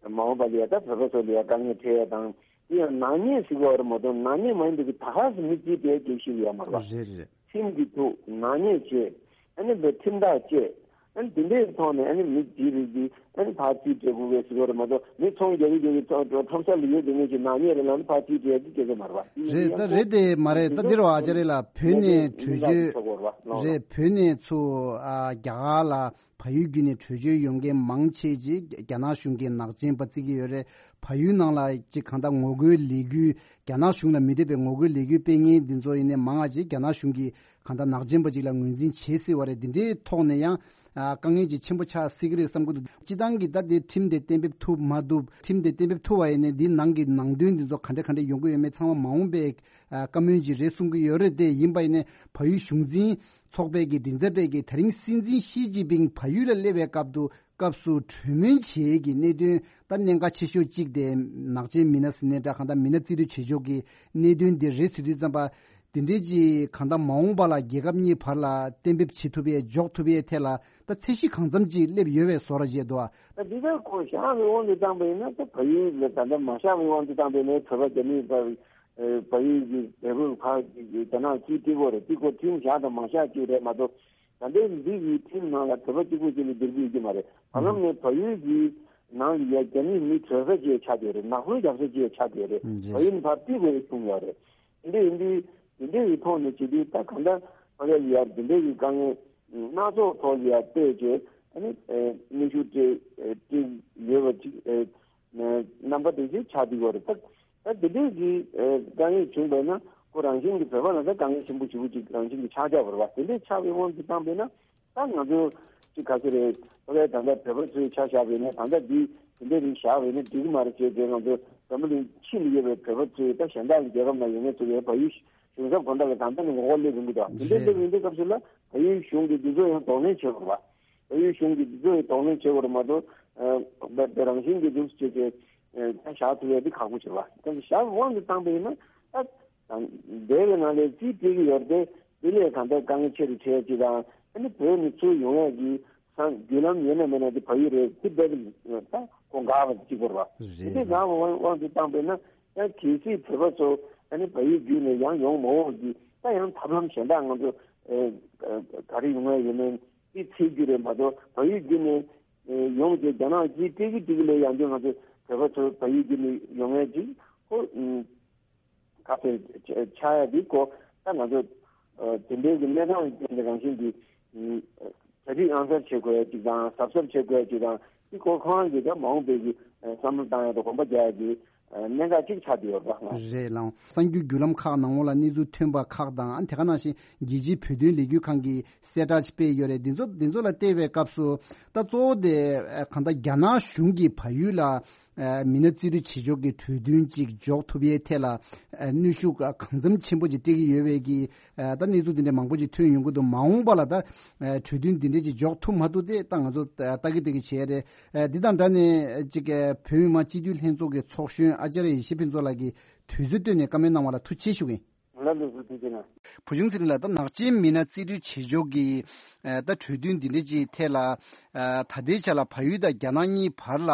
མ་འོངས་པ་ལ་ཡང་ད་བོད་པ་ཚོ་ལ་ཡང་དཀའ་ངལ་འཕྲད་ཡས་དང་དེ་ཡང་ནག་ཉེས་ཟེར་གྱི་ཡོད་རེད་མ་གཏོགས་ནག་ཉེས་མ་ཡིན་པའི་གི་ད་ག་སེ་མི་རྩིས་པའི་སྐད་ཆ་ཡོད་མ་རེད་པ། རེད་རེད། ཁྲིམས་ཀྱི་ཐོག་ནག་ཉེས་བྱས་ཨ་ནི་བའི་ཁྲིམས་ཐག་བཅད། ཨ་ནི་དེ་འདྲའི་ཐོག་ནས་ཨ་ནི་མི་དེའི་རིགས་འདི་ཨ་ནི་ཕར་རྩིས་སྤྲད་དགོས་པའི་ཟེར་བ་རེད་མ་གཏོགས་མི་ཚོང་རྒྱག་གི་རྒྱག་གི་ཚོང་ཁྲོམ་ས་ལ་ཡོད་དེ་ངེད་ཀྱི་ནག་ཉེས་རེད་ལབ་ནས་ཕར་རྩིས་སྤྲད་ཀྱི་སྐད་ཆ་མ་རེད་པ། རེད་ད་རེད་དེ་མ་རེད། ད་འདིར་བ་ཨ་ཅག་རེད་ལ་བོད་ནས་བྲོས་བྱོལ་རེད། བོད་ནས་ཚུར་ཨ་རྒྱ་གར་ལ་བལ་ཡུལ་བརྒྱུད་ནས་བྲོས་བྱོལ་ཡོང་མཁན་མང་ཆེ་ཅིག་རྒྱ་ནག་གཞུང་གིས་ནག་ཅན་པ་བརྩི་གི་ཡོད་རེད། བལ་ཡུལ་ནང་ལ་ཅིག་གང་ལྟར་ངོ་རྒོལ་ལས་འགུལ་རྒྱ་ནག་གཞུང་ལ་མི་འདོད་པའི་ངོ་རྒོལ་ལས་འགུལ་སྤེལ་མཁན་འདི་ཚོ་ཡིན་ནའི་མང་བ་ཅིག་རྒྱ་ནག་གཞུང་གིས་གང་ལྟར་ནག་ཅན་པ་ཅིག་ལ་ངོས་འཛིན་བྱེད་སྲིད་པ་རེད། འདི་འདྲའི་ཐོག་ནས་ཡང་ཨ་དཀའ་ངལ་ཅིག་ཆེན་པོ་ཆགས་སྲིད་ཀྱི་རེད་བསམ་གྱི་འདུག་སྤྱི་བཏང་གི་ད་ལྟའི་ཁྲིམས་དེ་གཏན་འབེབས་ཐུབ་མ་ཐུབ། ཁྲིམས་དེ་གཏན་འབེབས་ཐུབ་པ་ཡིན་ནའི་འདིའི་ནང་གི་ནང་དོན་འདི་ཚོ་ག་འདྲ་ག་འདྲ་ཡོང་གི་ཡོད་མེད་ཚང་མ་མ་འོངས་པའི་ཨ་བཀའ་མོལ་ཅིག་རེད་གསུང་གི་ཡོད་རེད། དེ་ཡིན་པ་ཡིན་ནའི་བལ་ཡུལ་གཞུང་འཛིན་ཚོགས་པའི་གི་མགྲིན་ཚབ་པས་གི་དེ་རིང་སྲིད་འཛིན་ཞི་ཅིན་ཕིང་བལ་ཡུལ་ལ་སླེབས་པའི་སྐབས་དུ་སྐབས་སུ་གྲོས་མོལ་བྱེད་ཀྱི་གནད་དོན་ད་གནད་འགག་ཆེ་ཤོས་གཅིག་དེ་ནག་ཅན་མི་སྣ་ཟེར་ནའི་འདྲ་གང་ལྟར་མི་སྣ་རྩིས་སྤྲོད་བྱེད་ཕྱོགས་ཀྱི་གནད་དོན་དེ་རེད་ཟེར་དུས་ཙམ་པ། དེ་འདྲའི་ཅིག་གང་ལྟར་མ་འོངས་པ་ལ་རྒྱལ་ཁབ་གཉིས་བར་ལ་གཏན་འབེབས་བྱེད་ཐུབ་ཡས་འཇོག་ཐུབ་ཡས་ཐད་ལ་ད་ཚད་གཞི་གང་འཚམ་ཅིག་སླེབས་ཡོད་པའི་བཟོ་འདྲ་བྱས་འདུག་ད་འདི་ལྟར་ཁོ་བཞག་པའི་དབང་དུ་བཏང་པ་ཡིན་ན་ད་བལ་ཡུལ་ལ་ད་ལྟ་མ་བཞག་པའི་དབང་དུ་བཏང་པ་ཡིན་ན་བོད་པ་རྒྱ་མིའི་བར་བལ་ཡུལ་གྱི་བལ་པོའི་ཁ་རྒྱ་ནག་གིས་སྤྲད་ཀྱི་ཡོད་རེད། དེ་ཁོ་ཁྲིམས་བཞག་དང་མ་བཞག་ཅིག་རེད་མ་གཏོགས། ད་ལྟའི་འདི་གི་ཁྲིམས་ནང་ལ་བོད་པ་གཅིག་པུ་གཅིག་ལ་བསྡུར་རྒྱུ་ཡོད་ཀྱི་མ་རེད། བར་ལམ་ནས་བལ་ཡུལ་གྱི་ནང་ལ་ཡ་རྒྱ་མིའི་མི་བྲོས་ས་ཅིག་ཆགས་བསྡད་ཡོད་རེད། ནག་པོའི་རྒྱབ་ས་ཅིག་ཆགས་བསྡད་ཡོད་རེད། ཨུམ། བལ་ཡུལ་ནས་ཕར་ཕུད་དགོས་ཡ་གསུངས་ཡོད་རེད། དེ་འདྲ་ཡིན་དུས་དེ་འདྲ་ཡི་ཐོག་ནས་བྱེད་དུས་ད་གང་ལྟར་ཕ་གི་ལ་ཡ་དེ་འདྲ་ཡི་དཀའ་ངལ་སྣ་ཚོགས་ཐོག་ལ་ཡ་བལྟས་བྱས་ཨ་ནི་གནོན་ཤུགས་སྤྲད་སྤྲད་ཡོད་པ་ཅིག་རྣམ་པ་དེ་ཅིག་ཆགས་བསྡད་ཡོད་རེད། ད་ད་དེ་འདྲའི་གི་དཀའ་ངལ་བྱུང་བས་ན་ཁོ་རང་བཞིན་གྱི་བོད་པ་ལ་ད་དཀའ་ངལ་ཆེན་པོ་ཞེ་པོ་ཅིག་རང་བཞིན་གྱི་ཆགས་ཆགས་པ་རེད་བ། དེ་འདྲའི་ཆགས་པའི་དབང་དུ་བཏང་བས་ན། ད་ང་ཚོ་ཅིག་ག་ཚོད་རེད། ད་ལྟ་ད་ལྟ་བོད་པ་ཚོའི་ཆ་བཞག་པ་ཡིན་ན་ད་ལྟ་འདི་དེ་འདྲ་རིགས་བཞག་པ་ཡིན་ན་འགྲིག་གི་མ་རེད་ཅེས་དེ་ང་ཚོ་འཛམ་བུ་གླིང་ཕྱི་ལ་ཡོད་པའི་བོད་པ་ཚོས་ད་གཞན་དག་གི་རྒྱལ་ཁབ་ནང་ཡོད་མཁན་ཚོ་ཡོད་བལ་ཡུལ་གཞུང་ཚབ་དགོན་བདག་གི་ད་ལྟ་ནས་ངོ་རྒོལ་སླེབས་ཡོང་གི་འདུག་དེ་འདྲ་སླེབས་ཡོང་དུས་སྐབས་སུ་ལ་བལ་ཡུལ་གཞུང་གིས་འདི་ཚོ་ཡང་གདོང་ལེན་བྱེད་དགོས་རེད་བ། བལ་ཡུལ་གཞུང་གིས་འདི་ཚོ་ཡང་གདོང་ལེན་བྱེད་དགོས་རེད་མ་གཏོགས་ཨ་བལ་བལ་རང་བཞིན་གྱིས་འདུག་ཅེས་ཀྱི་ཨ་ད་བཞག་ཐུབ་ཡ་འདི་ཁག་པོ་ཆེ་བ། ད་བཞག་དབང་དུ་བཏང་པ་ཡིན་ན་ད། དང་། འདས་པའི་ནང་ལས་རྩིས་སྤྲད་ཀྱི་ཡོད་རེད་དེ། དེ་ལས་གང་ལྟར་དཀའ་ངལ་ཆེ་རུ་ཆེ་ཅིག་དང་ཨ་ནི་བོད་ནས་ཚུར་ཡོང་ཡས་ཀྱི་ས་བརྒྱུད་ལམ་ཡོད་ན་མེད་ན་དེ་བལ་ཡུལ་རེད། དེ་རྦད་དེ་ད་གོ་འགག་པ་གཅིག་པོ་རེད་བ། རེད། དེ་འདྲའི་འགག་པ་དབང་དུ་བཏང་པས་ན་ཡང་གལ་སྲིད་བོད་པ་ཚོ་ཨ་ནི་བལ་ཡུལ་བརྒྱུད་ནས་ཡང་ཡོང་མ་འོང་གི་ད་ཡང་ཐབས་ལམ་གཞན་དག་ང་ཚོ་ག་རེ་ཡོང་ཡས་ཡོད་མེད་དེ་འཚོལ་རྒྱུ་རེད་མ་གཏོགས་བལ་ཡུལ་བརྒྱུད་ནས་ཡོང་རྗེས་རྒྱ་ནག་གིས་སྤྲད་ཀྱི་སྤྲད་ཀྱི་ལས་ཡང་བསྐྱར་ང་ཚོ་བོད་པ་ཚོ་བལ་ཡུལ་བརྒྱུད་ནས་ཡོང་ཡས་ཅིག་ཁོ། ག་ཚོད་ཆགས་ཡ་འདི་སྐོར་ད་ང་ཚོ་དེ་འདྲའི་གི་གནས་སྟངས་ཀྱི་རང་བཞིན་གྱི་གྲ་སྒྲིག་ཨང་གསར་བྱེད་དགོས་ཡ་ཅིག་དང་གཟབ་གཟབ་བྱེད་དགོས་ཡ་ཅིག་དང་འདི་སྐོར་ཁོ་རང་གི་ད་མ་འོངས་པའི་གི་བསམ་བློ་བཏང་ཡ་དང་གོམ་པ་རྒྱག་ཡ་གི་གནད་འགག་ཅིག་ཆགས་བསྡད་ཡོད་རེད་པ། རེད་ལགས། གསར་འགྱུར་བརྒྱུད་ལམ་ཁག་ནང་ལོགས་ལ་གནས་ཚུལ་ཐོན་པ་ཁག་དང་ཨ་དེ་ག་ནང་བཞིན་རྒྱལ་སྤྱིའི་བོད་དོན་ལས་འགུལ་ཁང་གིས་གསལ་བསྒྲགས་སྤེལ་ཡོད་རེད། འདི་ཚོ་འདི་ཚོ་ལ་བལྟས་པའི་སྐབས་སུ་ད་གཙོ་བོ་དེ་གང་ལྟར་རྒྱ་ནག་གཞུང་གིས་བལ་ཡུལ་ལ། མི་སྣ་རྩིས་སྤྲོད་བྱེད་ཕྱོགས་ཀྱི་གྲོས་མཐུན་གཅིག་འཇོག་ཐུབ་ཡས་ཐད་ལ་གནོན་ཤུགས་གང་འཚམ་ཆེན་པོ་ཅིག་སྤྲད་ཀྱི་ཡོད་པའི་གི་ད་གནས་ཚུལ་འདི་འདྲ་མང་པོ་ཅིག་ཐོན་ཡོང་གི་འདུག་མ་འོངས་པ་ལ་ད་གྲོས་མཐུན་འདི་འདྲ་ཅིག་འཇོག་ཐུབ་མ་ཐུབ་དེ་ད་ང་ཚོ་ལྟ་གི་ལྟ་གི་བྱས་རེད། འདི་དང་འདྲ་ནས་ཅིག་བོད་མི་མང་སྤྱི་འཐུས་ལྷན་ཚོགས་ཀྱི་ཚོགས་གཞོན་ཨ་ཅཱརྱ་ཡེ་ཤེས་ཕུན་ཚོགས་ལགས་ཀྱིས་དུས་ཚོད་བཏོན་ནས་བཀའ་མོལ་གནང་བ་ལ་ཐུགས་རྗེ་ཆེ་ཞུ་གི་ཡིན། ད་ལུགས་སུ་དེ་བྱས་ན། བུ་ཆུང་ཚེ་རིང་ལགས། ད་ནག་ཆེན་མི་སྣ་རྩིས་སྤྲོད་བྱེད་ཕྱོགས་ཀྱི་ཨ་ད་གྲོས་མཐུན་འདི་འདྲ་ཅིག་ཐད་ལ། ཨ་ད་ལྟའི་ཆ་ལ་བལ་ཡུལ་དང་རྒྱ་ནག་གཉིས་བར་ལ་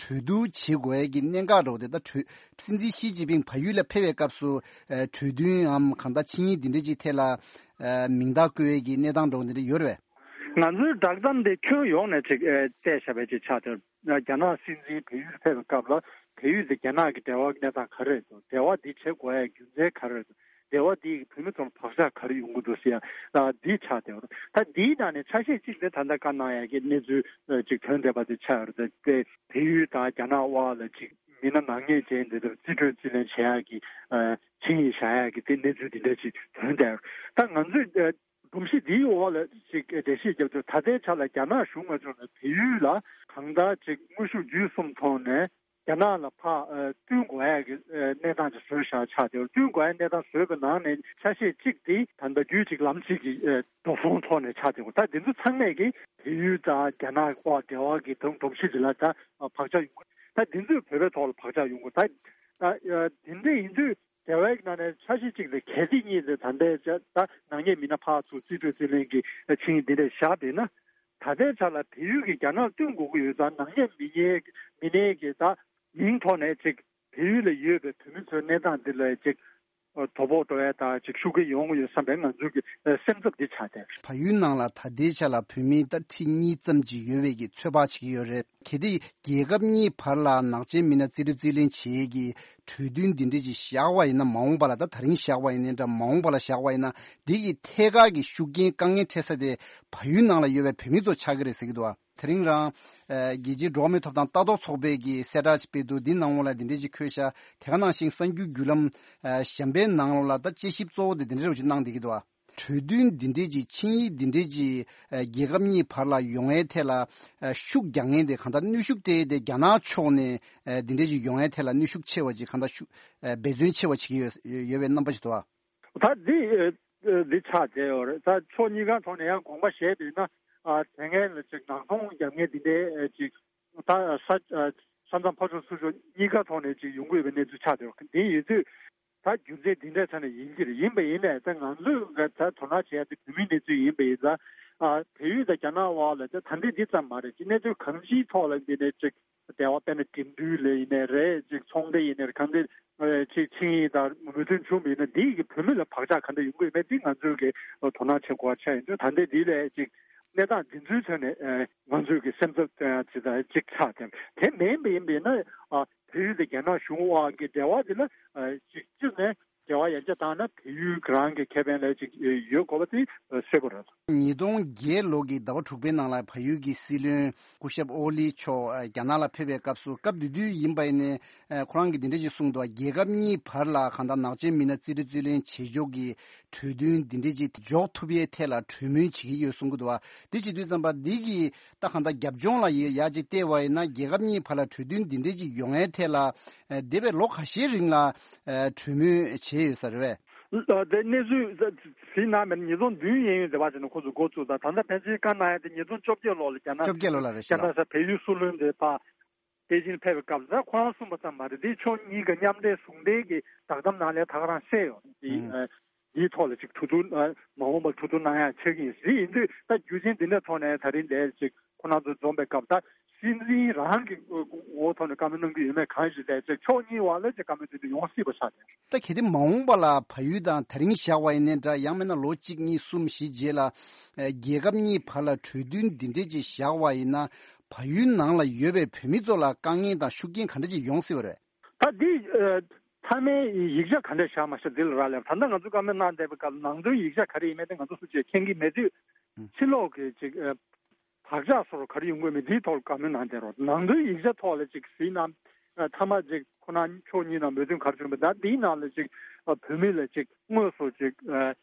གྲོས་བསྡུར་བྱེད་དགོས་ཡས་ཀྱི་གནད་འགག་འདྲ་བོ་དེ། ད་གྲོས་སྲིད་འཛིན་ཞི་ཅིན་ཕིང་བལ་ཡུལ་ལ་ཕེབས་པའི་སྐབས་སུ་ཨ་གྲོས་མཐུན་ནམ་གང་ལྟར་ཆིངས་ཡིག་འདི་འདྲ་ཅིག་ཐད་ལ་ཨ་མིང་རྟགས་བཀོད་ཡས་ཀྱི་གནས་སྟངས་འདྲ་བོ་འདི་འདྲ་ཡོད་རེད་པས། ང་ཚོའི་བསྒྲགས་གཏམ་དེ་ཁྱོན་ཡོངས་ནས་ཅིག་ཨ་བལྟས་བཞག་པའི་ཅིག་ཆགས་ཏེ། རྒྱ་ནག་སྲིད་འཛིན་བལ་ཡུལ་ཕེབས་པའི་སྐབས་ལ་བལ་ཡུལ་དེ་རྒྱ་ནག་གི་འབྲེལ་བ་གནས་སྟངས་ག་རེ་རེད་འདུག་འབྲེལ་བ་འདི་བྱེད་དགོས་ཡ་རྒྱུ་མཚན་ག་རེ་རེད་འདུག་འབྲེལ་བ་འདིས་བོད་མི་ཚོར་བག་ཆགས་ག་རེ་ཡོང་གི་འདུག་ཟེར་ཡ་འདི་ཆགས་བསྡད་ཡོད་རེད། ད་འདིའི་ནང་ནས་ཆ་ཤས་གཅིག་དེ་ད་ལྟ་བཀའ་གནང་ཡ་གི་གནས་ཚུལ་ཅིག་ཐོན་བསྡད་པ་དེ་ཆགས་ཡོད་རེད། དེ་བལ་ཡུལ་དང་རྒྱ་ནག་དབར་ལ་ཅིག་མི་སྣ་ནག་ཉེས་ཅན་དེ་ཚོར་རྩིས་སྤྲོད་རྩིས་ལེན་བྱེད་ཡ་གི་ཆིངས་ཡིག་བཞག་ཡ་གི་དེ་གནས་ཚུལ་འདི་འདྲ་ཅིག་ཐོན་བསྡད་ཡོད་རེད། ད་ང་ཚོས་སྒྲོམ་གཞི་འདིའི་འོག་ལ་ཅིག་འགྲེལ་བཤད་རྒྱབ་དུས། ད་ལྟའི་ཆ་ལ་རྒྱ་ནག་གཞུང་ང་ཚོ་ནས་བལ་ཡུལ་ལ་གང་ལྟར་ཅིག་དངོས་ཤུགས་བརྒྱུད་གསུམ་ཐོག་ནས་རྒྱ་ནག་ལ་ཕར་ཨ་བསྟུན་དགོས་ཡ་གི་ཨ་གནས་སྟངས་ཅིག་བཟོས་བཞག་ཆགས་བསྡད་ཡོད། བསྟུན་དགོས་ཡ་གནས་སྟངས་བཟོས་པའི་ནང་ནས་ཆ་ཤས་གཅིག་དེ་ད་ལྟ་རྒྱུད་གཅིག་ལམ་གཅིག་གི་ཨ་འགྲོ་སོང་ཐོག་ནས་ཆགས་བསྡད་ཡོད། ད་འདི་ཚོ་ཚང་མས་ཀྱི་བལ་ཡུལ་དང་རྒྱ་ནག་དབར་འབྲེལ་བ་གི་དོན་སྒྲོམ་གཞི་འདི་ལ་ད་བག་ཆགས་ཡོང་གི། ད་འདི་ཚོས་བོད་པའི་ཐོག་ལ་བག་ཆགས་ཡོང་གི། ད་ད་ཨ་དེ་འདྲ་ཡིན་དུས། འབྲེལ་བའི་ནང་ནས་ཆ་ཤས་གཅིག་ལ་གལ་སྲིད་གཉིས་ལ་ད་ལྟའི་ཆ་ད་ནག་ཉེས་མི་སྣ་ཕར་ཚུར་རྩིས་སྤྲོད་རྩིས་ལེན་གྱི་ཆིངས་ཡིག་འདི་འདྲ་བཞག་བསྡད་ན། ད་ལྟའི་ཆ་ལ་བལ་ཡུལ་གྱིས་རྒྱ་ནག་བསྟུན་དགོས་ཀྱི་ཡོད་ཙང་། ནག་ཉེས་མི་ཉེས་མི་སྣའི་གི་ད་མིང་ཐོག་ནས་ཅིག་བལ་ཡུལ་ལ་ཡོད་པའི་བོད་མི་ཚོའི་གནས་སྟངས་འདི་ལ་ཅིག་དོ་ཕོག་འགྲོ་ཡ་དང་ཅིག་ཤུགས་རྐྱེན་ཡོང་གི་ཡོད་བསམ་པའི་ང་ཚོའི་གི་སེམས་འཚབ་འདི་ཆགས་བསྡད། བལ་ཡུལ་ནང་ལ་ད་ལྟའི་ཆ་ལ་བོད་མི་ད་ཁྲི་གཉིས་ཙམ་ཅིག་ཡོད་པའི་གི་ཚོད་དཔག་བྱེད་ཀྱི་ཡོད་རེད། གལ་ཏེ་རྒྱལ་ཁབ་གཉིས་བར་ལ་ནག་ཅན་མི་སྣ་རྩིས་སྤྲོད་རྩིས་ལེན་བྱེད་ཀྱི་གྲོས་མཐུན་འདི་འདྲ་ཅིག་བཞག་པ་ཡིན་ན། མ་འོངས་པ་ལ། ད་དེ་རིང་བཞག་པ་ཡིན་ནའི་འདྲ། མ་འོངས་པ་ལ་བཞག་པ་ཡིན་ན། འདི་གི་ཐད་ཀར་གྱི་ཤུགས་རྐྱེན་དཀའ་ངལ་འཕྲད་ས་དེ་བལ་ཡུལ་ནང་ལ་ཡོད་པའི་བོད་མི་ཚོ་ཆགས་ཀྱི་རེད་ཟེར་གྱི་འདུག་བ། དེ་རིང་རང་ཨ་རྒྱལ་སྤྱིའི་འགྲོ་བ་མིའི་ཐོབ་ཐང་ལྟ་རྟོག་ཚོགས་པས་ཀྱི་གསལ་བསྒྲགས་ཤིག་སྤེལ་འདུག་འདི་ནང་ལོགས་ལ་འདི་འདྲ་ཅིག་འཁོད་ཤག་དེ་ག་ནང་བཞིན་གསར་འགྱུར་བརྒྱུད་ལམ་ཨ་གཞན་པའི་ནང་ལོགས་ལ་ད་དཔྱད་ཞིབ་གཙོ་བོ་དེ་འདི་འདྲ་ཅིག་གནང་བསྡད་ཀྱི་འདུག་བ། གྲོས་མཐུན་འདི་འདྲས་ཀྱི་ཆིངས་ཡིག་འདི་འདྲས་ཀྱི་ཨ་རྒྱལ་ཁབ་གཉིས་བར་ལ་ཡོང་ཡའི་ཐད་ལ་ཨ་ཤུགས་རྒྱག་མཁན་དེ། གང་ལྟར་གནོན་ཤུགས་སྤྲད་དེ་རྒྱ་ནག་ཕྱོགས་ནས་ཨ་འདི་འདྲས་ཀྱི་ཡོང་ཡའི་ཐད་ལ་གནོན་ཤུགས་ཆེ་བ་ཅིག་གང་ལྟར་ཤུགས་ཨ་འབད་བརྩོན་ཆེ་བ་བྱེད་ཀྱི་ཡོད་ཡོད་པའི་རྣམ་པ་ཞིག་འདུག་ཨ། ད་འདི་ཨ་འདི་ཆགས་བསྡད་ཡོད་རེད། ད་ཕྱོགས་གཉིས་ཀ་ཐོག་ནས་ཡང་དགོངས་པ་བཞེས་པ་ཡིན་ན། ཨ་དེ་སྔོན་ལ་ཅིག་ནག་ཚོང་རྒྱག་མཁན་འདི་འདྲས་ཨ་ཅིག་ད་ས་ཨ་ས་མཚམས་ཕར་ཕྱོགས་ཚུར་ཕྱོགས་གཉིས་ཀ་ཐོག་ནས་ཅིག་ཡོང་གི་ཡོད་པའི་གནས་ཚུལ་ཆགས་བསྡད་ཡོད། འདི་ཡིན་དུས། ད་རྒྱུ་མཚན་འདི་འདྲའི་ཆ་ནས་ཡིན་གྱི་རེད། ཡིན་པ་ཡིན་ནའི་ད་ང་ཚོས་ག་ད་དོ་སྣང་བྱེད་ཡ་དེ་བོད་མིའི་གནས་ཚུལ་ཡིན་པ་ཡིན་ཙང་། ཨ་བལ་ཡུལ་དང་རྒྱ་ནག་དབར་ལ་ད་ད་འདི་འདི་ཙམ་མ་རེད། ཅིག་གནས་ཚུལ་གང་ཅིའི་ཐོག་ལ་འདི་ནས་ཅིག་འབྲེལ་བ། དཔེར་ན་འགྲིམ་འགྲུལ་ལ་ཡིན་ནའི་རེད། ཅིག་ཚོང་འབྲེལ་ཡིན་ནའི་རེད། གང་འདི་ཨ་ཅིག་ཆིངས་ཡིག་དང་མོས་མཐུན་བྱུང་བ་ཡིན་ན། འདི་གི་བོད་མི་ལ་བག་ཆགས་ག་འདྲ་ཡོང་གི་ཡོད་མེད་འདི་ང་ཚོས་གི་དོ་སྣང་བྱེད་དགོས་པ་ཆགས་ཡོད། ད་འདི་འདི་ལས་ཅིག་གནས་སྟངས་འདི་ཚོའི་ཐོག་ནས་ཨ་ང་ཚོས་ཀྱི་སེམས་འཚབ་ཅིག་དང་ཅིག་ཆགས་ཏེ། དེ་མིན་པ་ཡིན་པ་ཡིན་ན། ཨ་བལ་ཡུལ་དང་རྒྱ་ནག་གཞུང་དབར་གྱི་འབྲེལ་བ་འདི་ལ་ཨ་ཅིག་གཅིག་ནས་འབྲེལ་བ་ཡར་རྒྱས་བཏང་ན་བལ་ཡུལ་རང་གི་ཁེ་ཕན་ལ་ཅིག་ཡོད་དགོས་པ་དེ་གསལ་པོ་རེད། ཉིས་སྟོང་བརྒྱད་ལོ་གི་ཟླ་བ་དྲུག་པའི་ནང་ལ་བལ་ཡུལ་གྱི་སྲིད་བློན་སྐུ་ཞབས་ཨོ་ལི་མཆོག་ཨ་རྒྱ་ནག་ལ་ཕེབས་པའི་སྐབས་སུ། སྐབས་དེ་དུས་ཡིན་པ་ཡིན་ནའི་ཨ་ཁོ་རང་གིས་འདི་འདྲ་ཅིག་གསུངས་འདུག་རྒྱལ་ཁབ་གཉིས་བར་ལ་གང་ལྟར་ནག་ཅན་མི་སྣ་རྩིས་སྤྲོད་རྩིས་ལེན་བྱེད་ཕྱོགས་ཀྱི་གྲོས་མཐུན་འདི་འདྲ་ཅིག་འཇོག་ཐུབ་ཡའི་ཐད་ལ་གྲོས་མོལ་བྱེད་ཀྱི་ཡོད་གསུང་གི་འདུག་བ། འདི་བྱེད་དུས་ཙམ་པ་འདི་གི་ད་གང་ལྟར་རྒྱབ་ལྗོངས་ལ་ཡ་ཡ་ཅིག་བལྟས་པ་ཡིན་ན། རྒྱལ་ཁབ་གཉིས་བར་ལ་གྲོས་མཐུན་འདི་འདྲ་ཅིག་ཡོང་ཡའི་ཐད་ལ་ཨ་འདས་པའི་ལོ་ཁ་ཤས་རིང་ལ་ཨ་གྲོས་མོལ་བྱས་ཡོད་ས་རེད་པས། ཨ་དེ་གནས་ཚུལ་གཟིགས་གནང་མེད། ཉིས་སྟོང་བདུན་གཡས་གཡོན་དེ་བར་ཅིག་ནས་ཁོ་ཚོ་འགོ་བཙུགས། ད་ད་ལྟ་ཕལ་ཆེར་བཀའ་གནང་ཡ་དེ་ཉིས་སྟོང་བཅོ་བརྒྱད་ལོ་ལ་རྒྱ་ནག་བཅོ་བརྒྱད་ལོ་ལ་རེད་ཤག་རྒྱ་ནག་ས་བལ་ཡུལ་སྲིད་བློན་དེ་ཕར་པེ་ཅིན་ཕེབས་པའི་སྐབས་སུ། ད་ཁོ་རང་གསུངས་པ་ཙམ་མ་རེད། འདི་ཕྱོགས་གཉིས་ཀ་མཉམ་འབྲེལ་ཟུང་འབྲེལ་གྱི་བསྒྲགས་གཏམ་ནང་ལ་ད་ག་རང་གསལ་ཡོད་རེད། འདི་ཨ་འདིའི་ཐོག་ལ་ཅིག་གྲོས་བསྡུར་ཨ་མ་འོངས་པར་གྲོས་བསྡུར་གནང་ཡ་ཆགས་ཀྱི་ཡིན་ཟེར། ཡིན་དུས་ད་རྒྱུ་རྐྱེན་འདི་འདྲ་ཐོག་ནས་ད་རིང་འདིར་ཅིག་ཁོ་རང་ཚོ་འཛོམས་པའི་སྐབས། ད་སྲིད་འཛིན་རང་གི་འོག་ཐོག་ནས་བཀའ་མོལ་གནང་གི་ཡོད་མེད་གང་ཞིག་ལས་ཅིག་ཕྱོགས་གཉིས་བར་ལ་ཅིག་བཀའ་མོལ་དེ་འདྲ་ཡོང་སྲིད་པ་ཆགས་ཏེ། ད་གལ་ཏེ་མ་འོངས་པ་ལ་བལ་ཡུལ་དང་དེ་རིང་བཞག་པ་ཡིན་ནའི་འདྲ། ཡང་མིན་ན་ལོ་གཅིག་གཉིས་གསུམ་བཞི་རྗེས་ལ་ཨ་རྒྱལ་ཁབ་གཉིས་བར་ལ་གྲོས་མཐུན་འདི་འདྲས་ཅིག་བཞག་པ་ཡིན་ན། བལ་ཡུལ་ནང་ལ་ཡོད་པའི་བོད་མི་ཚོ་ལ་དཀའ་ངལ་དང་ཤུགས་རྐྱེན་ག་འདྲ་ཅིག་ཡོང་སྲིད་པ་རེད། ད་འདི་ཨ་མཐའ་མའི་ཡིག་ཆ་ག་འདྲ་བཞག་མ་བཞག་འདི་ལ་རག་ལས་པ། ད་ལྟ་ང་ཚོ་བཀའ་མོལ་གནང་བསྡད་པའི་སྐབས་ནང་དོན་ཡིག་ཆ་ག་རེ་ཡིན་མིན་དེ་ང་ཚོ་སུ་གཅིག་མཁྱེན་གྱི་མེད་དུས། ཕྱི་ལོགས་ཀྱི་ཅིག་ཨ་བག་ཆགས་སོགས་ག་རེ་ཡོང་གི་མེད། འདིའི་ཐོག་ལ་བཀའ་མོལ་གནང་བསྡད་རོགས། ནང་དོན་ཡིག་ཆ་ཐོག་ལ་ཅིག་གཟིགས་ན། ཨ་མཐའ་མ་ཅིག་ཁོ་རང་ཕྱོགས་གཉིས་ནང་མོས་མཐུན་ག་རེ་བྱུང་བ། ད་འདིའི་ནང་ལ་ཅིག་ཨ་བོད་མི་ལ་ཅིག་དངོས་སུ་ཅིག་ཨ་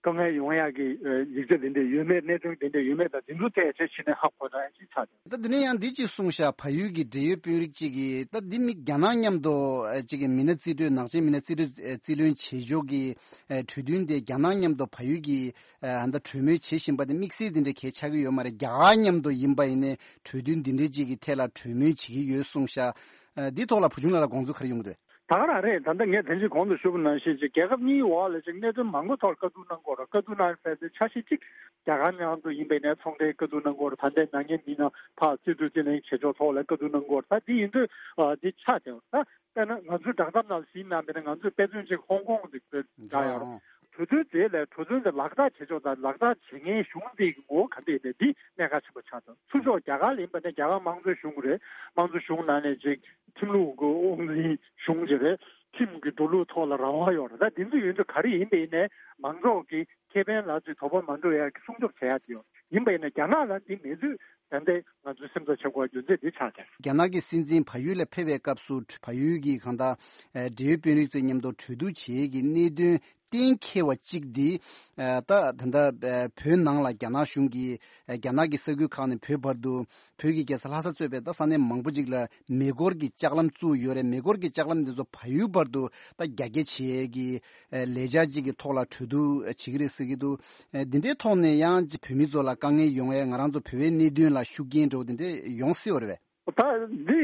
དཀའ་ངལ་ཡོང་ཡག་གི་ཨ་ཡིག་ཆ་དེ་འདྲ་ཡོད་མེད། གནད་དོན་དེ་འདྲ་ཡོད་མེད། ད་འདི་ཚོ་ཐད་ཆ་ཕྱི་ནས་ཧ་གོ་ད་ཅིག་ཆགས་ཏེ། ད་འདི་ནས་ཡང་འདི་ཅིག་གསུངས་ཤག་བལ་ཡུལ་གྱི་འབྲེལ་ཡོད་དཔོན་རིགས་ཅིག་གིས། ད་འདི་མི་རྒྱ་ནག་མཉམ་དུ་ཨ་ཅིག་གི་མི་སྣ་རྩིས་སྤྲོད། ནག་ཆེན་མི་སྣ་རྩིས་སྤྲོད་ཨ་རྩིས་ལེན་བྱེད་ཕྱོགས་ཀྱི་ཨ་གྲོས་མཐུན་དེ་རྒྱ་ནག་མཉམ་དུ་བལ་ཡུལ་གྱི་ཨ་ད་གྲོས་མོལ་བྱེད་བཞིན་པ་དེ་དམིགས་བསལ་དེ་འདྲ་གལ་ཆགས་ཀྱི་ཡོད་མ་རེད། རྒྱ་གར་མཉམ་དུ་ཡིན་པ་ཡིན་ནའི་གྲོས་མཐུན་འདི་འདྲའི་ཅིག་གི་ཐད་ལ་གྲོས་མོལ་བྱེད་ཀྱི་ཡོད་གསུངས་ཤག་ཨ་འདི་ཐོག་ལ་བུ་ཆུང་ལགས་ལ་དགོངས་ཚུལ་ག་རེ་ཡོང་གི་འདུག་ད་ག་རང་རེད། ད་ལྟ་ངས་དེ་རིང་གོང་དུ་ཞུས་པ་ནང་བཞིན་ཅིག་རྒྱལ་ཁབ་གཉིས་བར་ལ་ཅིག་གནད་དོན་མང་པོ་ཐོག་བཀའ་བསྡུར་གནང་དགོས་རེད། བཀའ་བསྡུར་གནང་ཟེར་དེ་འཆར་གཞི་གཅིག་རྒྱ་གར་ནང་དུ་ཡིན་པའི་ནས་ཚོང་འབྲེལ་བཀའ་བསྡུར་གནང་དགོས་རེད། ད་ལྟའི་ནག་ཉེས་མི་སྣ་ཕར་རྩིས་སྤྲོད་རྩིས་ལེན་བྱེད་ཕྱོགས་ཐོག་ལ་བཀའ་བསྡུར་གནང་དགོས་རེད། ད་འདི་ཡིན་དུས་ཨ་འདི་ཆགས་བསྡད་ཡོད་རེད། ད་དཔེར་ན་ང་ཚོའི་བསྒྲགས་གཏམ་ནང་གཟིགས་གནང་བ་ཡིན་ན་ང་ཚོས་དཔེ་མཚོན་གཅིག་ཧོང་ཀོང་དེ་བསྒྲགས་ཡོད་རེད། གྲོས་མཐུན་དེ་ལས་གྲོས་མཐུན་དེ་ལག་བསྟར་བྱེད་ཕྱོགས་དང་ལག་བསྟར་བྱེད་མཁན་གཞུང་དེ་གི་ངོ་བོ་ག་འདྲ་ཡིན་པས་འདི་གནད་འགག་ཆེན་པོ་ཆགས་འདུག་ཚུར་ཕྱོགས་རྒྱ་གར་ལ་ཡིན་པ་ནས་རྒྱ་གར་དམངས་གཙོའི་གཞུང་རེད། དམངས་གཙོའི་གཞུང་ནང་ནས་ཅིག་ཁྲིམས་ལུགས་ཀྱི་དབང་འཛིན་གཞུང་ཅིག་རེད། ཁྲིམས་ཀྱི་འགྲོ་ལུགས་ཐོག་ལ་རང་དབང་ཡོད་རེད། ད་འདི་ཚོ་ཡོད་དུས་ག་རེ་ཡིན་པ་ཡིན་ནའི་མང་ཚོགས་ཀྱི་ཁེ་ཕན་ལ་ཅིག་དོགས་པ་མ་འགྲོ་ཡ་གི་སྲུང་སྐྱོབ་བྱེད་ཡ་དེ་ཡོད། ཡིན་པ་ཡིན་ན་རྒྱ་ནག་ལ་འདི་མེད་དུས་ད་ལྟའི་ང་ཚོའི་སེམས་འཚབ་བྱེད་དགོས་པ་རྒྱུ་མཚན་འདི་ཆགས་ཀྱང་། རྒྱ་ནག་གི་སྲིད་འཛིན་བལ་ཡུལ་ལ་ཕེབས་པའི་སྐབས་སུ་བལ་ཡུལ་གྱི་གང་ལྟར་ཨ་འབྲེལ་ཡོད་དཔོན་རིགས་ཚོའི་མཉམ་དུ་གྲོས་བསྡུར་བྱེད་ཀྱི་གནད་དོན་གཏན་འཁེལ་བ་གཅིག་འདི་ཨ་ད་ད་ལྟ་ཨ་བོད་ནང་ལ་རྒྱ་ནག་གཞུང་གིས་ཨ་རྒྱ་ནག་གི་ས་ཁུལ་ཁག་ནས་བོད་བར་དུ་བོད་ཀྱི་རྒྱལ་ས་ལྷ་ས་གཙོས་པའི་ད་ས་གནས་མང་པོ་ཅིག་ལ་མེ་འཁོར་གྱི་ལྕགས་ལམ་བཙུགས་ཡོད་རེད། མེ་འཁོར་གྱི་ལྕགས་ལམ་འདི་ཚོ་བལ་ཡུལ་བར་དུ་ད་རྒྱ་སྐྱེད་བྱེད་ཀྱི་ཨ་ལས་འཆར་ཅིག་གི་ཐོག་ལ་གྲོས་བསྡུར་བྱེད་ཀྱི་རེད་ཟེར་གྱི་འདུག་ཨ་འདི་འདྲའི་ཐོག་ནས་ཡང་ཅིག་བོད་མི་ཚོ་ལ་དཀའ་ངལ་ཡོང་ཡས་ང་རང་ཚོ་བོད་པའི་གནད་དོན་ལ་ཤུགས་རྐྱེན་འདྲ་བོ་དེ་འདྲ་ཡོང་སྲིད་པ་རེད་པས། ད་འདི་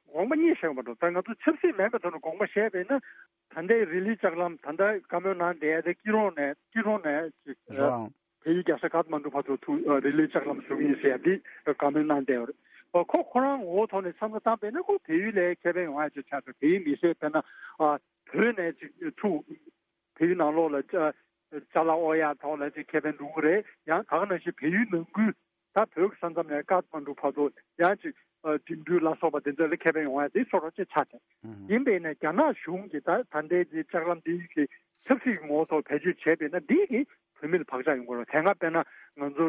དགོངས་པ་གཉིས་བཞེས་པ་འགྲོ། ད་ང་ཚོ་ཆབ་སྲིད་མིན་པའི་ཐོག་ནས་དགོངས་པ་བཞེས་པས་ན། ད་ལྟའི་རི་ལི་ལྕགས་ལམ་ད་ལྟ་བཀའ་མོལ་གནང་བསྡད་དེ་སྐྱིད་རོང་ནས་སྐྱིད་རོང་ནས་ཅིག་རང་བལ་ཡུལ་རྒྱལ་ས་ཀཏ་མན་གྲུ་བར་དུ་ཐུག་རི་ལི་ལྕགས་ལམ་བཟོ་གི་ཡིན་ཟེར་ཡ་འདི་བཀའ་མོལ་གནང་བསྡད་ཡོད་རེད། ཁོ་ཁོ་རང་ངོ་བོ་ཐོག་ནས་བསམ་བློ་བཏང་པས་ན་ཁོ་བལ་ཡུལ་ལ་ཁེ་ཕན་ཡོང་ཡ་ཅིག་ཆགས་འདུག་བལ་ཡུལ་མི་སེར་དཔེར་ན་བོད་ནས་ཅིག་ཐུག་བལ་ཡུལ་ནང་ལོགས་ལ་ཅ་ཅ་ལག་དབོར་ཡག་ཐོག་ལ་ཅིག་ཁེ་ཕན་འགྲོ་གི་རེད། ཡང་ད་ག་ནང་བཞིན་བལ་ཡུལ་ནང་ཁུལ་ད་བོད་ཀྱི་ས་མཚམས་ནས་ཀཏ་མན་གྲུ་བར་དུ་ཡང་ཅིག་འགྲིམ་འགྲུལ་ལ་སོགས་པ་དེ་ཚོ་ལ་ཁེ་ཕན་ཡོང་ཡ་དེ་སོ་སོ་ཅིག་ཆགས་ཏེ། ཡིན་པས་ན་རྒྱ་ནག་གཞུང་གིས་ད་ད་ལྟའི་དེ་ལྕགས་ལམ་འདི་གི་ཆབ་སྲིད་ཀྱི་ངོ་བོ་ཐོག་བེད་སྤྱོད་བྱས་པས་ན་འདི་གིས་བོད་མི་ལ་བག་ཆགས་ཡོང་གི་རེད། དེ་སྔ་དཔེར་ན་ང་ཚོ་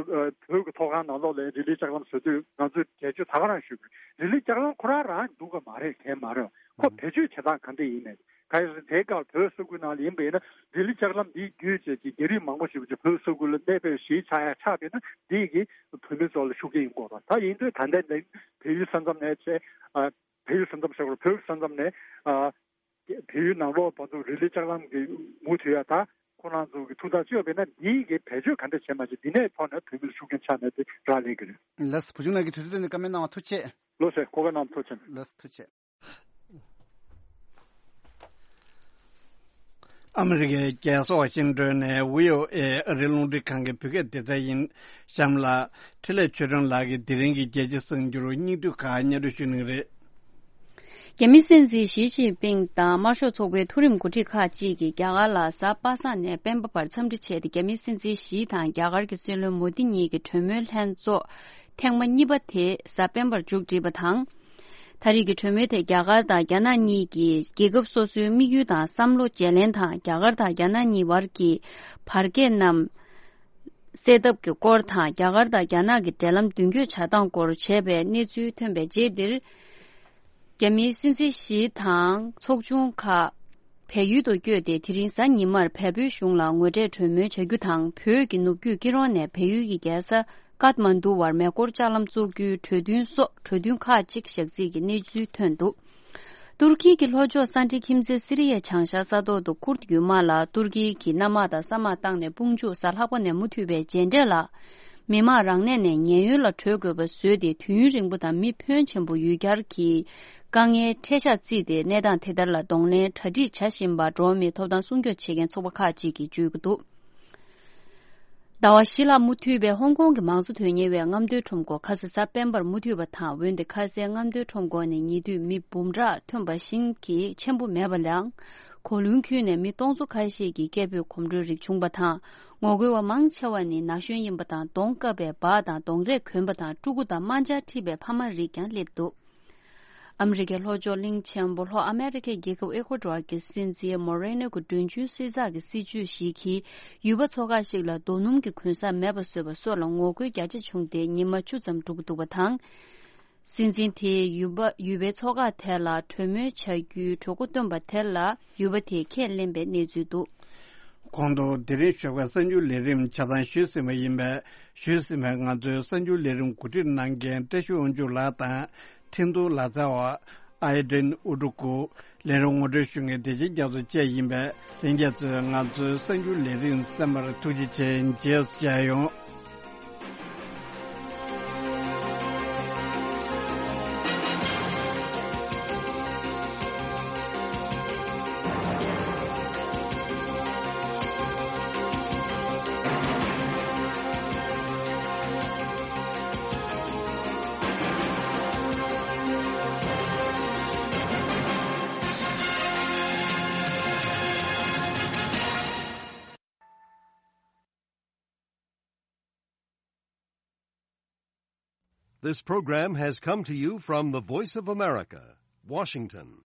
བོད་ཀྱི་ཐོག་ཁང་ནང་ལོགས་ལ་རི་ལི་ལྕགས་ལམ་བཟོ་དུས་ང་ཚོས་འགྲེལ་བརྗོད་ད་ག་རང་ཞུས་པ་རེད། རི་ལི་ལྕགས་ལམ་ཁོ་རང་རང་འདུག་ག་མ་རེད། དེ་མ་རེད། ཁོ་བེད་སྤྱོད་བྱེད་སྟངས་ག་འདྲ་ཡིན་མིན། གལ་སྲིད་དེའི་སྐབས་བོད་ས་ཁུལ་ནང་ལ་ཡིན་པ་ཡིན་ན་རི་ལི་ལྕགས་ལམ་འདི་བརྒྱུད་བྱས་ཀྱི་རྒྱ་རིགས་མང་པོ་ཞིག་བོད་ས་ཁུལ་ལ་གནས་སྤོས་གཞིས་ཆགས་ཡ་ཆགས་པས་ན་འདི་གིས་བོད་མི་ཚོ་ལ་ཤུགས་རྐྱེན་ཡོང་གི་རེད། ད་ཡིན་དུས་ད་ལྟའི་ནང་བལ་ཡུལ་ས་མཚམས་ནས་བྱས་ཨ་བལ་ཡུལ་ས་མཚམས་ཟེར་དགོས་རེད། བོད་ས་མཚམས་ནས་ཨ་བལ་ཡུལ་ནང་ལོགས་བར་དུ་རི་ལི་ལྕགས་ལམ་གྱི་མུ་མཐུད་ཡ་ད་ཁོ་རང་ཚོ་གི་ཐུགས་ཐག་གཅོད་པས་ན་འདི་གིས་བེད་སྤྱོད་ག་འདྲ་བྱས་མ་བྱས་འདི་ནས་ཐོག་ནས་བོད་མི་ལ་ཤུགས་རྐྱེན་ཆགས་ནས་དེ་རག་ལས་ཀྱི་རེད། ལགས་སོ། བུ་ཆུང་ལགས་ཀྱིས་དུས་ཚོད་བཏོན་ནས་བཀའ་མོལ་གནང་བ་ཐུགས་རྗེ་ཆེ། ལགས་སོ། གོ་སྐབས་གནང་བ་ཐུགས་རྗེ་ཆེ། ལགས་སོ། ཐུགས་རྗེ་ཆེ། ཨ་མི་རི་ཀའི་རྒྱལ་ས་ཝ་ཤིང་ཏོན་ནས་བྷི་ཨོ་ཨེ་ཨ་རིའི་རླུང་འཕྲིན་ཁང་གི་བོད་སྐད་སྡེ་ཚན་ཡིན། གཤམ་ལ་འཕྲིན་ལས་ཆོས་སྒྲོན་ལགས་ཀྱིས་དེ་རིང་གི་རྒྱལ་སྤྱིའི་གསར་འགྱུར་སྙིང་བསྡུས་ཁག་སྙན་སྒྲོན་ཞུ་གནང་གི་རེད། རྒྱ་མིའི་སྲིད་འཛིན་ཞི་ཅིན་ཕིང་དང་དམར་ཤོག་ཚོགས་པའི་མཐོ་རིམ་འགོ་ཁྲིད་ཁག་ཅིག་གིས་རྒྱ་གར་ལ་གཟའ་པ་སངས་ནས་སྤེན་པ་བར་འཚམས་འདྲི་བྱས་ཏེ། རྒྱ་མིའི་སྲིད་འཛིན་ཞི་དང་རྒྱ་གར་གྱི་སྲིད་བློན་མོ་དི་གཉིས་ཀྱི་གྲོས་མོལ་ལྷན་ཚོགས་ཐེངས་མ་གཉིས་པ་དེ་གཟའ་སྤེན་པར་མཇུག་བསྒྲིལ་བ་དང་། ད་རེས་ཀྱི་གྲོས་མོལ་དེ་རྒྱ་གར་དང་རྒྱ་ནག་གཉིས་ཀྱིས་རྒྱལ་ཁབ་སོ་སོའི་དམིགས་ཡུལ་དང་བསམ་བློ་བརྗེ་ལེན་དང་། རྒྱ་གར་དང་རྒྱ་ནག་གཉིས་བར་གྱི་བར་བརྒལ་རྣམས་སེལ་ཐབས་ཀྱི་སྐོར་དང་། རྒྱ་གར་དང་རྒྱ་ནག་གི་འབྲེལ་ལམ་མདུན་སྐྱོད་བྱ་སྟངས་སྐོར་བྱས་པའི་གནས་ཚུལ་ཐོན་པའི་རྗེས་འདིར། རྒྱ་མིའི་སྲིད་འཛིན་ཞི་དང་ཚོགས་ཆུང་ཁག་བལ་ཡུལ་དུ་བསྐྱོད་དེ། དེ་རིང་གཟའ་ཉི་མར་བལ་པོའི་གཞུང་ལ་ངོ་འཕྲད་གྲོས་མོལ་བྱ་རྒྱུ་དང་། བོད་ཀྱི་ནུབ་རྒྱུད་སྐྱིད་རོང་ནས་བལ་ཡུལ་གྱི་རྒྱལ་ས་ཀཏ་མན་ཌུ་བར་མེ་འཁོར་ལྕགས་ལམ་བཙུགས་རྒྱུའི་གྲོས་མཐུན་སོགས་གྲོས་མཐུན་ཁག་ཅིག་བཞག་རྩིས་ཀྱི་གནས་ཚུལ་ཐོན་འདུག་ཏུར་ཀི་གི་ལྷོ་ཕྱོགས་ས་འདྲེ་ཁྱིམ་མཚེས་སི་རི་ཡའི་བྱང་ཤར་ས་ཐོག་ཏུ་ཁུར་ཡུལ་དམག་ལ་ཏུར་ཀི་གིས་གནམ་དམག་དང་ས་དམག་བཏང་ནས་དཔུང་འཇུག་གཟའ་ལྷག་པ་ནས་མུ་མཐུད་པའི་མཇལ་འཕྲད་ལ། མི་དམངས་རང་གནས་ནས་ཉེན་གཡོལ་ལ་བྲོས་དགོས་པ་བཟོས་ཏེ། དུས་ཡུན་རིང་པོ་དང་མི་ཕོན་ཆེན་པོ་ཡུལ་གྱར་གྱི་དཀའ་ངལ་འཕྲད་ཤག་བརྩིས་ཏེ། གནས་སྟངས་དེ་ལྟར་ལ་གདོང་ལེན་གྲ་སྒྲིག་བྱ་བཞིན་པ་འགྲོ་བ་མིའི་ཐོབ་ཐང་སྲུང་སྐྱོབ་བྱེད་མཁན་ཚོགས་པ་ཁག་ཅིག་གིས་བརྗོད་ཀྱི་འདུག་ཟླ་བ་བཞི་ལྷག་མུ་མཐུད་པའི་ཧོང་ཀོང་གི་མང་གཙོ་དོན་གཉེར་བའི་རྔམ་སྟོན་ཁྲོམ་སྐོར་ཁ་སང་གཟའ་སྤེན་པར་མུ་མཐུད་པ་དང་། འོན་ཏེ་ཁ་སའི་རྔམ་སྟོན་ཁྲོམ་སྐོར་ནི་ཉེ་དུས་མི་འབུམ་ཕྲག་ཐོན་པ་བཞིན་གྱི་ཆེན་པོ་མེད་པ་ལའང་། གོ་ལུང་ཁུལ་ནས་མི་སྟོང་ཚོ་ཁ་ཤས་ཀྱིས་སྐད་འབོད་གོམ་བགྲོད་རིགས་བྱུང་བ་དང་། ངོ་རྒོལ་བ་མང་ཆེ་བ་ནི་ན་གཞོན་ཡིན་པ་དང་། གདོང་བཀབ་པའི་འབག་དང་གདོང་རས་གོན་པ་དང་། ཕྲུ་གུ་དང་དམར་འབྱར་འཁྲིད་པའི་ཕ་མ་རིགས་ཀྱང་སླེབས་འདུག་ཨ་མི་རི་ཀའི་ལྷོ་ཕྱོགས་གླིང་ཆེན་པོ་ལྷོ་ཨ་མེ་རི་ཁའི་རྒྱལ་ཁབ་ཨེ་ཁོ་ཌོར་གྱི་སྲིད་འཛིན་མོ་རེ་ནོ་གི་མགྲོན་ཆུང་སྲིད་ཚགས་ཀྱི་སྲིད་ཇུས་ཤིག་གིས། ཡུལ་པ་ཚོ་ཁག་ཞིག་ལ་རྡོ་སྣུམ་གྱི་གུན་གསབ་མེད་པ་བཟོས་པ་སོགས་ལ་ངོ་རྒོལ་རྒྱ་ཆེ་བྱུང་སྟེ། ཉི་མ་བཅུ་ཙམ་འགྲོ་གི་འདུག་པ་དང་། སྲིད་འཛིན་དེས་ཡུལ་པ་ཡུལ་པའི་ཚོ་ཁག་དེ་ལ་གྲོས་མོལ་བྱ་རྒྱུའི་གྲོས་འགོ་བཏོན་པ་དེ་ལ་ཡུལ་པ་དེས་ཁས་ལེན་པའི་གནས་ཚུལ་འདུག་གོང་དུ་དེ་རིང་ཞོགས་པའི་གསར་འགྱུར་ལས་རིམ་ཆ་ཚང་ཞུས་ཟིན་པ་ཡིན་པས། ཞུས་ཟིན་པའི་ང་ཚོའི་གསར་འགྱུར་ལས་རིམ་གོ་སྒྲིག་གནང་མཁན་བཀྲ་ཤིས་དབང་ཕྱུག་ལགས་དང་། འཕྲིན་གཏོང་ལག་རྩལ་བ་ཨའི་ཌེན་ཨུ་ཀྲུ་ཀུ། ལས་རིམ་ངོ་སྤྲོད་ཞུ་མཁན་བདེ་ཆེན་རྒྱ་མཚོ་བཅས་ཡིན་པས། ལྷན་རྒྱས་ཚོས་ང་ཚོའི་གསར་འགྱུར་ལས་རིམ་གསན་པར་ཐུགས་རྗེ་ཆེ། མཇལ་ཡོང་། This program has come to you from the Voice of America, Washington.